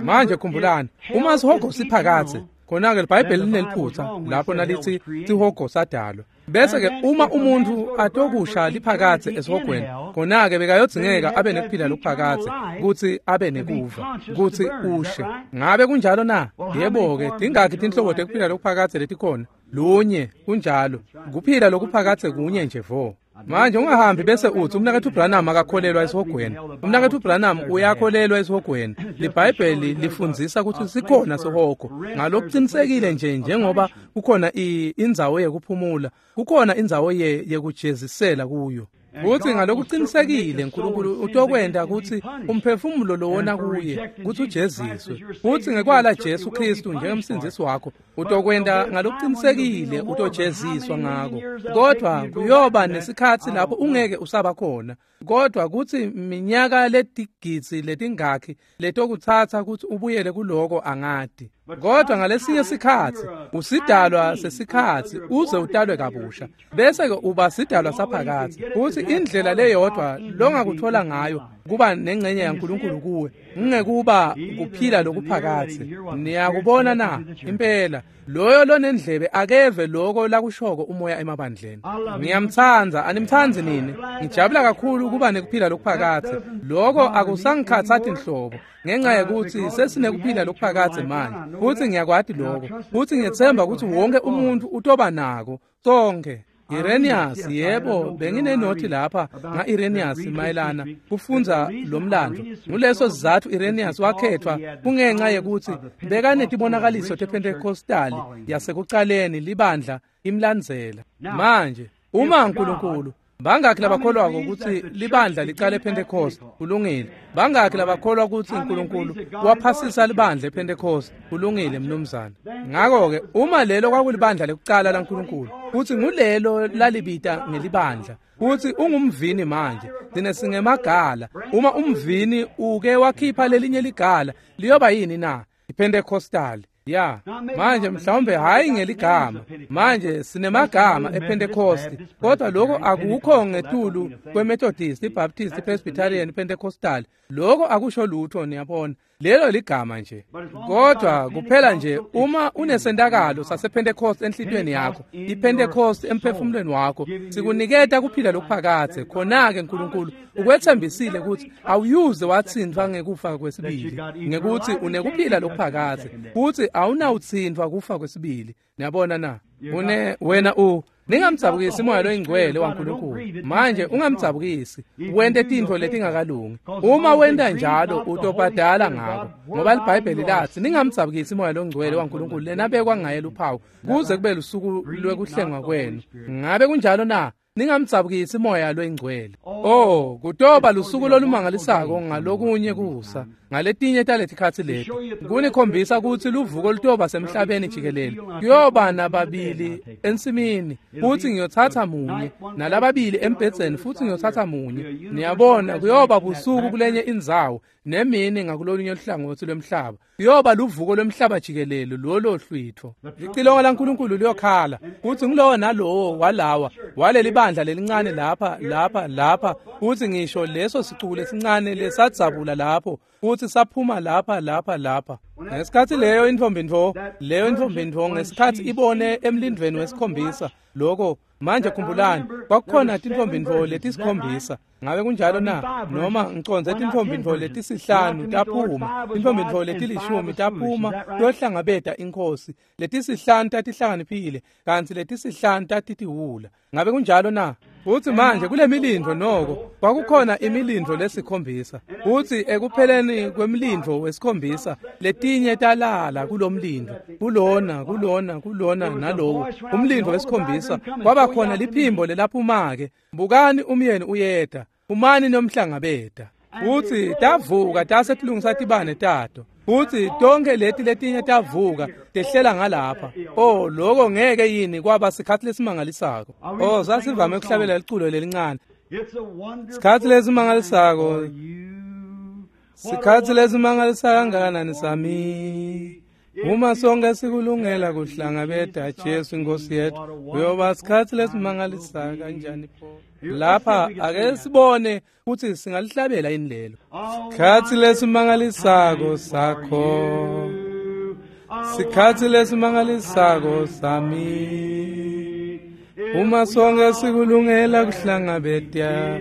Manje khumbulani, uma sihogo siphakadze, khona-ke liBhayibheli lineliphutha lapho nalithi sihogo sadalwa. Bese ke uma umuntu atokusha liphakadze esihogweni, khona-ke bekayodzingeka abe nekuphila lokuphakadze kutsi abe nekuva kutsi ushe. Ngabe kunjalo na? Yebo-ke, tingakhi tinhlobo tekuphila lokuphakadze letikhona? Lunye, kunjalo. Kuphila lokuphakadze kunye nje vo. Manje ungahambi bese utsi umnaketfu Branham akakholelwa esihogweni. Umnaketfu Branham uyakholelwa esihogweni. LiBhayibheli lifundzisa kutsi sikhona sihogo. Ngalokuqinisekile nje njengoba kukhona indzawo yekuphumula, kukhona indzawo yekujezisela kuyo. Kutsi ngalokuqinisekile uNkulunkulu utokwenta kutsi umphefumulo lowona kuye kutsi ujeziswe. Futsi ngekwala Jesu Kristu njengemsindzisi wakho, utokwenta ngalokuqinisekile utojeziswa ngako. Kodwa kuyoba nesikhatsi lapho ungeke usaba khona. Kodwa kutsi minyaka letigidzi letingakhi letokutsatsa kutsi ubuyele kuloko angati. Kodwa ngalesinye sikhatsi usidalwa sesikhatsi uze utalwe kabusha, bese-ke uba sidalwa saphakadze. Futsi indlela leyodvwa longakuthola ngayo kuba nengcenye yaNkulunkulu kuwe ngekuba kuphila lokuphakadze. Niyakubona na? Impela loyo lonendlebe akeve loko lakushoko umoya emabandleni. Ngiyamtsandza, animtsandzi nini? Ngijabula kakhulu kuba nekuphila lokuphakadze. Loko akusangikhatsati nhlobo ngenxa yekutsi sesinekuphila lokuphakadze manje, futsi ngiyakwati loko, futsi ngiyetsemba kutsi wonke umuntfu utoba nako sonkhe. Irenaeus, yebo, benginenothi lapha nga-Irenaeus mayelana kufundza lo mlando. Nguleso sizatfu Irenaeus wakhethwa kungenxa yekutsi bekanetibonakaliso tePentecostali yasekucaleni libandla imlandzela. Manje uma uNkulunkulu, bangakhi labakholwako kutsi libandla licale ePentecost? Kulungile. Bangakhi labakholwa kutsi uNkulunkulu waphasisa libandla ePentecost? Kulungile, mnumzane. Ngako-ke uma lelo kwakulibandla lekucala laNkulunkulu, kutsi ngulelo lalibita ngelibandla, kutsi ungumvini manje, thina singemagala. Uma umvini uke wakhipha lelinye ligala, liyoba yini na? IPentecostal. Ya, manje mhlawumbe hayi ngeligama. Manje sinemagama ePentecost, kodwa lokho akukho ngetulu kweMethodist, iBaptist, iPresbyterian, iPentecostal. Lokho akusho lutho, niyabona. Lelo ligama nje. Kodwa kuphela nje uma unesentakalo sasePentecost enhlitiyweni yakho, iPentecost emphefumulweni wakho, sikuniketa kuphila lokuphakadze. Khona-ke uNkulunkulu ukwethembisile kutsi awuyuze watsintfwa ngekufa kwesibili, ngekutsi unekuphila lokuphakadze, futsi awunawutsintfwa kufa kwesibili. Niyabona na? Une wena u ningamdzabukisi moya loyingcwele waNkulunkulu. Manje ungamdzabukisi, wente tintfo letingakalungi. Uma wenta njalo utobhadala ngako, ngoba liBhayibheli latsi ningamdzabukisi moya longcwele waNkulunkulu lenabekwa ngaye luphawu kuze kube lusuku lwekuhlengwa kwenu. Ngabe kunjalo na? Ningamdzabukisi moya loyingcwele. Oh, kutoba lusuku lolumangalisako ngalokunye kusa, ngaletinye taletikhatsi leti, kunikhombisa kutsi luvuko lutoba semhlabeni jikelele. Kuyoba nababili ensimini, futsi ngiyotsatsa munye, nalababili embhedzeni, futsi ngiyotsatsa munye. Niyabona, kuyoba busuku kulenye indzawo, nemini ngakulolunye luhlangotsi lwemhlaba. Kuyoba luvuko lwemhlaba jikelele lolo hlwitfo. Licilongo laNkulunkulu liyokhala, kutsi ngulowo nalowo walawa waleli bandla lelincane lapha, lapha, lapha, kutsi ngisho leso sicuku lesincane lesadzabula lapho, kutsi saphuma lapha, lapha, lapha. Ngesikhatsi leyo intfombi ntfo ngesikhatsi ibone emlindvweni wesikhombisa loko. Manje khumbulani, kwakukhona tintfombi ntfo letisikhombisa. Ngabe kunjalo na? Noma ngicondze tintfombi ntfo letisihlanu taphuma, tintfombi ntfo letilishumi taphuma kuyohlangabeta inkhosi. Letisihlanu tatihlakaniphile, kantsi letisihlanu tatitiwula. Ngabe kunjalo na? Futsi manje kule milindvo noko kwakukhona imilindvo lesikhombisa. Futsi ekupheleni kwemlindvo wesikhombisa, letinye talala kulomlindvo, kulona, kulona, kulona nalowo umlindvo wesikhombisa, kwaba khona liphimbo lelaphuma-ke, bukani umyeni uyeta, phumani nomhlangabeta. Futsi tavuka tase tilungisa tibane tato. Futsi tonke leti letinye tavuka tehlela ngalapha. Oh, loko ngeke yini kwaba sikhatsi lesimangalisako? Oh, sasivame ukuhlabela liculo lelincane. Sikhatsi lesimangalisako, sikhatsi lesimangalisako kangakanani sami. Uma sonke sikulungela kuhlangabeta Jesu inkosi yethu, kuyoba sikhatsi lesimangalisako kanjani pho. Lapha ake sibone kutsi singalihlabela yini lelo. Sikhatsi lesimangalisako sakho, sikhatsi lesimangalisako sami. Uma sonke sikulungela kuhlangabeta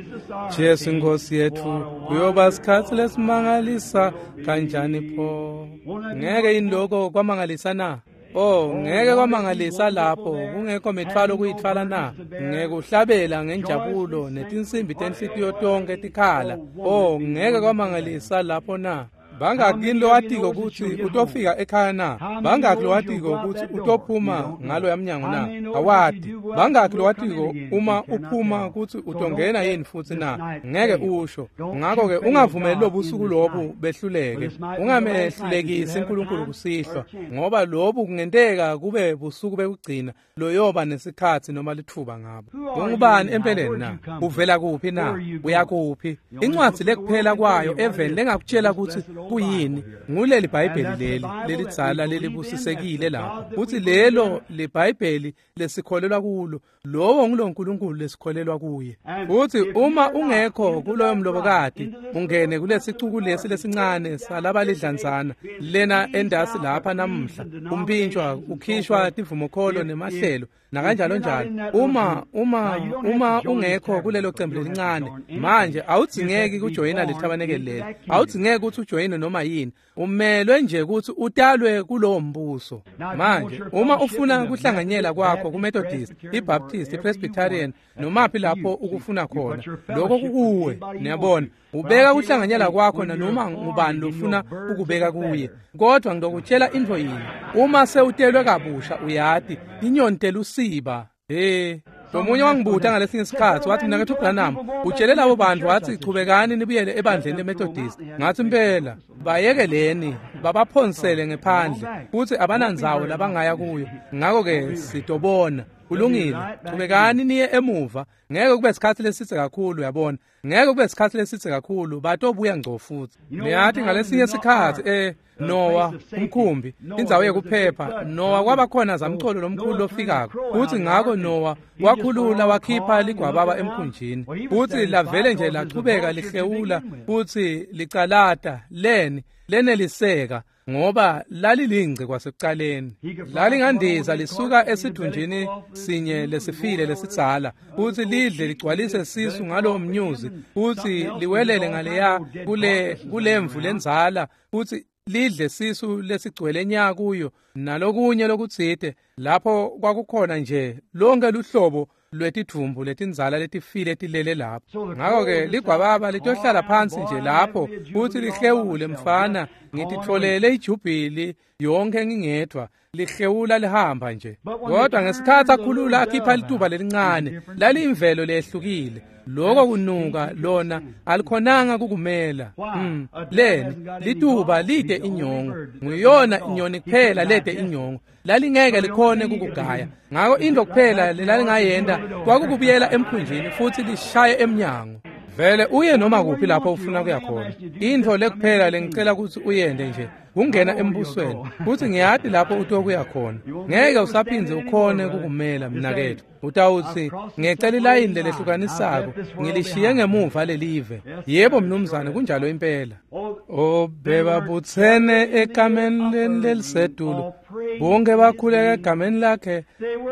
Jesu inkosi yethu, kuyoba sikhatsi lesimangalisa kanjani pho. Ngeke yini lokho kwamangalisa na? Oh, ngeke kwamangalisa lapho kungekho mithwalo kuyithwala na? Ngekuhlabela ngenjabulo netinsimbi tenhlitiyo tonke tikhala. Oh, ngeke kwamangalisa lapho na? Bangaki lowatiko kutsi utofika ekhaya na? Bangaki lowatiko kutsi utophuma ngalo yamnyango na? Awati. Bangaki lowatiko uma uphuma kutsi utongena yini futsi na? Ngeke usho. Ngakho-ke ungavumeli lobusuku lobu behluleke. Ungamehlulekisi uNkulunkulu kusihlwa, ngoba lobu kungenteka kube busuku bekugcina loyoba nesikhatsi noma litfuba ngabo. Ungubani empeleni na? Uvela kuphi na? Uyakuphi? Incwadzi lekuphela kwayo eveni lengakutshela kutsi kuyini nguleli Bhayibheli leli lelidzala lelibusisekile lapho. Kutsi lelo liBhayibheli lesikholelwa kulo, lowo nguloNkulunkulu lesikholelwa kuye. Futhi uma ungekho kuloyo mlobokati, ungene kulesicuku lesi lesincane salabalidlanzana lena endasi lapha namuhla, umpintshwa ukhishwa tivumokholo nemahlelo nakanjalo njalo. Uma ungekho kulelo cembu lelincane manje, awudzingeki kujoyina lethabanekeli leli, awudzingeki ukuthi ujoyine noma yini. Umelwe nje ukuthi utalwe kulowo mbuso. Manje uma ufuna kuhlanganyela kwakho kuMethodist, iBaptist, iPresbyterian, nomaphi lapho ukufuna khona, lokho kukuwe. Niyabona, ubeka kuhlanganyela kwakho nanoma ngubani lofuna ukubeka kuye. Kodwa ngidokutshela intfo yinye, uma sewutelwe kabusha, uyati inyoni telusiba. Lomunye wangibuta ngalesinye isikhatsi wathi, mina kethu Branham, utshele labo bantu wathi chubekani nibuyele ebandleni leMethodist. Ngathi impela bayekeleni babaphonsele ngephandle futhi abanandzawo labangaya kuyo. Ngakho-ke sitobona. Kulungile, chubekani niye emuva. Ngeke kube isikhatsi lesitse kakhulu, uyabona. Ngeke kube isikhatsi lesitse kakhulu, batobuya ngco futhi. Niyathi ngalesinye isikhatsi Noah umkhumbi, indzawo yekuphepha, Noah kwabakhona zamcolo lomkhulu lofikako. Futhi ngakho Noah wakhulula wakhipha ligwababa emkhunjini. Futhi lavele nje lachubeka lihlewula futhi licalata leni leneliseka, ngoba lalilingce kwasekuqaleni. Lalingandiza lisuka esithunjini sinye lesifile lesidzala, futhi lidle ligcwalise sisu ngalowo mnyuzi, futhi liwelele ngaleya kulemvu lendzala, futhi lidle sisu lesigcwele nya kuyo nalokunye lokutsite. Lapho kwakukhona nje lonke luhlobo lwetidvumbu letindzala letifile tilele lapho. Ngakho-ke ligwababa litohlala phansi nje lapho futhi lihlewule, mfana, ngititfolele ijubhili yonke ngingedwa, lihlewula lihamba nje. Kodwa ngesikhatsi akhulula akhipha lituba lelincane, laliyimvelo lehlukile. Lokho kunuka lona alikhonanga kukumela. Leni lituba lide inyongo, nguyona inyoni kuphela lede inyongo, lalingeke likhone kukugaya. Ngakho into kuphela lalingayenda kwakukubuyela emkhunjini futhi lishaye emnyango. Vele uye noma kuphi lapho ufuna kuya khona. Intfo lekuphela lengicela ukuthi uyende nje kungena embusweni, futhi ngiyati lapho utokuya khona. Ngeke usaphindze ukhone kukumela mnaketfu. Utawutsi ngecela ilayini lelehlukanisako, ngilishiye ngemuva lelive. Yebo mnumzane, kunjalo impela. Bebabutsene ekameni lelisetulu, bonke bakhuleka egameni lakhe,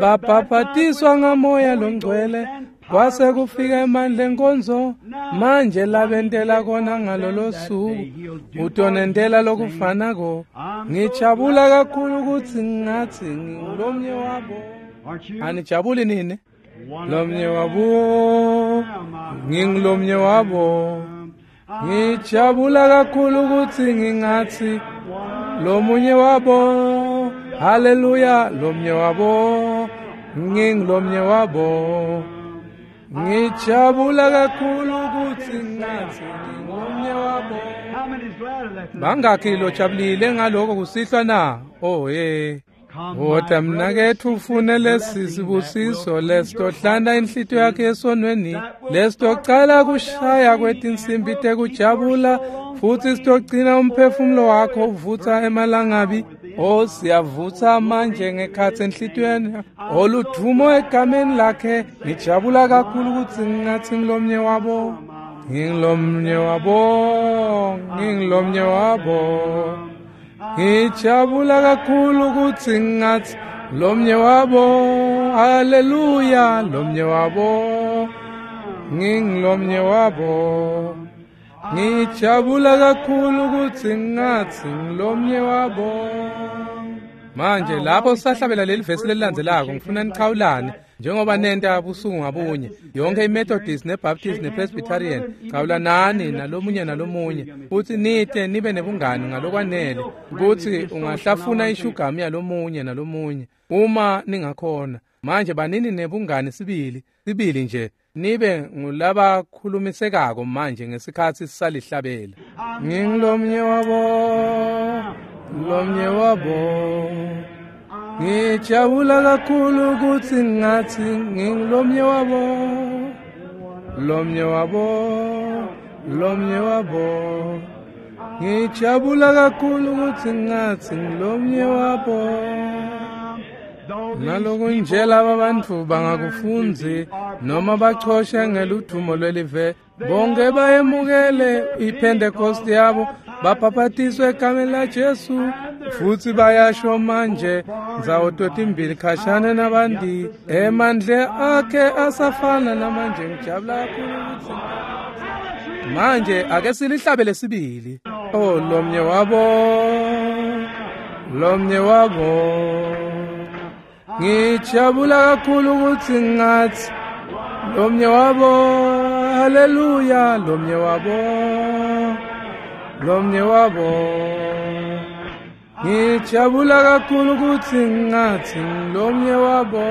babhabhatiswa ngamoya longcwele. Kwase kufika emandla enkonzo, manje labentela kona ngalolo suku, utonentela lokufanako. Ngijabula kakhulu ukuthi ngathi ngilomnye wabo. Anijabuli nini? Lomnye wabo, ngingilomnye wabo. Ngijabula kakhulu ukuthi ngingathi lomunye wabo. Haleluya, lomnye wabo, ngingilomnye wabo. Ngijabula kakhulu ukuthi ngathi ngingomnye wabo. Bangakhi lojabulile ngaloko kusihlwa na? Oh hey. Wota mnaketfu ufune lesi sibusiso lesitohlanda inhlitiyo yakhe esonweni, lesitocala kushaya kwetinsimbi tekujabula, futhi sitogcina umphefumulo wakho uvutsa emalangabi. Oh, siyavutsa manje ngekhatsi enhlitiyweni. Oludvumo egameni lakhe. Ngijabula kakhulu ukuthi ngingathi ngilomnye wabo. Ngingilomnye wabo, ngingilomnye wabo. Ngijabula kakhulu ukuthi ngathi lomnye wabo. Haleluya, lomnye wabo, ngingilomnye wabo. Ngijabula kakhulu ukuthi ngathi ngilomnye wabo. Manje lapho sisahlabela leli vesi lelilandzelako, ngifuna nichawulane njengoba nenta busuku ngabunye. Yonke iMethodist neBaptist nePresbyterian, chawulanani nalomunye nalomunye, futhi nite nibe nebungani ngalokwanele kutsi ungahlafuna ishugamu yalomunye nalomunye uma ningakhona. Manje banini nebungani sibili sibili nje, nibe ngulabakhulumisekako manje ngesikhatsi sisalihlabela. Ngingilomnye wabo, lomnye wabo. Ngijabula kakhulu ukuthi ngathi ngingilomnye wabo, lomnye wabo, lomnye wabo. Ngijabula kakhulu ukuthi ngathi ngilomnye wabo. Nalokunje laba bantfu bangakufundzi noma bachoshe ngeludvumo lwelive, bonke bayemukele iPentecost yabo, babhaphatiswe egameni laJesu, futhi bayasho manje ndzawo totimbili khashane nabandi, emandle akhe asafana namanje. Ngijabula kakhulu ukuthi manje ake silihlabele sibili. Oh, lomnye wabo, lomnye wabo. Ngijabula kakhulu ukuthi ngathi lomnye wabo, haleluya, lomnye wabo, lomnye wabo. Ngijabula kakhulu ukuthi ngathi lomnye wabo.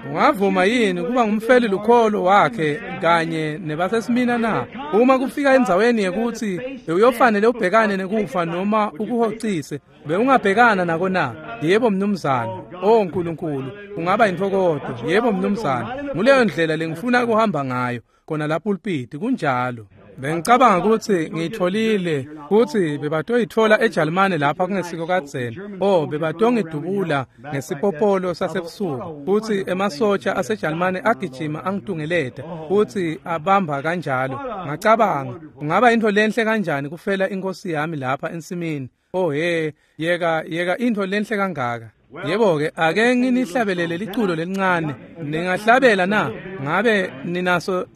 Ungavuma yini kuba ngumfeli lukholo wakhe kanye nebasesimina na? Uma kufika endzaweni yekuthi uyofanele ubhekane nekufa noma ukuhocise, bewungabhekana nako na? Yebo mnumzane. Oh Nkulunkulu, ungaba intokodo. Yebo mnumzane. Nguleyo ndlela lengifuna kuhamba ngayo khona lapha pulpit. Kunjalo. Bengicabanga ukuthi ngiyitholile kuthi bebatoyithola eJalimane lapha kungesiko kadzeni. Oh, bebatongidubula ngesipopolo sasebusuku, futhi emasotsha aseJalimane agijima angitungeleta futhi abamba kanjalo. Ngacabanga, kungaba into lenhle kanjani kufela inkosi yami lapha ensimini. Oh he, yeka yeka into lenhle kangaka. Yebo-ke, ake nginihlabelele liculo lelincane. Ningahlabela na? Ngabe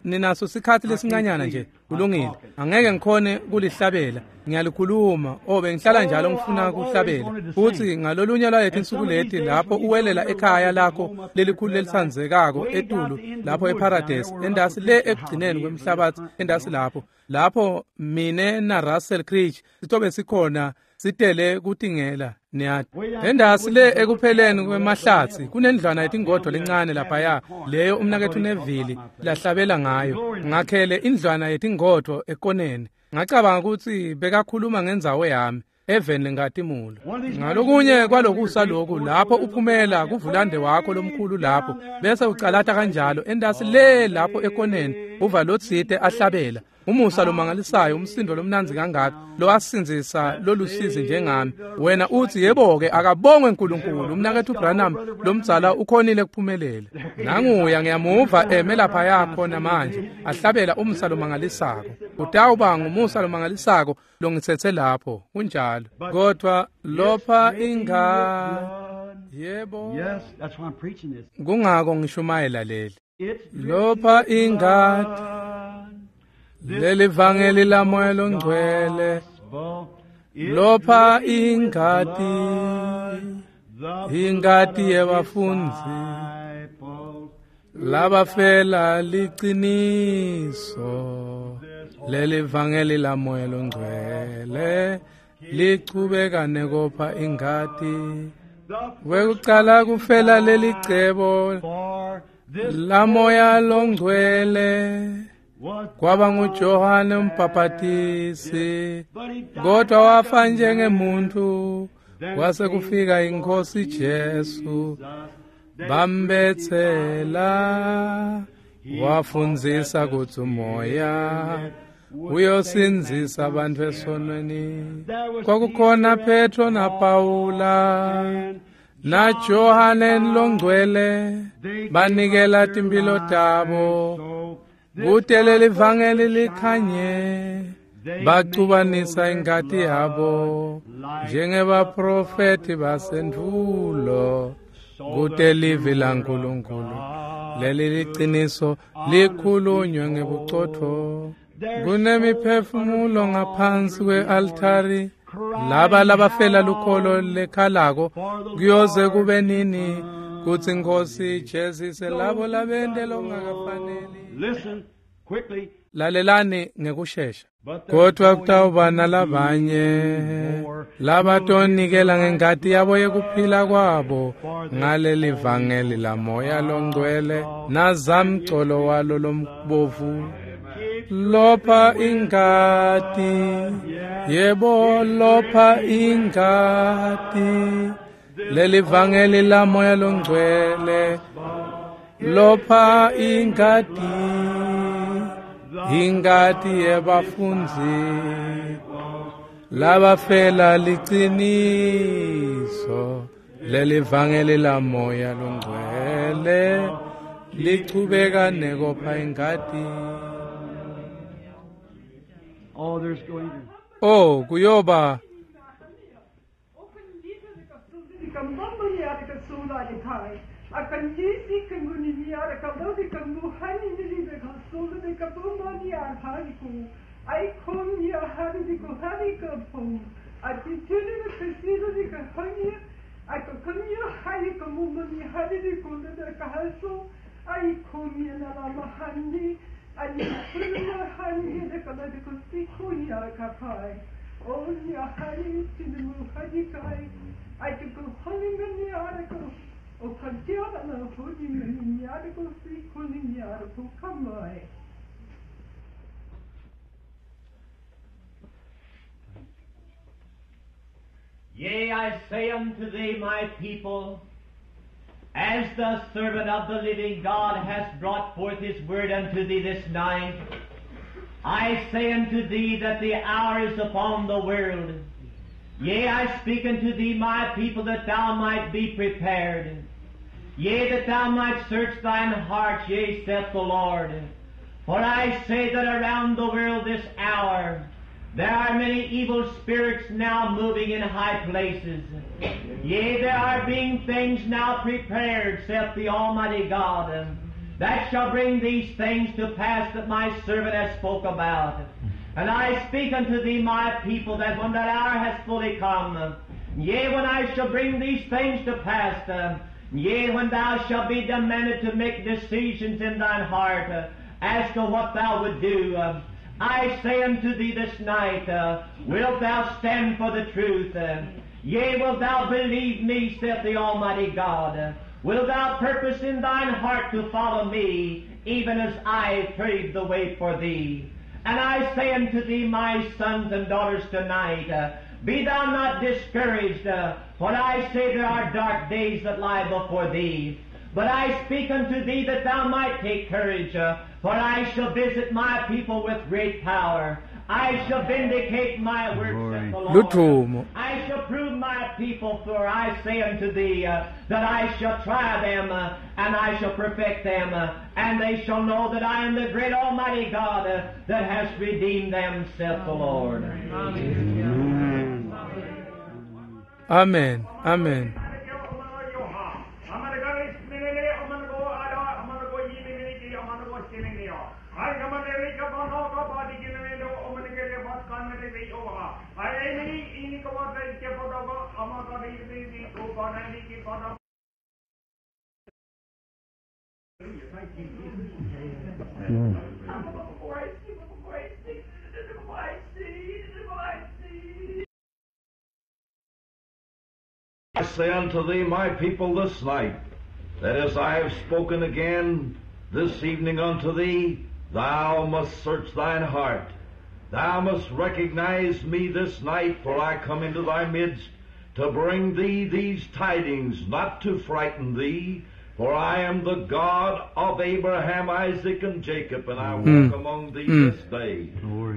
ninaso sikhathi lesincanyana nje? Kulungile. Angeke ngikhone kulihlabela. Ngiyalikhuluma. Oh, bengihlala njalo ngifuna kuhlabela. Futhi ngalolunye lwaleti insuku leti lapho uwelela ekhaya lakho lelikhulu lelisanzekako etulu lapho eParadise, endasi le ekugcineni kwemhlabathi, endasi lapho. Lapho mine na Russell Creech sitobe sikhona sitele kutingela niyati. Endasi le ekupheleni kwemahlatsi kunendlwana yetingodvo lencane laphaya, leyo umnaketfu Neville lahlabela ngayo. Ngakhele indlwana yetingodvo ekoneni. Ngacabanga ukuthi bekakhuluma ngendzawo yami eveni lenkatimula. Ngalokunye kwalokusa lokhu lapho uphumela kuvulande wakho lomkhulu lapho bese ucalata kanjalo endasi le lapho ekoneni, uva lotsite ahlabela. Umusa lomangalisayo, umsindo lomnandzi kangaka lowasindzisa lolusizi njengami. Wena uthi, yebo-ke, akabongwe Nkulunkulu, umnaketfu Branham lomdzala ukhonile kuphumelela. Nanguya ngiyamuva eme laphaya khona manje ahlabela umusa lomangalisako. Utawuba ngumusa lomangalisako longitsetse lapho. Kunjalo. Kodwa lopha inga yebo. Kungako ngishumayela leli. Lopha ingati leli vangeli la moya longcwele, lopha ingati, ingati yebafundzi labafela liciniso. Leli vangeli la moya longcwele lichubeka nekopha ingati. Wekucala kufela leli cebo la moya longcwele kwaba nguJohane umbhaphatisi, kodwa wafa njengemuntu. Kwase kufika inkosi Jesu, bambethela, wafundzisa kutsi umoya uyosindzisa abantu esonweni. Kwakukhona Petro naPawula naJohane longcwele, banikela timphilo tabo kute leli vangeli likhanye. Bacubanisa ingati yabo njengebaprofeti basendvulo, kute livi laNkulunkulu leli liciniso likhulunywe ngebucotfo. Kunemiphefumulo ngaphansi kwe-altari Laba labafela lukholo lekhalako kuyoze kube nini kutsi Nkosi ijezise labo labente lokungakafaneli. Listen quickly. Lalelani ngekushesha. Kodwa kutawuba nalabanye labatonikela ngengati yabo yekuphila kwabo ngaleli vangeli lamoya longcwele nazamcolo walo lombovu. Lopha ingati, yebo lopha ingati, leli vangeli lamoya longcwele, lopha ingati, ingati yebafundzi labafela liciniso, leli vangeli lamoya longcwele lichubeka nekopha ingati. Oh, there's going to. Oh, kuyoba. Yea, I say unto thee, my people, as the servant of the living God hath brought forth his word unto thee this night, I say unto thee that the hour is upon the world. Yea, I speak unto thee, my people, that thou might be prepared. Yea, that thou might search thine heart, yea, saith the Lord. For I say that around the world this hour there are many evil spirits now moving in high places. Yea, there are being things now prepared, saith the Almighty God, that shall bring these things to pass that my servant hath spoke about. And I speak unto thee, my people, that when that hour has fully come, yea, when I shall bring these things to pass, yea, when thou shalt be demanded to make decisions in thine heart as to what thou would do, I say unto thee this night, wilt thou stand for the truth? Yea, wilt thou believe me, saith the Almighty God? Wilt thou purpose in thine heart to follow me, even as I paved the way for thee? And I say unto thee, my sons and daughters, tonight, be thou not discouraged, for I say there are dark days that lie before thee. But I speak unto thee that thou might take courage, for I shall visit my people with great power. I shall vindicate my works, saith the Lord. I shall prove my people, for I say unto thee that I shall try them, and I shall perfect them, and they shall know that I am the great Almighty God that has redeemed them, saith the Lord. Amen. Amen. Amen. I say unto thee, my people, this night, that as I have spoken again this evening unto thee, thou must search thine heart. Thou must recognize me this night, for I come into thy midst to bring thee these tidings, not to frighten thee, for I am the God of Abraham, Isaac, and Jacob, and I walk among thee this day.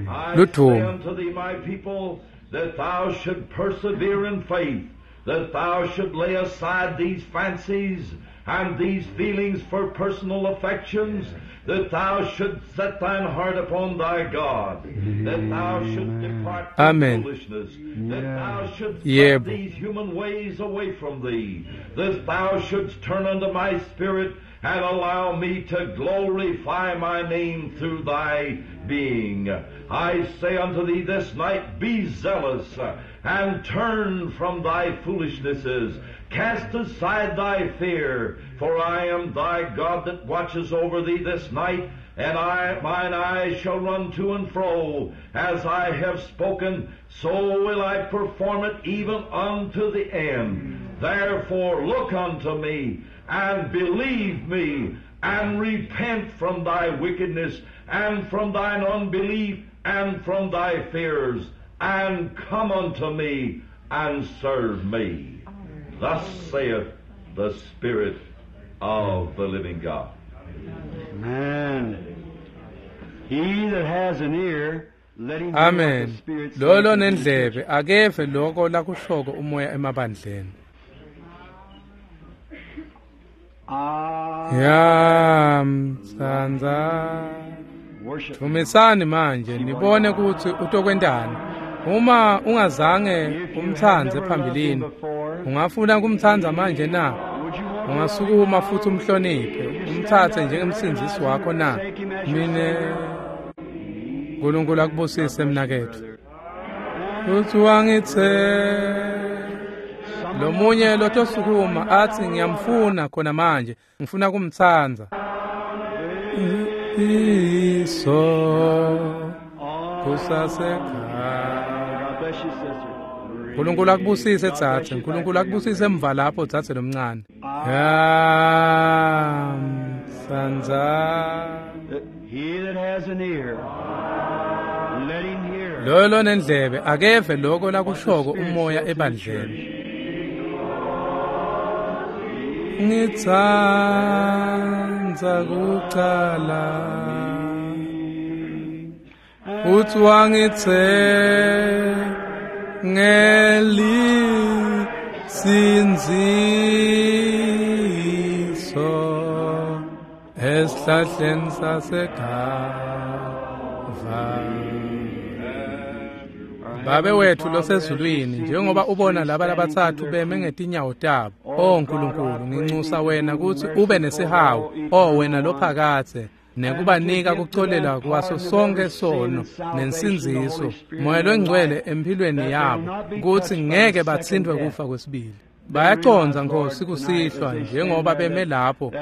I say unto thee, my people, that thou should persevere in faith, that thou should lay aside these fancies and these feelings for personal affections, that thou should set thine heart upon thy God, that thou shouldst depart from foolishness, that thou shouldst put these human ways away from thee, that thou shouldst turn unto my spirit and allow me to glorify my name through thy being. I say unto thee this night, be zealous, and turn from thy foolishnesses. Cast aside thy fear, for I am thy God that watches over thee this night, and mine eyes shall run to and fro. As I have spoken, so will I perform it even unto the end. Therefore look unto me, and believe me, and repent from thy wickedness, and from thine unbelief, and from thy fears, and come unto me, and serve me. Thus saith the Spirit of the living God. Amen. He that has an ear, let him hear what the Amen. Spirit Lo saith unto the lonendlebe church. akeve lokho lakushoko umoya emabandleni. Ah, Yamtsandza. worship. Dvumisani manje nibone ukuthi utokwentani. Uma ungazange If you have umtsandze never loved him phambilini, before, ungafuna kumtsandza manje na? would you want to love him Ungasukuma now? futhi umhloniphe, umtsatse njengemsindzisi wakho na? Mine Nkulunkulu akubusise mnaketfu. Uthi wangithe lomunye lotosukuma athi ngiyamfuna khona manje, ngifuna kumtsandza. Iso kusasekhaya. God bless you, sister. Nkulunkulu akubusise dzadze, Nkulunkulu akubusise emva lapho dzadze lomncane. Yamtsandza. He that has an ear, let him hear. Loyo lonendlebe akeve lokho what the lakushoko Spirit umoya saith to the ebandleni. church. Ngitsandza kucala uthi wangithe ngelisindziso esihlahleni saseGava. Babe wethu losezulwini, njengoba ubona laba labathathu beme ngetinyawo tabo, o Nkulunkulu, nginxusa wena ukuthi ube nesihawu, o wena lophakathe, nekubanika kucolelwa kwaso sonke sono nensindziso, moya longcwele empilweni yabo, kutsi ngeke batsintfwe kufa kwesibili. Bayacondza Nkosi kusihlwa njengoba beme lapho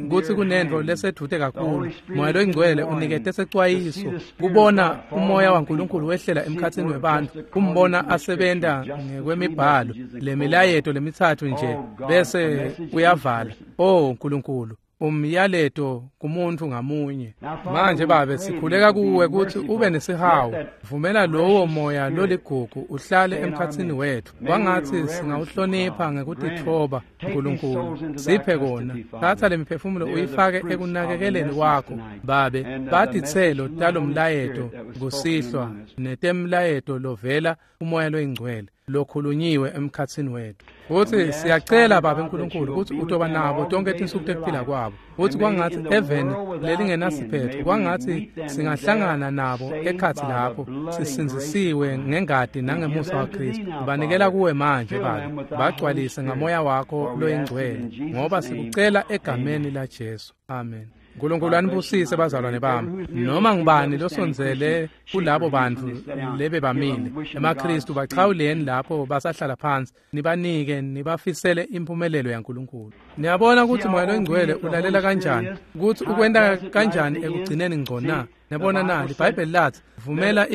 kutsi kunentfo lesedvute kakhulu. Moya loyingcwele unikete secwayiso kubona umoya waNkulunkulu wehlela emkhatsini webantfu, kumbona asebenta ngekwemibhalo lemilayeto lemitsatfu nje bese uyavala. O Nkulunkulu, umyaleto kumuntu ngamunye. Manje Babe, sikhuleka kuwe kutsi ube nesihawu. Vumela lowo moya loligugu uhlale emkhatsini wetfu. Kwangatsi singawuhlonipha ngekutitfoba Nkulunkulu. Siphe kona. Tsatsa lemiphefumulo uyifake ekunakekeleni kwakho Babe. Batitselo talomlayeto kusihlwa netemlayeto lovela umoya loyingcwele lokhulunyiwe emkhatsini wetfu. Futsi siyacela Babe Nkulunkulu kutsi utoba nabo tonke tinsuku tekuphila kwabo. Futsi kwangatsi eveni lelingenasiphetho, kwangatsi singahlangana nabo ekhatsi lapho sisindzisiwe ngengati nangemusa waKhristu. Banikela kuwe manje Babe, bagcwalise ngamoya wakho loyingcwele, ngoba sikucela egameni laJesu. Amen. Nkulunkulu anibusise bazalwane bami. Noma ngubani losondzele kulabo bantfu lebebamile emaKhristu, bachawuleni lapho basahlala phansi, nibanike nibafisele impumelelo yaNkulunkulu. Niyabona ukuthi moya loyingcwele ulalela kanjani, ukuthi ukwenta kanjani ekugcineni ngco na. Niyabona na, liBhayibheli lathi vumela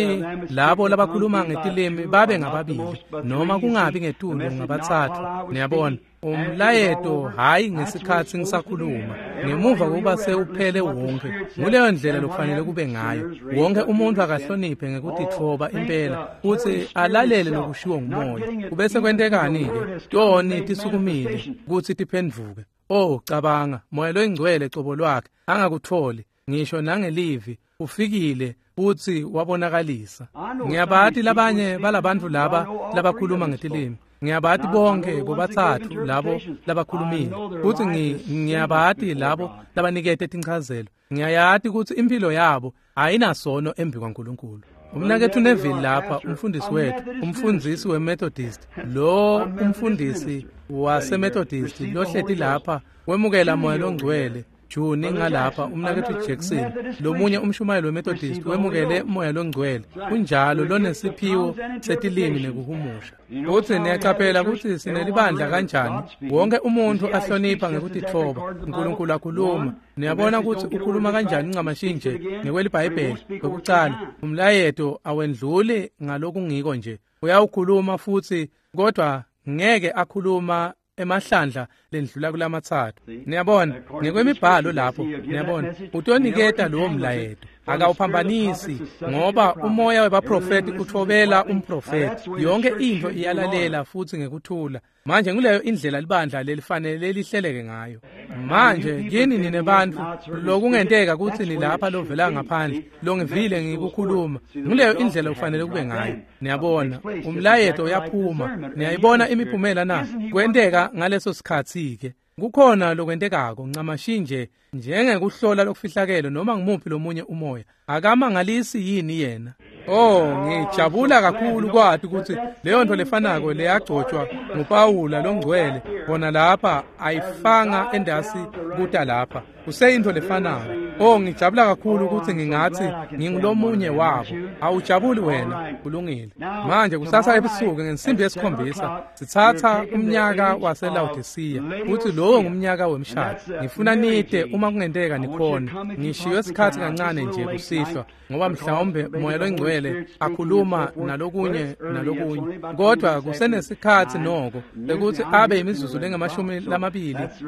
labo labakhuluma ngetilimi babe ngababili noma kungabi ngetulu ngabatsatfu. Niyabona umlayeto hayi ngesikhatsi ngisakhuluma, ngemuva kokuba sewuphele wonke. Nguleyo ndlela lokufanele kube ngayo. Wonke umuntu akahloniphe ngekutitfoba impela kutsi alalele lokushiwo ngumoya. Kubese kwentekani-ke? Toni tisukumile kutsi tiphendvuke. Oh, cabanga, moya loyingcwele cobo lwakhe angakutholi ngisho nangelivi ufikile futsi wabonakalisa. Ngiyabati labanye balabantfu laba labakhuluma ngetilimi. Ngiyabati bonke bobatsatfu labo labakhulumile, futsi ngiyabati labo labanikete tinchazelo. Ngiyayati kutsi impilo yabo ayinasono embi kwaNkulunkulu. Umnaketfu Neville lapha, umfundisi wethu, umfundisi weMethodist, lo umfundisi waseMethodist lohleti lapha wemukela Moya loNgcwele. Juni ngalapha umnaketfu Jackson, lomunye umshumayeli weMethodist wemukele Moya loNgcwele. Kunjalo, lonesiphiwo setilimi nekuhumusha. Futsi niyacaphela kutsi sinelibandla kanjani. Wonke umuntu ahlonipha ngekutitfoba. Nkulunkulu akhuluma. Niyabona kutsi ukhuluma kanjani ncamashi nje ngekweliBhayibheli. Kwekucala, umlayeto awendluli ngalokungiko nje. Uyawukhuluma futsi, kodwa ngeke akhuluma emahlandla lendlula kulamathathu. Niyabona, ngekwemibhalo lapho, niyabona, utoniketa lowo mlayeto. Akawuphambanisi, ngoba umoya webaprofeti utfobela umprofeti. Yonke intfo iyalalela futsi ngekuthula. Manje nguleyo indlela libandla lelifanele lihleleke ngayo. Manje kini nine bantfu lokungenteka kutsi nilapha lovela ngaphandle, longivile ngikukhuluma, nguleyo indlela kufanele kube ngayo. Niyabona, umlayeto uyaphuma. Niyayibona imiphumela na? Kwenteka ngaleso sikhatsi-ke. Kukhona lokwentekako ncamashi nje njengekuhlola lokufihlakele noma ngumuphi lomunye umoya. Akamangalisi yini yena? Oh, ngijabula kakhulu kwati kutsi leyo nto lefanako leyagcotshwa nguPawula longcwele bona lapha ayifanga endasi kuta lapha. Kuseyintfo lefanako. Oh, ngijabula kakhulu kutsi ngingatsi ngingulomunye wabo. Awujabuli wena? Kulungile. Manje kusasa ebusuku ngensimbi yesikhombisa sitsatsa umnyaka waseLaodicea, kutsi lowo ngumnyaka wemshado. Ngifuna nite uma kungenteka nikhona. Ngishiywe sikhatsi kancane nje kusihlwa, ngoba mhlawumbe Moya loNgcwele akhuluma nalokunye nalokunye, kodwa kusenesikhatsi noko lekutsi abe imizuzu lengamashumi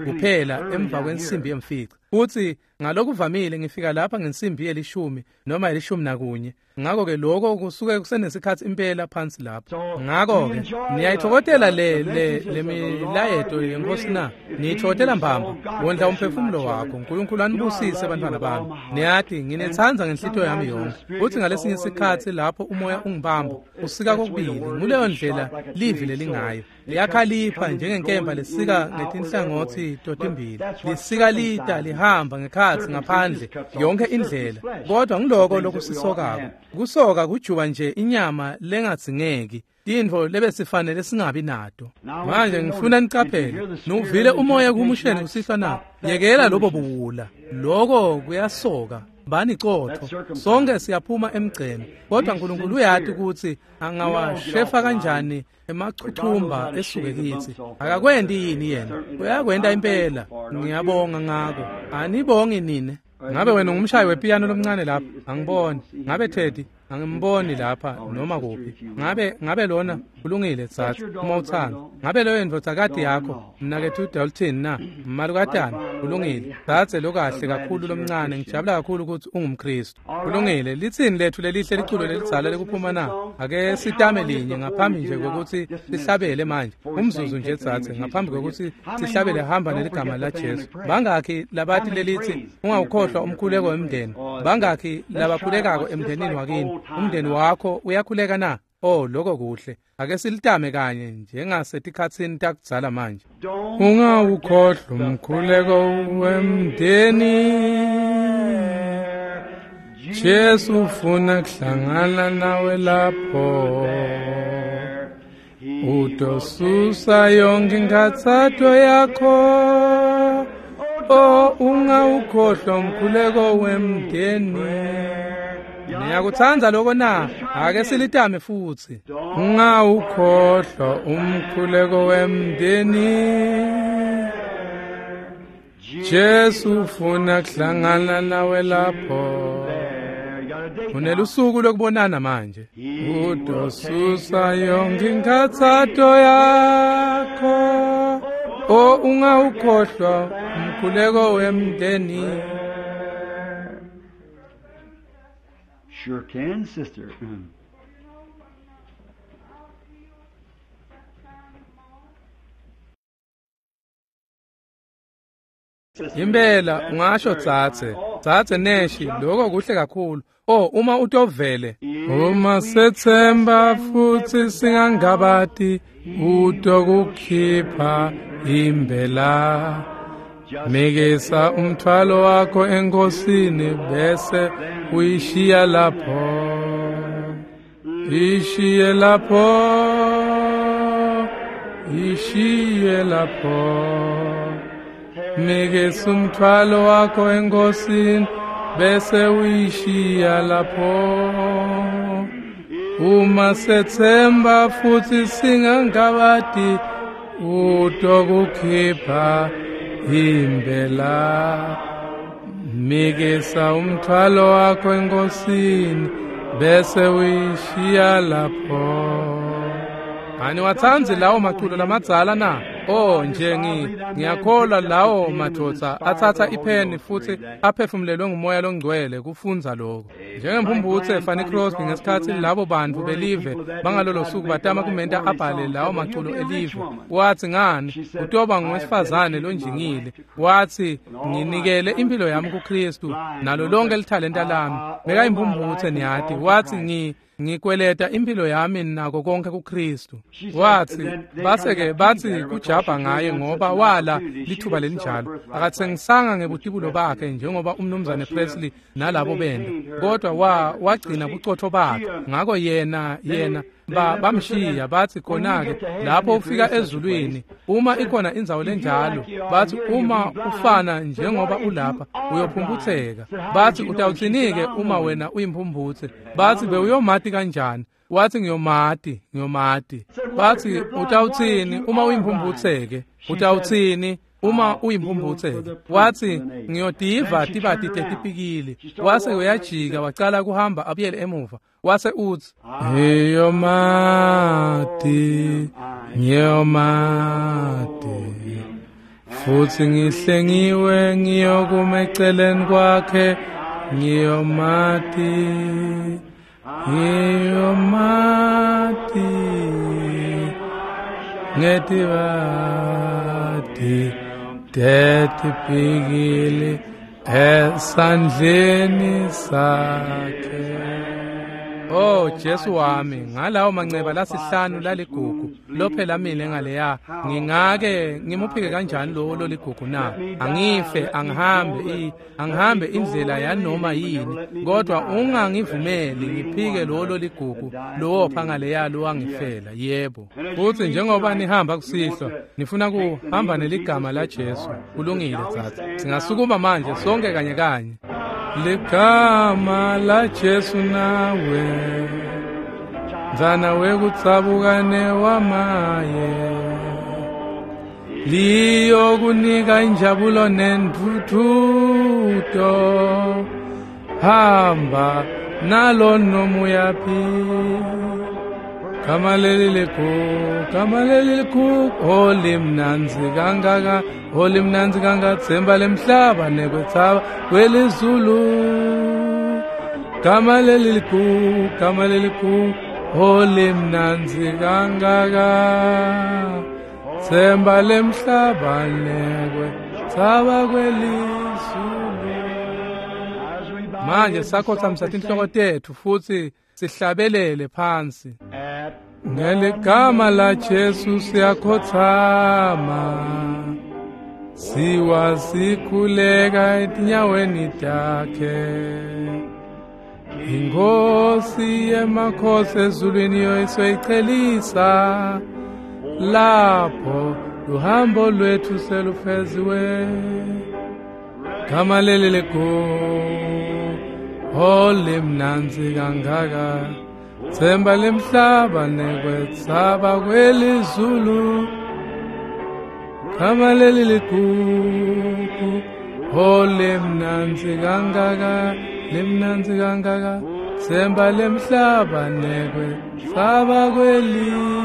kuphela emva kwensimbi yemfica. Futsi ngalokuvamile ngifika lapha ngensimbi yelishumi noma 11. Ngakho-ke lokho kusuke kusenesikhatsi impela phansi lapho. Ngakho-ke niyayithokotela le milayeto yeNkosi na? Niyithokotela mbamba. Wondla umphefumulo wakho. Nkulunkulu anibusise bantwana bami. Niyati nginetsandza ngenhlitiyo yami yonke. Futsi ngalesinye isikhatsi lapho umoya ungibamba usika kokubili. Nguleyo ndlela livi lelingayo. Liyakhalipha njengenkemba lesika ngetinhlangothi totimbili. Lisika lita lihamba ngekhatsi ngaphandle yonke indlela. Kodwa ngiloko lokusisokako. Kusoka kujuba nje inyama lengadzingeki, tintfo lebesifanele singabi nato. Manje ngifuna nicaphele, nuvile umoya kuhumusheni kusihlwa na? Yekela lobo buwula. Loko kuyasoka. Bani cotho. Sonke siyaphuma emgceni, kodwa Nkulunkulu uyati kutsi angawashefa kanjani emachuchumba esuke kitsi. Akakwendi yini yena? Uyakwenta impela. Ngiyabonga ngako. Anibongi nine? Ngabe wena ungumshayi wepiyano lomncane lapha? Angiboni. Ngabe Teddy? Angimboni lapha noma kuphi. Ngabe lona kulungile tsatsa uma utsandza. Ngabe leyo ndvodzakati yakho mnaketfu Dalton na? Malukatana kulungile. Tsatse lokahle kakhulu lomncane, ngijabula kakhulu ukuthi ungumKristu. Kulungile. Litsini lethu lelihle liculo lelidzala lekuphuma na? Ake sitame linye ngaphambi nje kokuthi sihlabele manje. Umzuzu nje tsatse ngaphambi kokuthi sihlabele hamba neligama la Jesu. Bangakhi labathi lelithi ungawukhohlwa umkhuleko wemndeni? Bangakhi labakhulekako emndenini wakini? Umndeni wakho uyakhuleka na? Oh, lokho kuhle. Ake silitame kanye njengasetikhatsini takudzala manje. Ungawukhohlwa umkhuleko wemndeni. Jesu ufuna kuhlangana nawe lapho. Utosusa yonke inkhathato yakho. Oh, ungawukhohlwa umkhuleko wemndeni. Niyakutsandza lokho na? Ake silitame futsi. Ungawukhohlwa umkhuleko wemndeni. Jesu ufuna kuhlangana nawe lapho. Unelusuku lokubonana manje. Utosusa yonke inkhathato yakho. Oh, ungawukhohlwa umkhuleko wemndeni. Sure can, sister. Impela ungasho tsatse, tsatse neshi, lokho kuhle kakhulu. Oh, uma utovele, uma sethemba futhi singangabati, utokukhipha imbela. Mikisa umthwalo wakho enkosini bese uyishiya lapho. Ishiye lapho, ishiye lapho. Nikeza umthwalo wakho enkosini bese uyishiya lapho. Uma sethemba futhi singangabadi utokukhipha imbela. Mikisa umthwalo wakho enkosini bese uyishiya lapho. Aniwatsandzi lawo maculo lamadzala na? Oh nje ngiyakholwa lawo madvodza atsatsa ipheni futhi aphefumulelwe ngumoya longcwele kufundza lokho. Njengemphumphutse Fanny Crosby ngesikhatsi labo bantfu belive bangalolo suku batama kumenta abhale lawo maculo elive. Watsi ngani utoba ngowesifazane lonjingile. Watsi nginikele impilo yami kuKristu nalo lonke lithalenta lami. Bekayimphumphutse niyati. Watsi ngikweleta impilo yami nako konke kuKristu. Watsi base-ke batsi kujabha ngaye ngoba wala lithuba lelinjalo. Akatsengisanga ngebutibulo bakhe njengoba umnumzane Presley nalabo benda, kodwa wagcina bucotho bakhe. Ngako yena bamshiya bathi khona-ke lapho ufika ezulwini uma ikhona indzawo lenjalo, bathi uma ufana njengoba ulapha uyophumputseka. Bathi utawutsini-ke uma wena uyimphumputse? Bathi bewuyomati kanjani? Wathi ngiyomati. Bathi utawutsini uma uyimphumphutseke? Utawutsini uma uyimphumphutseke? Wathi ngiyotiva tibati tetipikili. Wase uyajika wacala kuhamba abuyele emuva. Wase utsi ngiyomati, ngiyomati, futhi ngihlengiwe ngiyokuma eceleni kwakhe. Ngiyomati, ngiyomati, ngetibati tetipikili esandleni sakhe. Oh Jesu wami, ngalawo manceba lasihlanu laligugu lophela mine ngaleya, ngingake ngimuphike kanjani lowo loligugu na? Angife, angihambe indlela yanoma yini, kodwa ungangivumeli ngiphike lowo loligugu lowopha ngaleya lowangifela. Yebo. Futhi njengoba nihamba kusihlwa, nifuna kuhamba neligama la Jesu. Kulungile tsatsa. Singasukuma manje sonke kanye kanye. Ligama la Jesu nawe, mzana wekutsabukane wamaye, liyokunika injabulo nentuthuto. Hamba nalo nomuyaphi. Gama leli likhulu, gama leli likhulu, olimnandzi kangaka, olimnandzi kangaka, tsemba lemhlaba nekwetsaba kwelizulu. Gama leli likhulu, gama leli likhulu, olimnandzi kangaka, tsemba lemhlaba nekwetsaba kwelizulu. Manje sakhothamisa tinhloko tetfu futhi sihlabelele phansi. Ngeligama la Jesu siyakhothama, siwa sikhuleka etinyaweni takhe. Inkosi yemakhosi ezulwini yoyisoyichelisa, lapho luhambo lwethu selufeziwe. Gama leli likhulu, olimnandzi kangaka, tsemba lemhlaba nekwetsaba kwelizulu. Gama leli ligugu, olimnandzi kangaka, limnandzi kangaka, tsemba lemhlaba nekwetsaba kwelizulu.